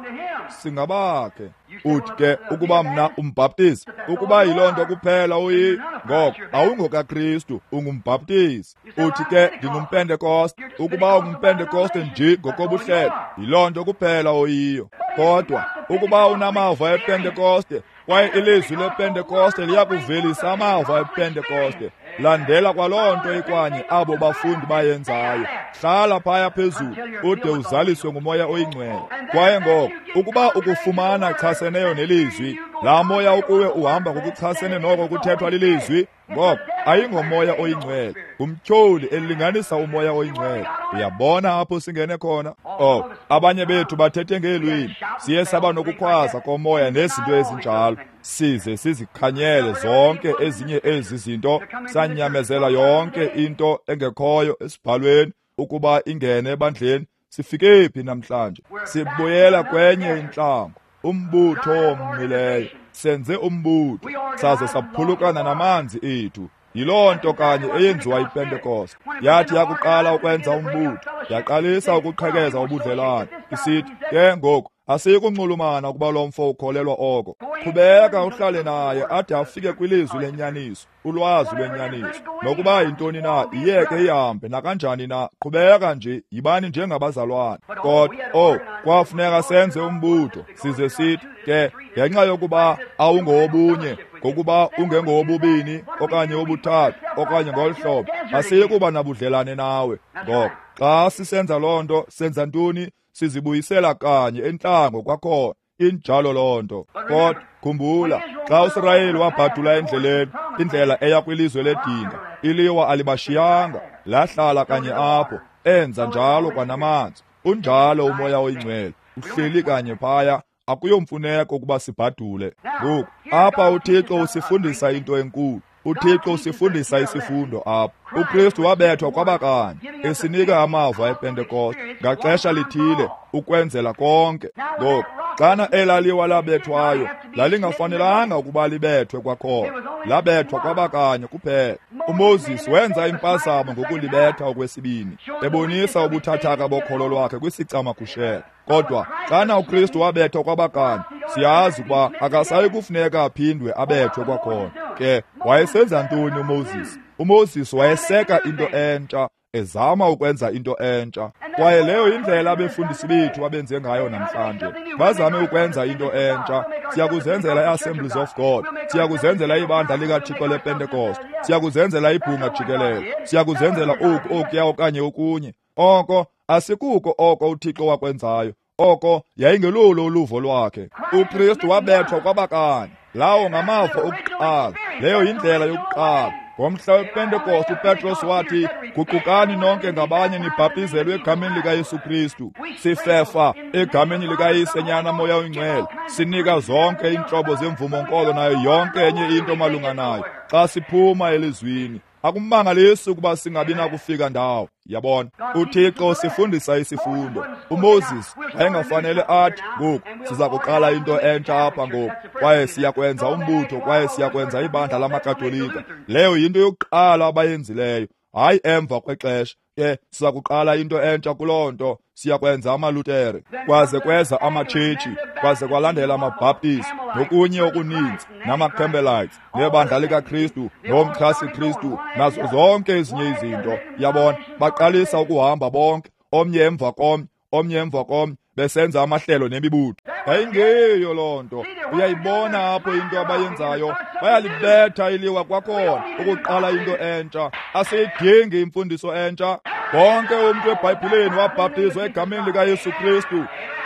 singabakhe. Uthi ke ukuba mna umbhaptizi, ukuba yiloo nto kuphela uyi, ngoko awungokaKristu, ungumbhaptizi. Uthi ke ndingumPentekoste, ukuba ungumPentekoste nje ngokobuhlelo, yiloo nto kuphela oyiyo. Kodwa ukuba unamava ePentekoste, kwaye ilizwi lePentekoste liyakuvelisa amava ePentekoste, landela kwaloo nto ikwanye abo bafundi bayenzayo. Hlala phaya phezulu ude uzaliswe nguMoya oyiNgcwele. Kwaye ngoko ukuba ukufumana chaseneyo nelizwi, laa moya ukuwe uhamba ngokuchasene noko kuthethwa lilizwi, ngoko ayingoMoya oyiNgcwele, ngumtyholi elinganisa uMoya oyiNgcwele. Uyabona apho singene khona? Oh, abanye bethu bathethe ngeelwimi, siye saba nokukhwaza komoya nezinto ezinjalo, size sizikhanyele zonke ezinye ezi zinto, sanyamezela yonke into engekhoyo esibhalweni ukuba ingene ebandleni. Sifike phi namhlanje? Sibuyela kwenye intlango, umbutho ommileyo. Senze umbutho, saze saphulukana namanzi ethu. Yiloo nto kanye eyenziwa yiPentekoste. Yathi yakuqala ukwenza umbutho, yaqalisa ukuqhekeza ubudlelwane, isithi, ke ngoku asiyikunxulumana ukuba lo mfo ukholelwa oko. Qhubeka uhlale naye ade afike kwilizwi lenyaniso, ulwazi lwenyaniso. Nokuba yintoni na, iyeke ihambe nakanjani na, qhubeka nje, yibani njengabazalwane. Kodwa, kwafuneka senze umbutho, size sithi, ke ngenxa yokuba awungowobunye, ngokuba ungengowobubini okanye obuthathu okanye ngolu hlobo, asiyikuba nabudlelane nawe. Ngoko xa sisenza loo nto, senza ntoni? Sizibuyisela kanye entlango kwakhona. Injalo loo nto. Kodwa khumbula, xa uSirayeli wabhadula endleleni, indlela eya kwilizwe ledinga, iliwa alibashiyanga, lahlala kanye apho, enza njalo kwanamanzi. Unjalo uMoya oyiNgcwele, uhleli kanye phaya. Akuyomfuneko ukuba sibhadule. Ngoku apha uThixo usifundisa into enkulu. uThixo usifundisa isifundo apha. uKristu wabethwa kwabakanye, esinika amava ePentekoste ngaxesha lithile ukwenzela konke. Ngoku xana elaliwa labethwayo, lalingafanelanga ukuba libethwe kwakhona, labethwa kwabakanye kuphela. uMoses wenza impazamo ngokulibetha okwesibini, ebonisa ubuthathaka bokholo lwakhe kwisicamagushelo. Kodwa xana uKristu wabethwa kwabakanye, siyazi ukuba akasayi kufuneka aphindwe abethwe kwakhona. Ke wayesenza ntoni uMoses? uMoses wayeseka into entsha, ezama ukwenza into entsha. Kwaye leyo yindlela abefundisi bethu abenze ngayo namhlanje. Bazame ukwenza into entsha. Siyakuzenzela i-Assemblies of God, siyakuzenzela ibandla likaThixo lePentekoste, siyakuzenzela ibhunga jikelele, siyakuzenzela oku okuya okanye okunye. Oko asikuko oko uThixo wakwenzayo. Oko yayingelulo uluvo lwakhe. uKristu wabethwa kwabakanye. Lawo ngamava okuqala. Leyo yindlela yokuqala. Ngomhla wePentekoste uPetros wathi, guqukani nonke ngabanye nibhaptizelwe egameni likaYesu Kristu. Sifefa egameni likaYise, Nyana, Moya oyiNgcwele. Sinika zonke iintlobo zemvumo-nkolo nayo yonke enye into malunga nayo. Xa siphuma elizwini, akumangalisi ukuba singabi nakufika ndawo. Yabona, uThixo sifundisa isifundo. uMoses wayengafanele athi, ngoku siza kuqala into entsha apha ngoku, kwaye siyakwenza umbutho, kwaye siyakwenza ibandla lamaKatolika. Leyo yinto yokuqala abayenzileyo, hayi emva kwexesha. Ke siza kuqala into entsha kuloo nto, siyakwenza amaLutere. Kwaze kweza amaTshetshi, kwaze kwalandela amaBhaptisti nokunye okuninzi, namaCampbellites, nebandla likaKristu, nomxhasi Kristu, nazo zonke ezinye izinto. Yabona, baqalisa ukuhamba bonke, omnye emva komnye, omnye emva komnye, besenza amahlelo nemibutho. Yayingeyo loo nto. Uyayibona apho into abayenzayo, bayalibetha iliwa kwakhona ukuqala into entsha. Asiyidingi imfundiso entsha. Wonke umntu eBhayibhileni wabhaptizwa egameni likaYesu Kristu.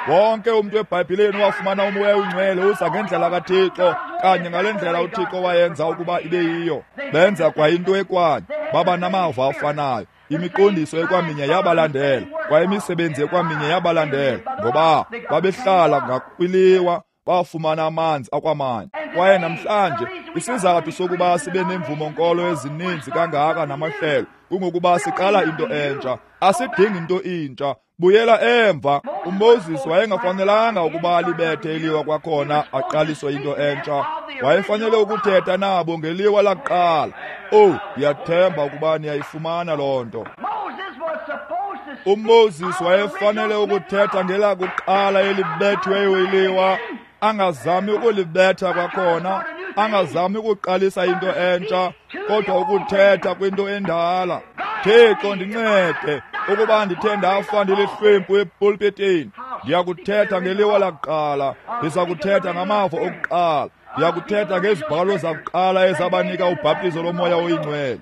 Wonke umntu eBhayibhileni wafumana uMoya oyiNgcwele uza ngendlela kaThixo, kanye ngale ndlela uThixo wayenza ukuba ibe yiyo. Benza kwa into ekwanye, baba namava afanayo. Imiqondiso ekwaminye yabalandela, kwaye imisebenzi ekwaminye yabalandela, ngoba babehlala ngakwiliwa, bafumana amanzi akwamanye. Kwaye namhlanje isizathu sokuba sibe nemvumo-nkolo ezininzi kangaka namahlelo kungokuba siqala into entsha. Asidingi into intsha. Buyela emva. uMoses wayengafanelanga ukuba alibethe iliwa kwakhona aqaliswe into entsha. Wayefanele ukuthetha nabo ngeliwa lakuqala. Oh, ndiyathemba ukuba niyayifumana loo nto. uMoses wayefanele ukuthetha ngelakuqala elibethiweyo iliwa, angazami ukulibetha kwakhona, angazami ukuqalisa into entsha, kodwa ukuthetha kwinto endala. Thixo ndincede ukuba ndithe ndafa ndilihlwempu epulpitini, ndiyakuthetha ngeliwa lakuqala, ndiza kuthetha ngamava okuqala, ndiyakuthetha ngezibhalo zakuqala ezabanika ubhaptizo loMoya oyiNgcwele.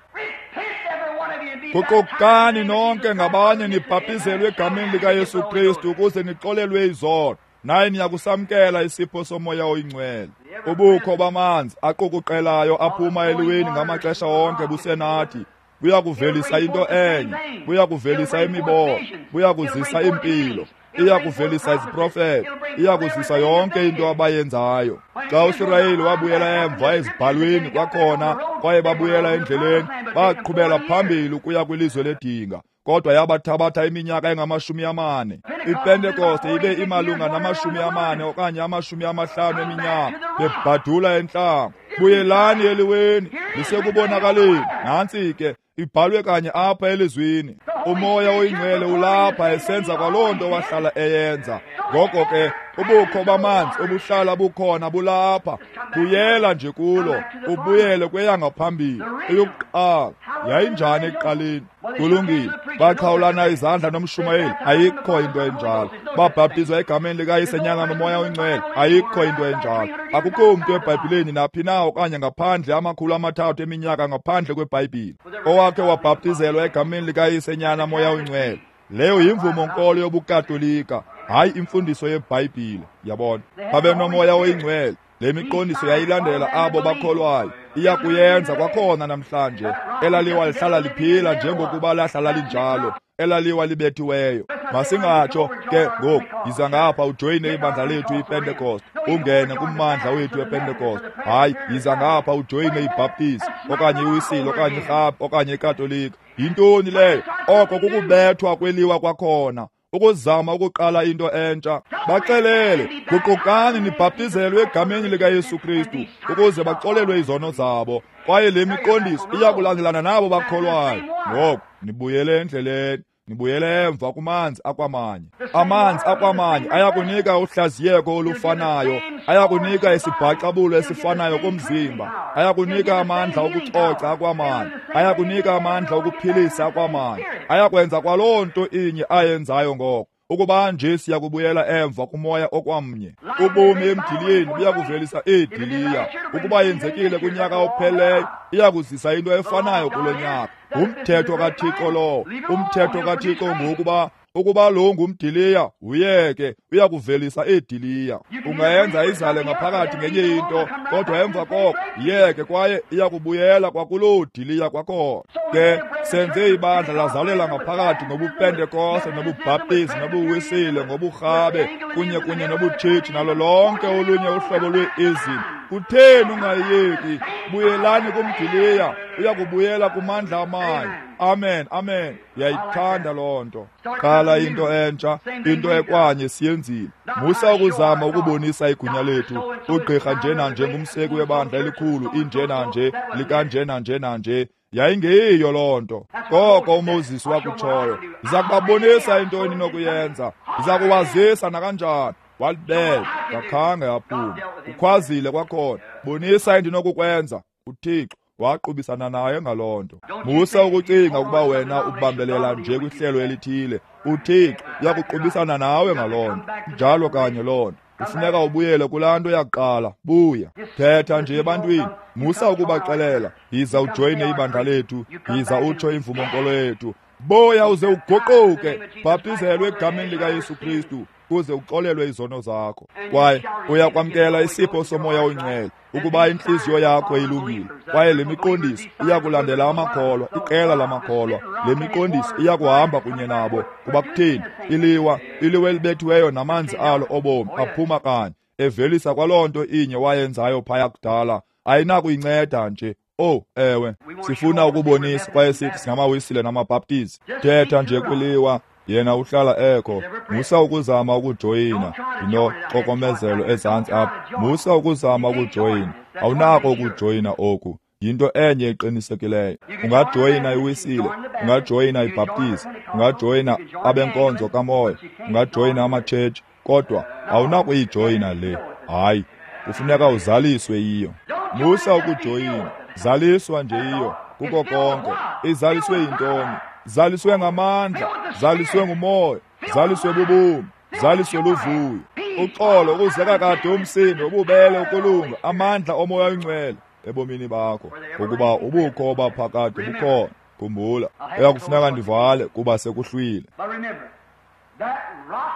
Guqukani nonke ngabanye nibhaptizelwe egameni likaYesu Kristu ukuze nixolelwe izono, naye niyakusamkela isipho soMoya oyiNgcwele. Ubukho bamanzi aqukuqelayo aphuma eliweni ngamaxesha onke busenathi. Buyakuvelisa into enye, buyakuvelisa imibono, buyakuzisa impilo, iyakuvelisa iziprofeto, iyakuzisa yonke into abayenzayo. Xa uSirayeli wabuyela emva ezibhalweni kwakhona, kwaye babuyela endleleni, baqhubela phambili ukuya kwilizwe ledinga. Kodwa yabathabatha iminyaka engama-40. IPentekoste ibe imalunga nama-40 okanye 50 eminyaka, bebhadula entlango. Buyelani eliweni, lisekubonakaleni. Nantsi ke, ibhalwe kanye apha elizwini. Umoya oyingcwele ulapha esenza kwaloo nto wahlala eyenza. Ngoko ke ubukho bamanzi obuhlala bukhona bulapha. Buyela nje kulo, ubuyele kweyangaphambili eyokuqala. Yayinjani ekuqaleni? Kulungile. Baxhawulana izandla nomshumayeli, ayikho into enjalo. Babhaptizwa egameni likaYise, Nyana noMoya oyiNgcwele, ayikho into enjalo. Akukho mntu eBhayibhileni naphi na okanye ngaphandle 300 eminyaka ngaphandle kweBhayibhile owakhe wabhaptizelwa egameni likaYise, Nyana, Moya oyiNgcwele. Leyo yimvumo-nkolo yobuKatolika, hayi imfundiso yeBhayibhile. Yabona, babenomoya oyingcwele. Le miqondiso yayilandela abo bakholwayo. Iya kuyenza kwakhona namhlanje. Elaliwa lihlala liphila njengokuba lahlala linjalo, elaliwa libethiweyo. Masingatsho ke ngoku, yiza ngapha ujoyine ibandla lethu iPentecost, ungene kummandla wethu wePentecost. Hayi, yiza ngapha ujoyine iBaptist okanye iWisile okanye iRhabe okanye iKatolika. Yintoni leyo? Oko kukubethwa kweliwa kwakhona, ukuzama ukuqala into entsha. Baxelele, guqukani nibhaptizelwe egameni likaYesu Kristu ukuze baxolelwe izono zabo, kwaye le miqondiso iya kulandelana nabo bakholwayo. Ngoku nibuyele endleleni, nibuyele emva kumanzi akwamanye. Amanzi akwamanye ayakunika uhlaziyeko olufanayo, ayakunika isibhaxabulo esifanayo kumzimba, ayakunika amandla okucoca akwamanye, ayakunika amandla okuphilisa akwamanye, ayakwenza kwaloo nto inye ayenzayo ngoko. Ukuba nje siyakubuyela emva kumoya okwamnye. Ubomi emdiliyeni buyakuvelisa iidiliya. Ukuba yenzekile kunyaka opheleyo, iyakuzisa into efanayo kulo nyaka. Ngumthetho kaThixo lowo. Umthetho kaThixo ngokuba ukuba lo ngumdiliya, uyeke, uyakuvelisa iidiliya. Ungayenza izale ngaphakathi ngenye into, kodwa emva koko yeke, kwaye iyakubuyela kwakuloo diliya kwakhona. Ke senze ibandla lazalela ngaphakathi ngobuPentekoste nobuBhaptizi nobuWisile ngoburhabe kunye kunye nobutshitshi nalo lonke olunye uhlobo lwe-izim. Kutheni ungayiyeki? Buyelani kumdiliya, uyakubuyela kumandla amanye. Amen, amen. Yayithanda loo nto. Qala into entsha, into ekwanye siyenzile. Musa ukuzama ukubonisa igunya lethu. Ugqirha njena nje ngumseki webandla elikhulu, injena nje likanjena njena nje. Yayingeyiyo loo nto. Koko uMoses wakutshoyo, ndiza kubabonisa into eninokuyenza, ndiza kuwazisa nakanjani. Walibeka, kakhange aphuma. Ukhwazile kwakhona, bonisa endinokukwenza. uThixo waqubisana naye ngaloo nto. Musa ukucinga ukuba wena ubambelela nje kwihlelo elithile. uThixo uyakuqubisana nawe ngaloo nto. Njalo kanye loo nto. Kufuneka ubuyele kulaa nto yakuqala. Buya, thetha nje ebantwini. Musa ukubaxelela, yiza ujoyine ibandla lethu, yiza utsho imvumo-nkolo yethu. Buya uze uguquke, bhaptizelwe egameni likaYesu Kristu kuze uxolelwe izono zakho, kwaye uyakwamkela isipho somoya oyingcwele ukuba intliziyo yakho ilungile. Kwaye le miqondiso iyakulandela amakholwa, iqela lamakholwa. Le miqondiso iyakuhamba kunye nabo. Kuba kutheni? Iliwa, iliwa elibethiweyo namanzi alo obomi aphuma kanye, evelisa kwaloo nto inye wayenzayo phaya kudala. Ayinakuyinceda nje. Oh, ewe, sifuna ukubonisa kwaye sithi singamaWisile namaBhaptizi. Thetha nje kwiliwa, yena uhlala ekho. Musa ukuzama ukujoyina. Ndinoxokomezelo ezantsi apha. Musa ukuzama ukujoyina. Awunako ukujoyina oku. Yinto enye eqinisekileyo. Ungajoyina iWisile, ungajoyina iBhaptizi, ungajoyina abenkonzo kamoya, ungajoyina amatshetshi, kodwa awunakuyijoyina le. Hayi, kufuneka uzaliswe yiyo. Musa ukujoyina. Zaliswa nje yiyo. Kuko konke. Izaliswe yintoni? Zaliswe ngamandla, zaliswe ngumoya, zaliswe bubomi, zaliswe luvuyo, uxolo, ukuzeka kade umsindo, ububele, ukulunga, amandla omoya oyingcwele ebomini bakho, ngokuba ubukho obaphakade bukhona. Khumbula, uyakufuneka ndivale kuba sekuhlwile.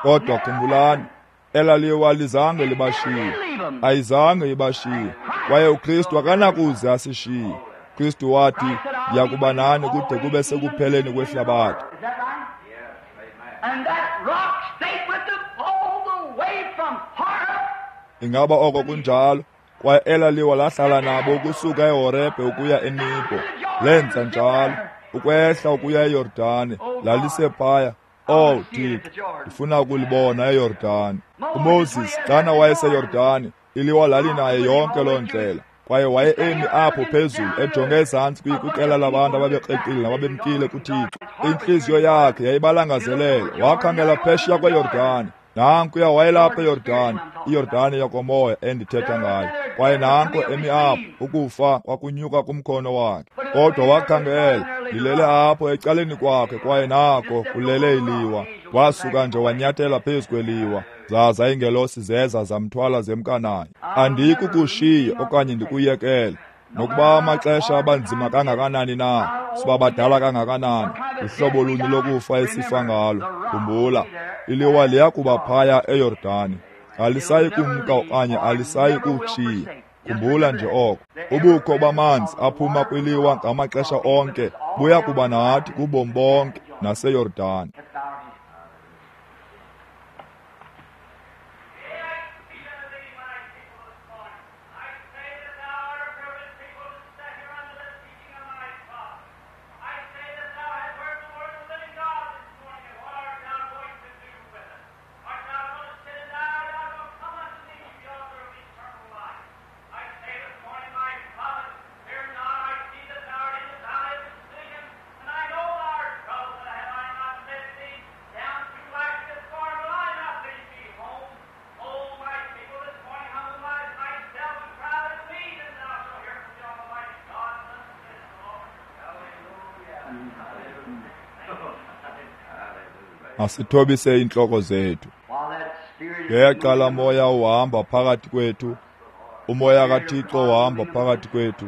Kodwa khumbulani, elaliwa lizange libashiye, ayizange ibashiye, kwaye uKristu akanakuze asishiye. Kristu wathi, ndiyakuba nani kude kube sekupheleni kwehlabathi. Ingaba oko kunjalo? Kwaye elaliwa lahlala nabo ukusuka eHorebhe ukuya eNibo. Lenza njalo, ukwehla ukuya eYordane, lalisephaya. Oh Thixo, ndifuna ukulibona eYordane. uMoses xana wayeseYordane, iliwa lalinaye yonke loo ndlela. Kwaye waye emi apho phezulu ejonge ezantsi kwiqela labantu ababekreqile nababemkile kuThixo. Intliziyo yakhe yayibalangazelele. Wakhangela phesheya kweYordani. Nankuya wayelapha eYordani, iYordani yokomoya endithetha ngayo. Kwaye nanko emi apho, ukufa kwakunyuka kumkhono wakhe. Kodwa wakhangela, lilele apho ecaleni kwakhe, kwaye nako kulele iliwa. Wasuka nje wanyathela phezu kweliwa, zaza iingelosi zeza zamthwala zemka naye. Andikukushiya okanye ndikuyekele. Nokuba amaxesha abanzima kangakanani na, siba badala kangakanani, uhlobo luni lokufa esifa ngalo, khumbula, iliwa liya kuba phaya eYordani. Alisayi kumka okanye alisayi kukushiya. Khumbula nje oko. Ubukho bamanzi aphuma kwiliwa ngamaxesha onke buya kuba nathi kubomi bonke naseYordani. Masithobise iintloko zethu. Ngexa moya uhamba phakathi kwethu, umoya kaThixo uhamba phakathi kwethu.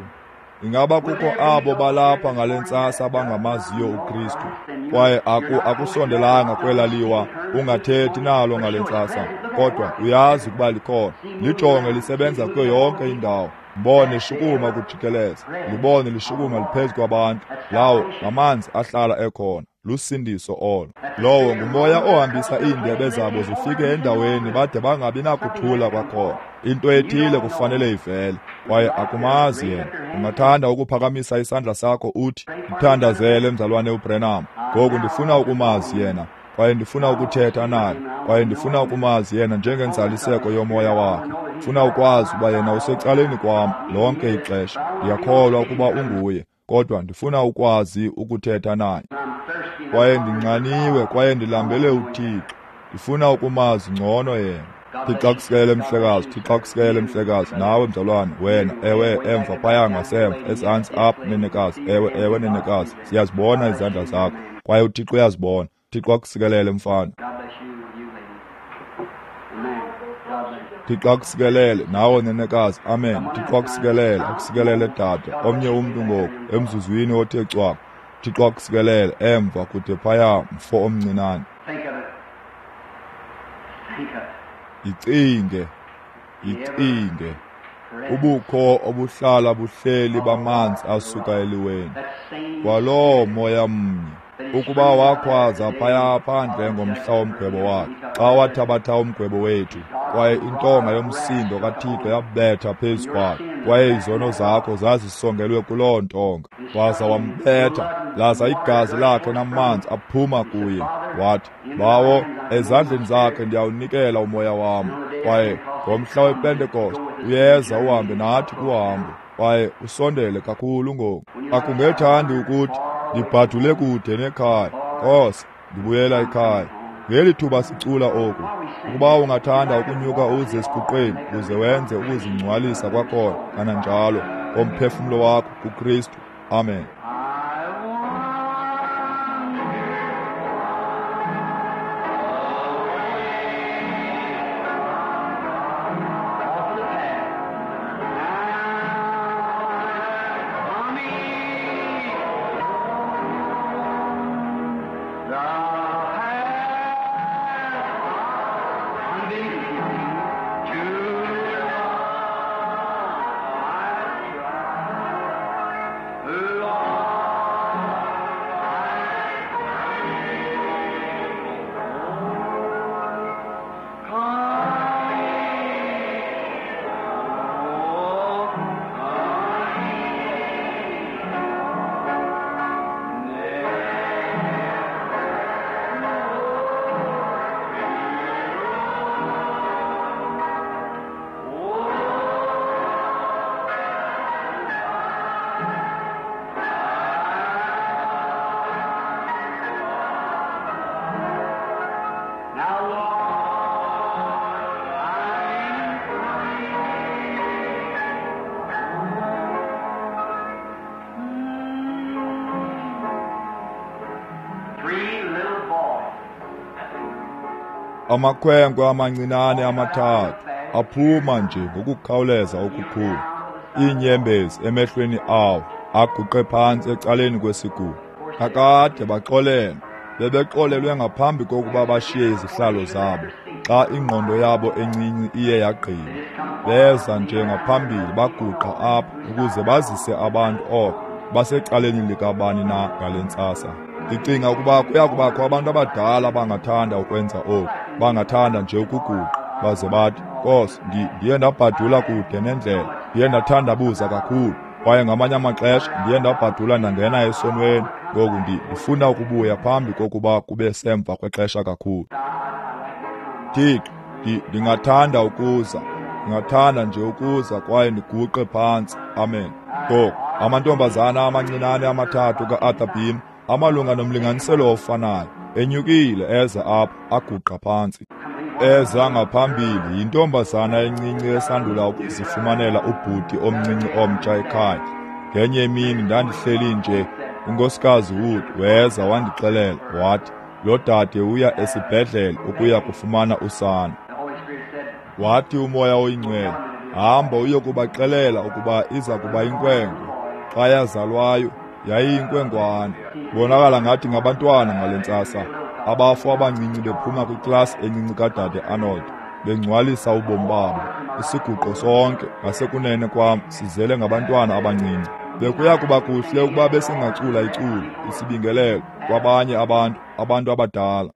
Ingaba kukho abo balapha ngale ntsasa abangamaziyo uKristu, kwaye akusondelanga kwela liwa, ungathethi nalo ngale ntsasa, kodwa uyazi ukuba likhona. Lijonge lisebenza kuyo yonke indawo. Mbone lishukuma kujikeleza, libone lishukuma liphezu kwabantu. Lawo ngamanzi ahlala ekhona, lusindiso olo. Lowo ngumoya ohambisa iindebe zabo zifike endaweni bade bangabi nakuthula kwakhona. Into ethile kufanele ivele, kwaye akumazi yena. Ungathanda ukuphakamisa isandla sakho uthi, "Mthandazele mzalwane uBrenham. Ngoku ndifuna ukumazi yena, kwaye ndifuna ukuthetha naye, kwaye ndifuna ukumazi yena njengenzaliseko yomoya wakhe. Ndifuna ukwazi ukuba yena usecaleni kwam lonke ixesha. Ndiyakholwa ukuba unguye, kodwa ndifuna ukwazi ukuthetha naye. Kwaye ndinxaniwe kwaye ndilambele uThixo. Ndifuna ukumazi ngcono yena." Thixo akusikelele mhlekazi, Thixo akusikelele mhlekazi, nawe mzalwane, wena, ewe, emva phaya ngasemva, ezantsi apha nenekazi, ewe, ewe nenekazi, siyazibona izandla zakho, kwaye uThixo uyazibona. Thixo akusikelele mfana. Thixo akusikelele nawe nenekazi, amen. Thixo akusikelele, akusikelele dade, omnye umntu ngoku, emzuzwini othe cwaka. Thixo akusikelele emva kude phaya, mfo omncinane. Icinge, icinge, ubukho obuhlala buhleli bamanzi asuka eliweni, kwaloo moya mnye. Ukuba wakhwaza phaya phandle ngomhla womgwebo wakhe, xa wathabatha umgwebo wethu, kwaye intonga yomsindo kaThixo yabetha phezu kwakhe, kwaye izono zakho zazisongelwe kuloo ntonga, waza wambetha, laza igazi lakhe namanzi aphuma kuye. Wathi, "Bawo, ezandleni zakhe ndiyawunikela umoya wam." Kwaye ngomhla wePentekoste uyeza uhambe nathi kuhambo, kwaye usondele kakhulu ngoku. Akungethandi ukuthi ndibhadule kude nekhaya, Nkosi, ndibuyela ekhaya. Ngeli thuba sicula oku, ukuba ungathanda ukunyuka uze esiguqweni uze wenze ukuzingcwalisa kwakhona kananjalo ngomphefumlo wakho kuKristu. Amen. Lord. Amakhwenkwe amancinane amathathu aphuma nje ngokukhawuleza okukhulu, iinyembezi emehlweni awo, aguqe phantsi ecaleni kwesiguqo. Kakade baxolelwe, bebexolelwe ngaphambi kokuba bashiye izihlalo zabo. Xa ingqondo yabo encinci iye yagqiba, beza nje ngaphambili baguqa apha ukuze bazise abantu oko basecaleni likabani na ngale ntsasa. Ndicinga ukuba kuya kubakho abantu abadala abangathanda ukwenza oku, bangathanda nje ukuguqa baze bathi, Nkosi, ndiye ndabhadula kude nendlela, ndiye ndathandabuza kakhulu, kwaye ngamanye amaxesha ndiye ndabhadula ndangena esonweni. Ngoku ndifuna ukubuya phambi kokuba kube semva kwexesha kakhulu. Thixo, ndingathanda ukuza, ndingathanda nje ukuza kwaye ndiguqe phantsi. Amen. Ngoku amantombazana amancinane amathathu ka-Arthur Beam, amalunga nomlinganiselo ofanayo, enyukile eza apha, aguqa phantsi. Eza ngaphambili yintombazana encinci esandula ukuzifumanela ubhuti omncinci omtsha ekhaya. Ngenye imini ndandihleli nje, uNkosikazi Wood weza wandixelela wathi lo dade uya esibhedlele ukuya kufumana usana. Wathi uMoya oyiNgcwele, hamba uyokubaxelela ukuba iza kuba inkwenkwe. Xa yazalwayo yayiyinkwenkwana. Bonakala ngathi ngabantwana ngale ntsasa, abafo abancinci bephuma kwiklasi encinci kadade Arnold, bengcwalisa ubomi babo. Isiguqo sonke ngasekunene kwam sizele ngabantwana abancinci. Bekuya kuba kuhle ukuba besingacula iculo, isibingelelo kwabanye abantu, abantu abadala.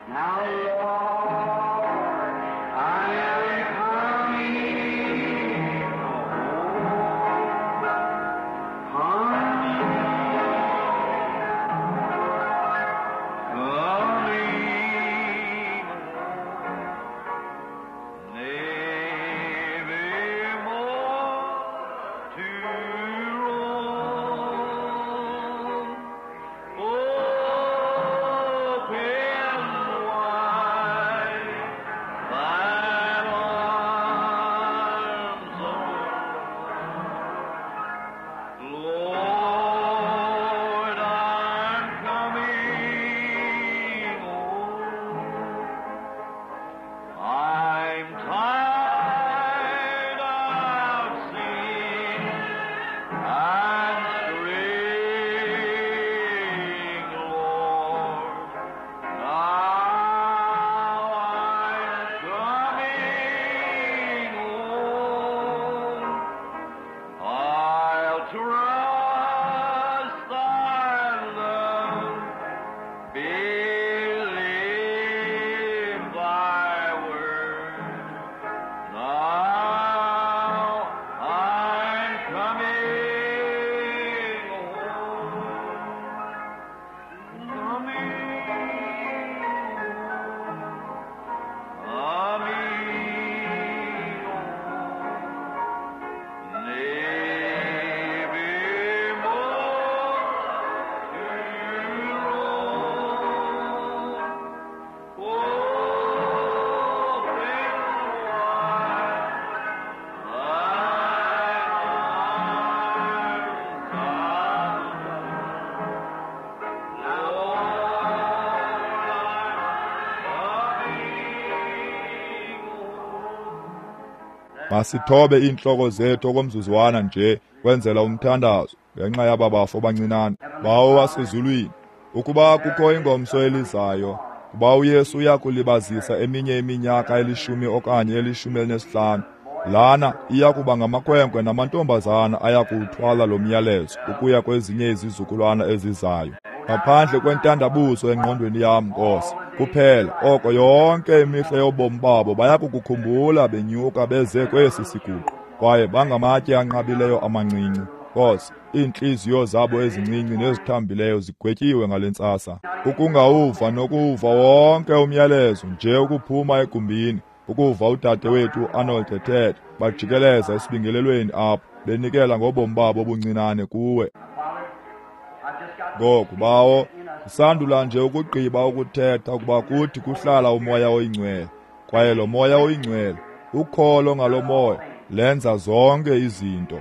Masithobe iintloko zethu okomzuzwana nje kwenzela umthandazo ngenxa yaba bafo bancinane. Bawo wasezulwini, ukuba kukho ingomso elizayo, kuba uYesu uya kulibazisa eminye iminyaka 10 okanye 15, lana iya kuba ngamakhwenkwe namantombazana aya kuwuthwala lo myalezo ukuya kwezinye izizukulwana ezizayo. Ngaphandle kwentandabuzo engqondweni yam, Nkosi, kuphela oko yonke imihla yobomi babo bayakukukhumbula benyuka beze kwesi siguqo, kwaye bangamatye anqabileyo amancinci. Nkosi, iintliziyo zabo ezincinci nezithambileyo zigwetyiwe ngale ntsasa. Ukungawuva nokuwuva wonke umyalezo nje ukuphuma egumbini, ukuva udade wethu Arnold ethetha, bajikeleza esibingelelweni apho benikela ngobomi babo obuncinane kuwe. Ngoku bawo, ndisandula nje ukugqiba ukuthetha ukuba kuthi kuhlala uMoya oyiNgcwele, kwaye lo Moya oyiNgcwele, ukholo ngalo Moya lenza zonke izinto.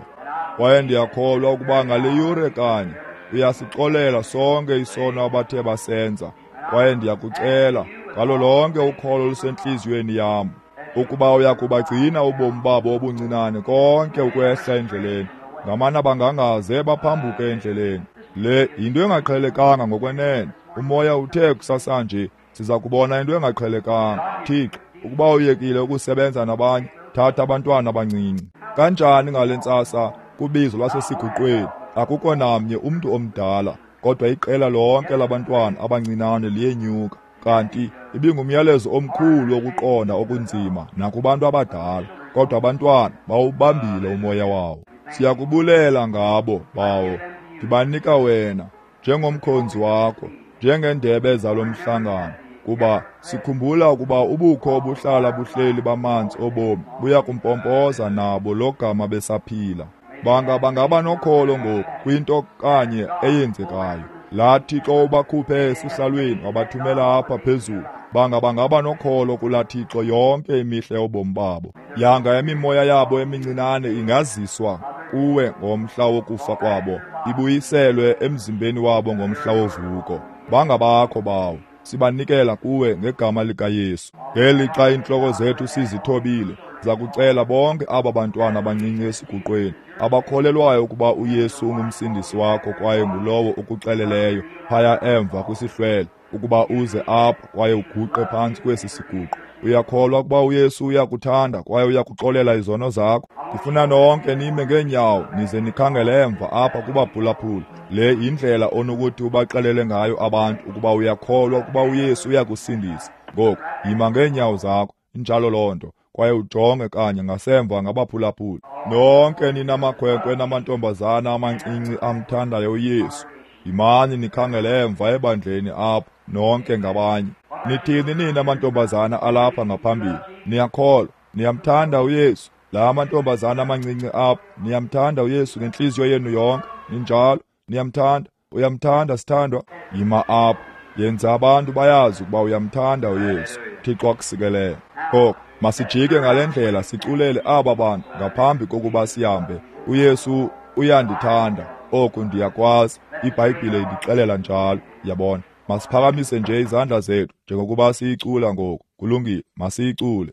Kwaye ndiyakholwa ukuba ngale yure kanye uyasixolela sonke isono abathe basenza. Kwaye ndiyakucela ngalo lonke ukholo olusentliziyweni yam, ukuba uyakubagcina ubomi babo obuncinane konke ukwehla endleleni. Ngamana bangangaze baphambuke endleleni. Le yinto engaqhelekanga ngokwenene. Umoya uthe kusasanje siza kubona into engaqhelekanga. Thixo, ukuba uyekile ukusebenza nabanye, thatha abantwana abancinci. Kanjani ngale ntsasa kubizo lwasesiguqweni, akukho namnye umntu omdala, kodwa iqela lonke labantwana abancinane liyenyuka. Kanti ibingumyalezo omkhulu wokuqonda okunzima nakubantu abadala, kodwa abantwana bawubambile umoya wawo. Siyakubulela ngabo, Bawo. Ndibanika wena njengomkhonzi wakho, njengendebe zalo mhlangano, kuba sikhumbula ukuba ubukho obuhlala buhleli bamanzi obomi buya kumpompoza nabo logama besaphila. Banga bangaba nokholo ngoku kwinto kanye eyenzekayo. Laa Thixo ubakhuphe esihlalweni wabathumela apha phezulu, banga bangaba nokholo kulaa Thixo yonke imihla yobomi babo. Yanga imimoya yabo emincinane ingaziswa kuwe ngomhla wokufa kwabo, ibuyiselwe emzimbeni wabo ngomhla wovuko. Bangabakho, Bawo, sibanikela kuwe ngegama likaYesu. Ngelixa iintloko zethu sizithobile, zakucela bonke aba bantwana abancinci esiguqweni abakholelwayo ukuba uYesu ungumsindisi wakho kwaye ngulowo ukuxeleleyo phaya emva kwisihlwele ukuba uze apha kwaye uguqe phantsi kwesi siguqo. Uyakholwa ukuba uYesu uyakuthanda kwaye uyakuxolela izono zakho? Ndifuna nonke nime ngeenyawo nize nikhangele emva apha kubaphulaphula. Le yindlela onokuthi ubaxelele ngayo abantu ukuba uyakholwa ukuba uYesu uyakusindisa. Ngoku yima ngeenyawo zakho, injalo loo nto, kwaye ujonge kanye ngasemva ngabaphulaphula. Nonke ninamakhwenkwe namantombazana amancinci amthandayo uYesu, yimani nikhangele emva ebandleni apho nonke ngabanye. Nithini nina mantombazana alapha ngaphambili? Niyakholwa, niyamthanda uYesu? La mantombazana amancinci apho, niyamthanda uYesu ngentliziyo yenu yonke? Ninjalo, niyamthanda? Uyamthanda, sithandwa? Yima apho, yenza abantu bayazi ukuba uyamthanda uYesu. Thixo akusikelele. Ngoku masijike ngale ndlela siculele aba bantu ngaphambi kokuba sihambe. uYesu uyandithanda, oku ndiyakwazi, iBhayibhile indixelela njalo. Yabona, masiphakamise nje izandla zethu njengokuba siyicula ngoku. Kulungile, masiyicule.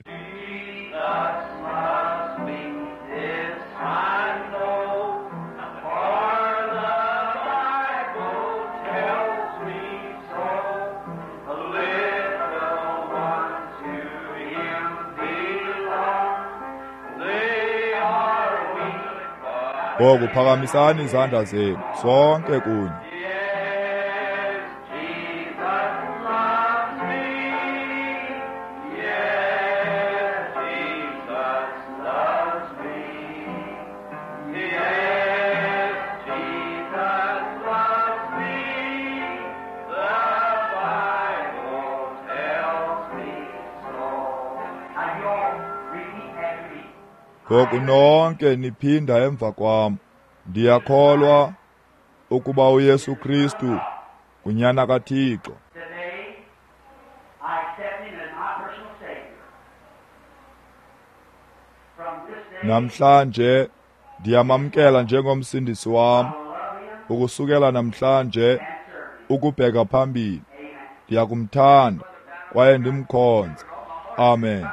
Ngoku phakamisani izandla zenu sonke kunye. Ngoku nonke niphinda emva kwam. Ndiyakholwa ukuba uYesu Kristu nguNyana kaThixo. Namhlanje ndiyamamkela njengomsindisi wam. Ukusukela namhlanje ukubheka phambili, ndiyakumthanda kwaye ndimkhonze. Amen.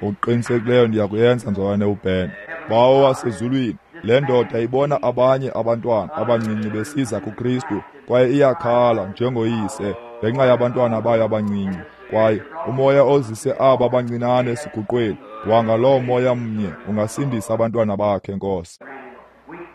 Ngokuqinisekileyo ndiyakuyenza, mzalwane uBen. Bawo wasezulwini, le ndoda ibona abanye abantwana abancinci besiza kuKristu kwaye iyakhala njengoyise ngenxa yabantwana bayo abancinci. Kwaye umoya ozise aba bancinane esiguqweni, wanga loo moya mnye ungasindisa abantwana bakhe, Nkosi.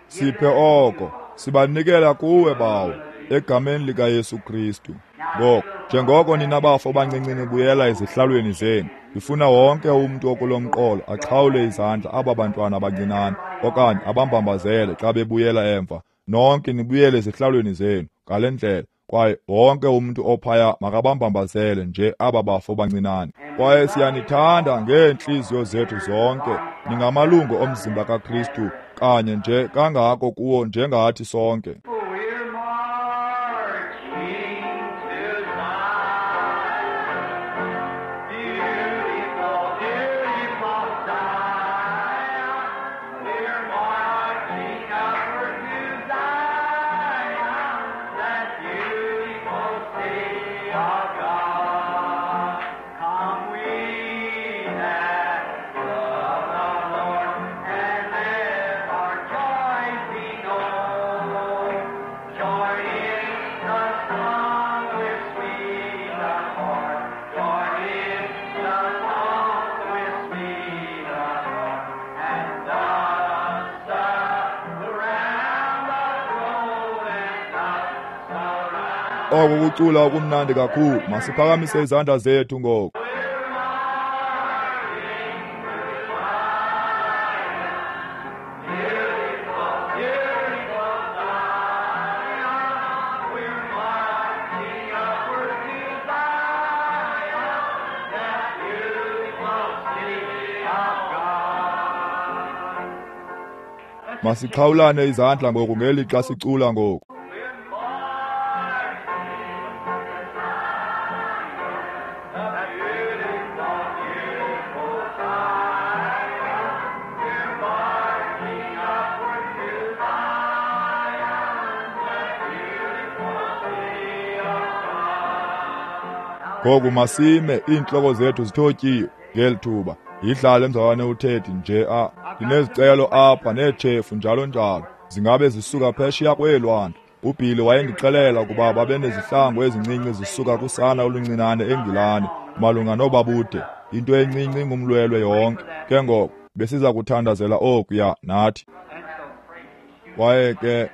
Siphe oko, sibanikela kuwe, Bawo, egameni likaYesu Kristu. Ngoku, njengoko nina bafo bancinci nibuyela ezihlalweni zenu, ndifuna wonke umntu okulo mqolo axhawule izandla aba bantwana abancinane okanye abambambazele xa bebuyela emva. Nonke nibuyele ezihlalweni zenu ngale ndlela, kwaye wonke umntu ophaya makabambambazele nje aba bafo bancinane. Kwaye siyanithanda ngeentliziyo zethu zonke. Ningamalungu omzimba kaKristu kanye nje kangako kuwo njengathi sonke. We're marching upward to Zion, that beautiful city of God. Oko kucula okumnandi kakhulu. Masiphakamise izandla zethu ngoku. Masixhawulane izandla ngoku ngelixa sicula ngoku. Ngoku masime iintloko zethu zithotyiwe ngeli thuba. Yidlale mzalwane uThedi nje a ndinezicelo apha neetshefu njalo njalo. Zingabe zisuka phesheya kweelwandle. UBhili wayendixelela ukuba babenezihlangu ezincinci zisuka kusana oluncinane eNgilane malunga nobabude. Into encinci ingumlwelwe yonke. Ke ngoko besiza kuthandazela okuya nathi. Kwaye ke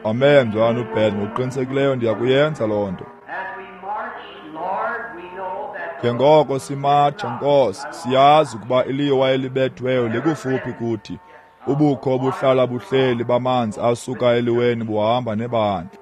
Amen, mzalwane uBen, ngokuqinisekileyo ndiyakuyenza loo nto. Njengoko simatsha, Nkosi, siyazi ukuba iliwa elibethweyo likufuphi kuthi. Ubukho obuhlala buhleli bamanzi asuka eliweni buhamba nebandla.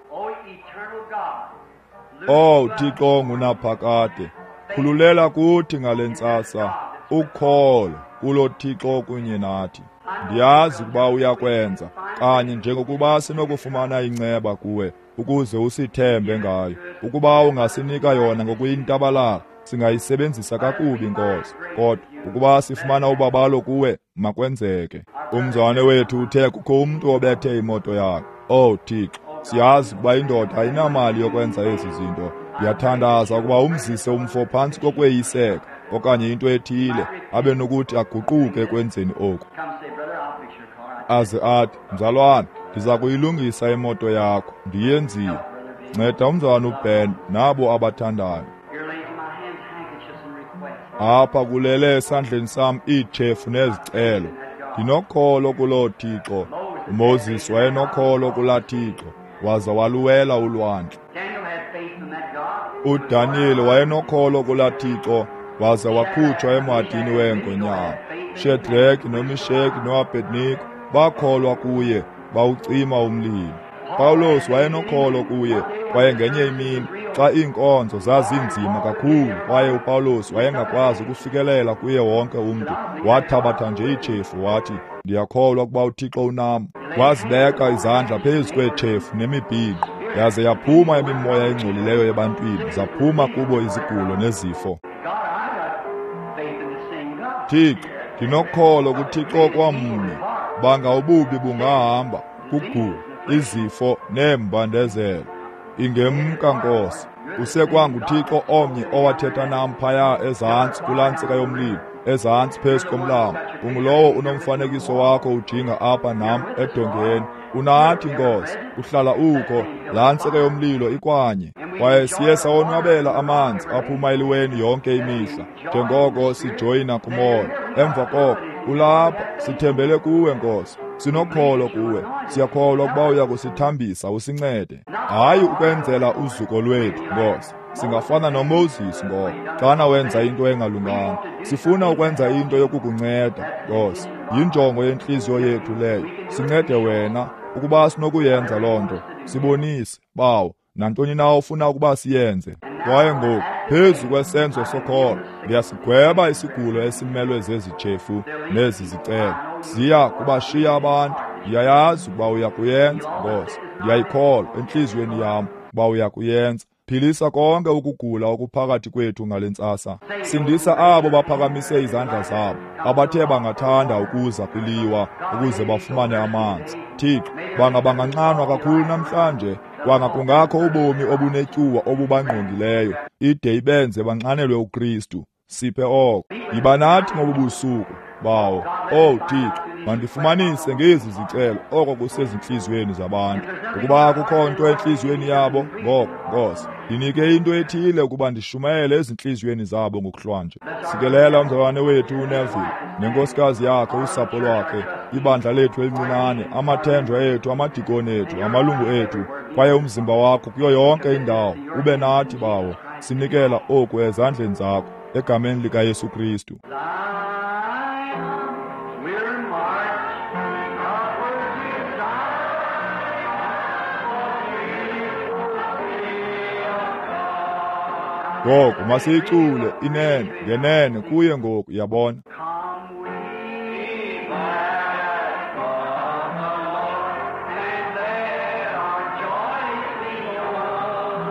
Oh Thixo ongunaphakade, khululela kuthi ngale ntsasa ukholo kulo Thixo kunye nathi. Ndiyazi ukuba uyakwenza kanye njengokuba sinokufumana inceba kuwe ukuze usithembe ngayo. Ukuba ungasinika yona ngokuyintabalala, singayisebenzisa kakubi, Nkosi. Kodwa ukuba sifumana ubabalo kuwe, makwenzeke. Umzalwane wethu uthe kukho umntu obethe imoto yakhe. Oh Thixo, siyazi ukuba indoda ayinamali yokwenza ezi zinto. Ndiyathandaza ukuba umzise umfo phantsi kokweyiseka okanye into ethile, abe nokuthi aguquke ekwenzeni oku. Aze athi, mzalwane, ndiza kuyilungisa imoto yakho, ndiyenzile. Nceda umzalwane uBen nabo abathandayo. Apha kulele esandleni sam iitshefu nezicelo. Ndinokholo kuloo Thixo. uMoses wayenokholo kulaa Thixo, waza waluwela ulwandle. uDaniyeli wayenokholo kulaa Thixo, waza wakhutshwa emhadini weengonyama. Shedraki noMisheki noAbednego bakholwa kuye, bawucima umlilo. Pawulos wayenokholo kuye, kwaye ngenye imini xa iinkonzo zazinzima kakhulu kwaye uPawulos wayengakwazi ukufikelela kuye wonke umntu, wathabatha nje iitshefu wathi, ndiyakholwa ukuba uThixo unam. Wazibeka izandla phezu kweetshefu nemibhinqo, yaze yaphuma imimoya engcolileyo ebantwini, zaphuma kubo izigulo nezifo. Thixo, ndinokholo kuThixo kwamnye. Banga ububi bungahamba, kugula, izifo neembandezelo. Ingemka, Nkosi. UsekwanguThixo omnye owathetha nam phaya ezantsi kulaa ntsika yomlilo, ezantsi phezu komlambo. Ungulowo unomfanekiso wakho ujinga apha nam edongeni. Unathi, Nkosi, uhlala ukho. Laa ntsika yomlilo ikwanye. Kwaye siye sawonwabela amanzi aphuma eliweni yonke imihla, njengoko sijoyina kumoya. Emva koko ulapha, sithembele kuwe, Nkosi. Sinokholo kuwe. Siyakholwa ukuba uya kusithambisa usincede. Hayi ukwenzela uzuko lwethu, Nkosi. Singafana noMoses ngoko xana wenza into engalunganga. Sifuna ukwenza into yokukunceda, Nkosi. Yinjongo yentliziyo yethu leyo. Sincede wena ukuba sinokuyenza loo nto. Sibonise, Bawo, nantoni na ofuna ukuba siyenze. Kwaye ngoku, phezu kwesenzo sokholo, ndiyasigweba isigulo esimelwe zezi tshefu nezi zicelo. Ziya kubashiya abantu. Ndiyayazi ukuba uya kuyenza, Nkosi. Ndiyayikholwa entliziyweni yam ukuba uya kuyenza. Philisa konke ukugula okuphakathi kwethu ngale ntsasa. Sindisa abo baphakamise izandla zabo, abathe bangathanda ukuza kwiliwa ukuze bafumane amanzi. Thixo, banga banganxanwa kakhulu namhlanje, kwanga kungakho ubomi obunetyuwa obubangqongileyo, ide ibenze banxanelwe uKristu. Siphe oko. Yiba nathi ngobu busuku, Bawo. Oh Thixo, Mandifumanise ngezi zicelo oko kusezintliziyweni zabantu. Ukuba akukho nto entliziyweni yabo, ngoko, Nkosi, ndinike into ethile ukuba ndishumayele ezintliziyweni zabo ngokuhlwanje. Sikelela umzalwane wethu uNeville nenkosikazi yakhe, usapho lwakhe, ibandla lethu elincinane, amathenjwa ethu, amadikoni ethu, amalungu ethu, kwaye umzimba wakho kuyo yonke indawo. Ube nathi, Bawo. Sinikela oku ezandleni zakho, egameni likaYesu Kristu. We're marching upward to Ngoku masiyicule inene ngenene kuye ngoku, yabona. Come we welcome the Lord, and let our joy be known.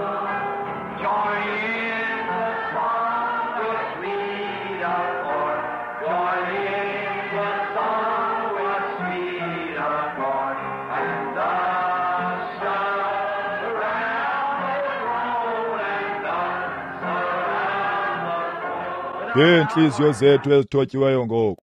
Join in the song with sweet accord. Join in the song with sweet accord. And thus surround the throne, and thus surround the throne. Ngeentliziyo zethu ezithotyiweyo ngoku.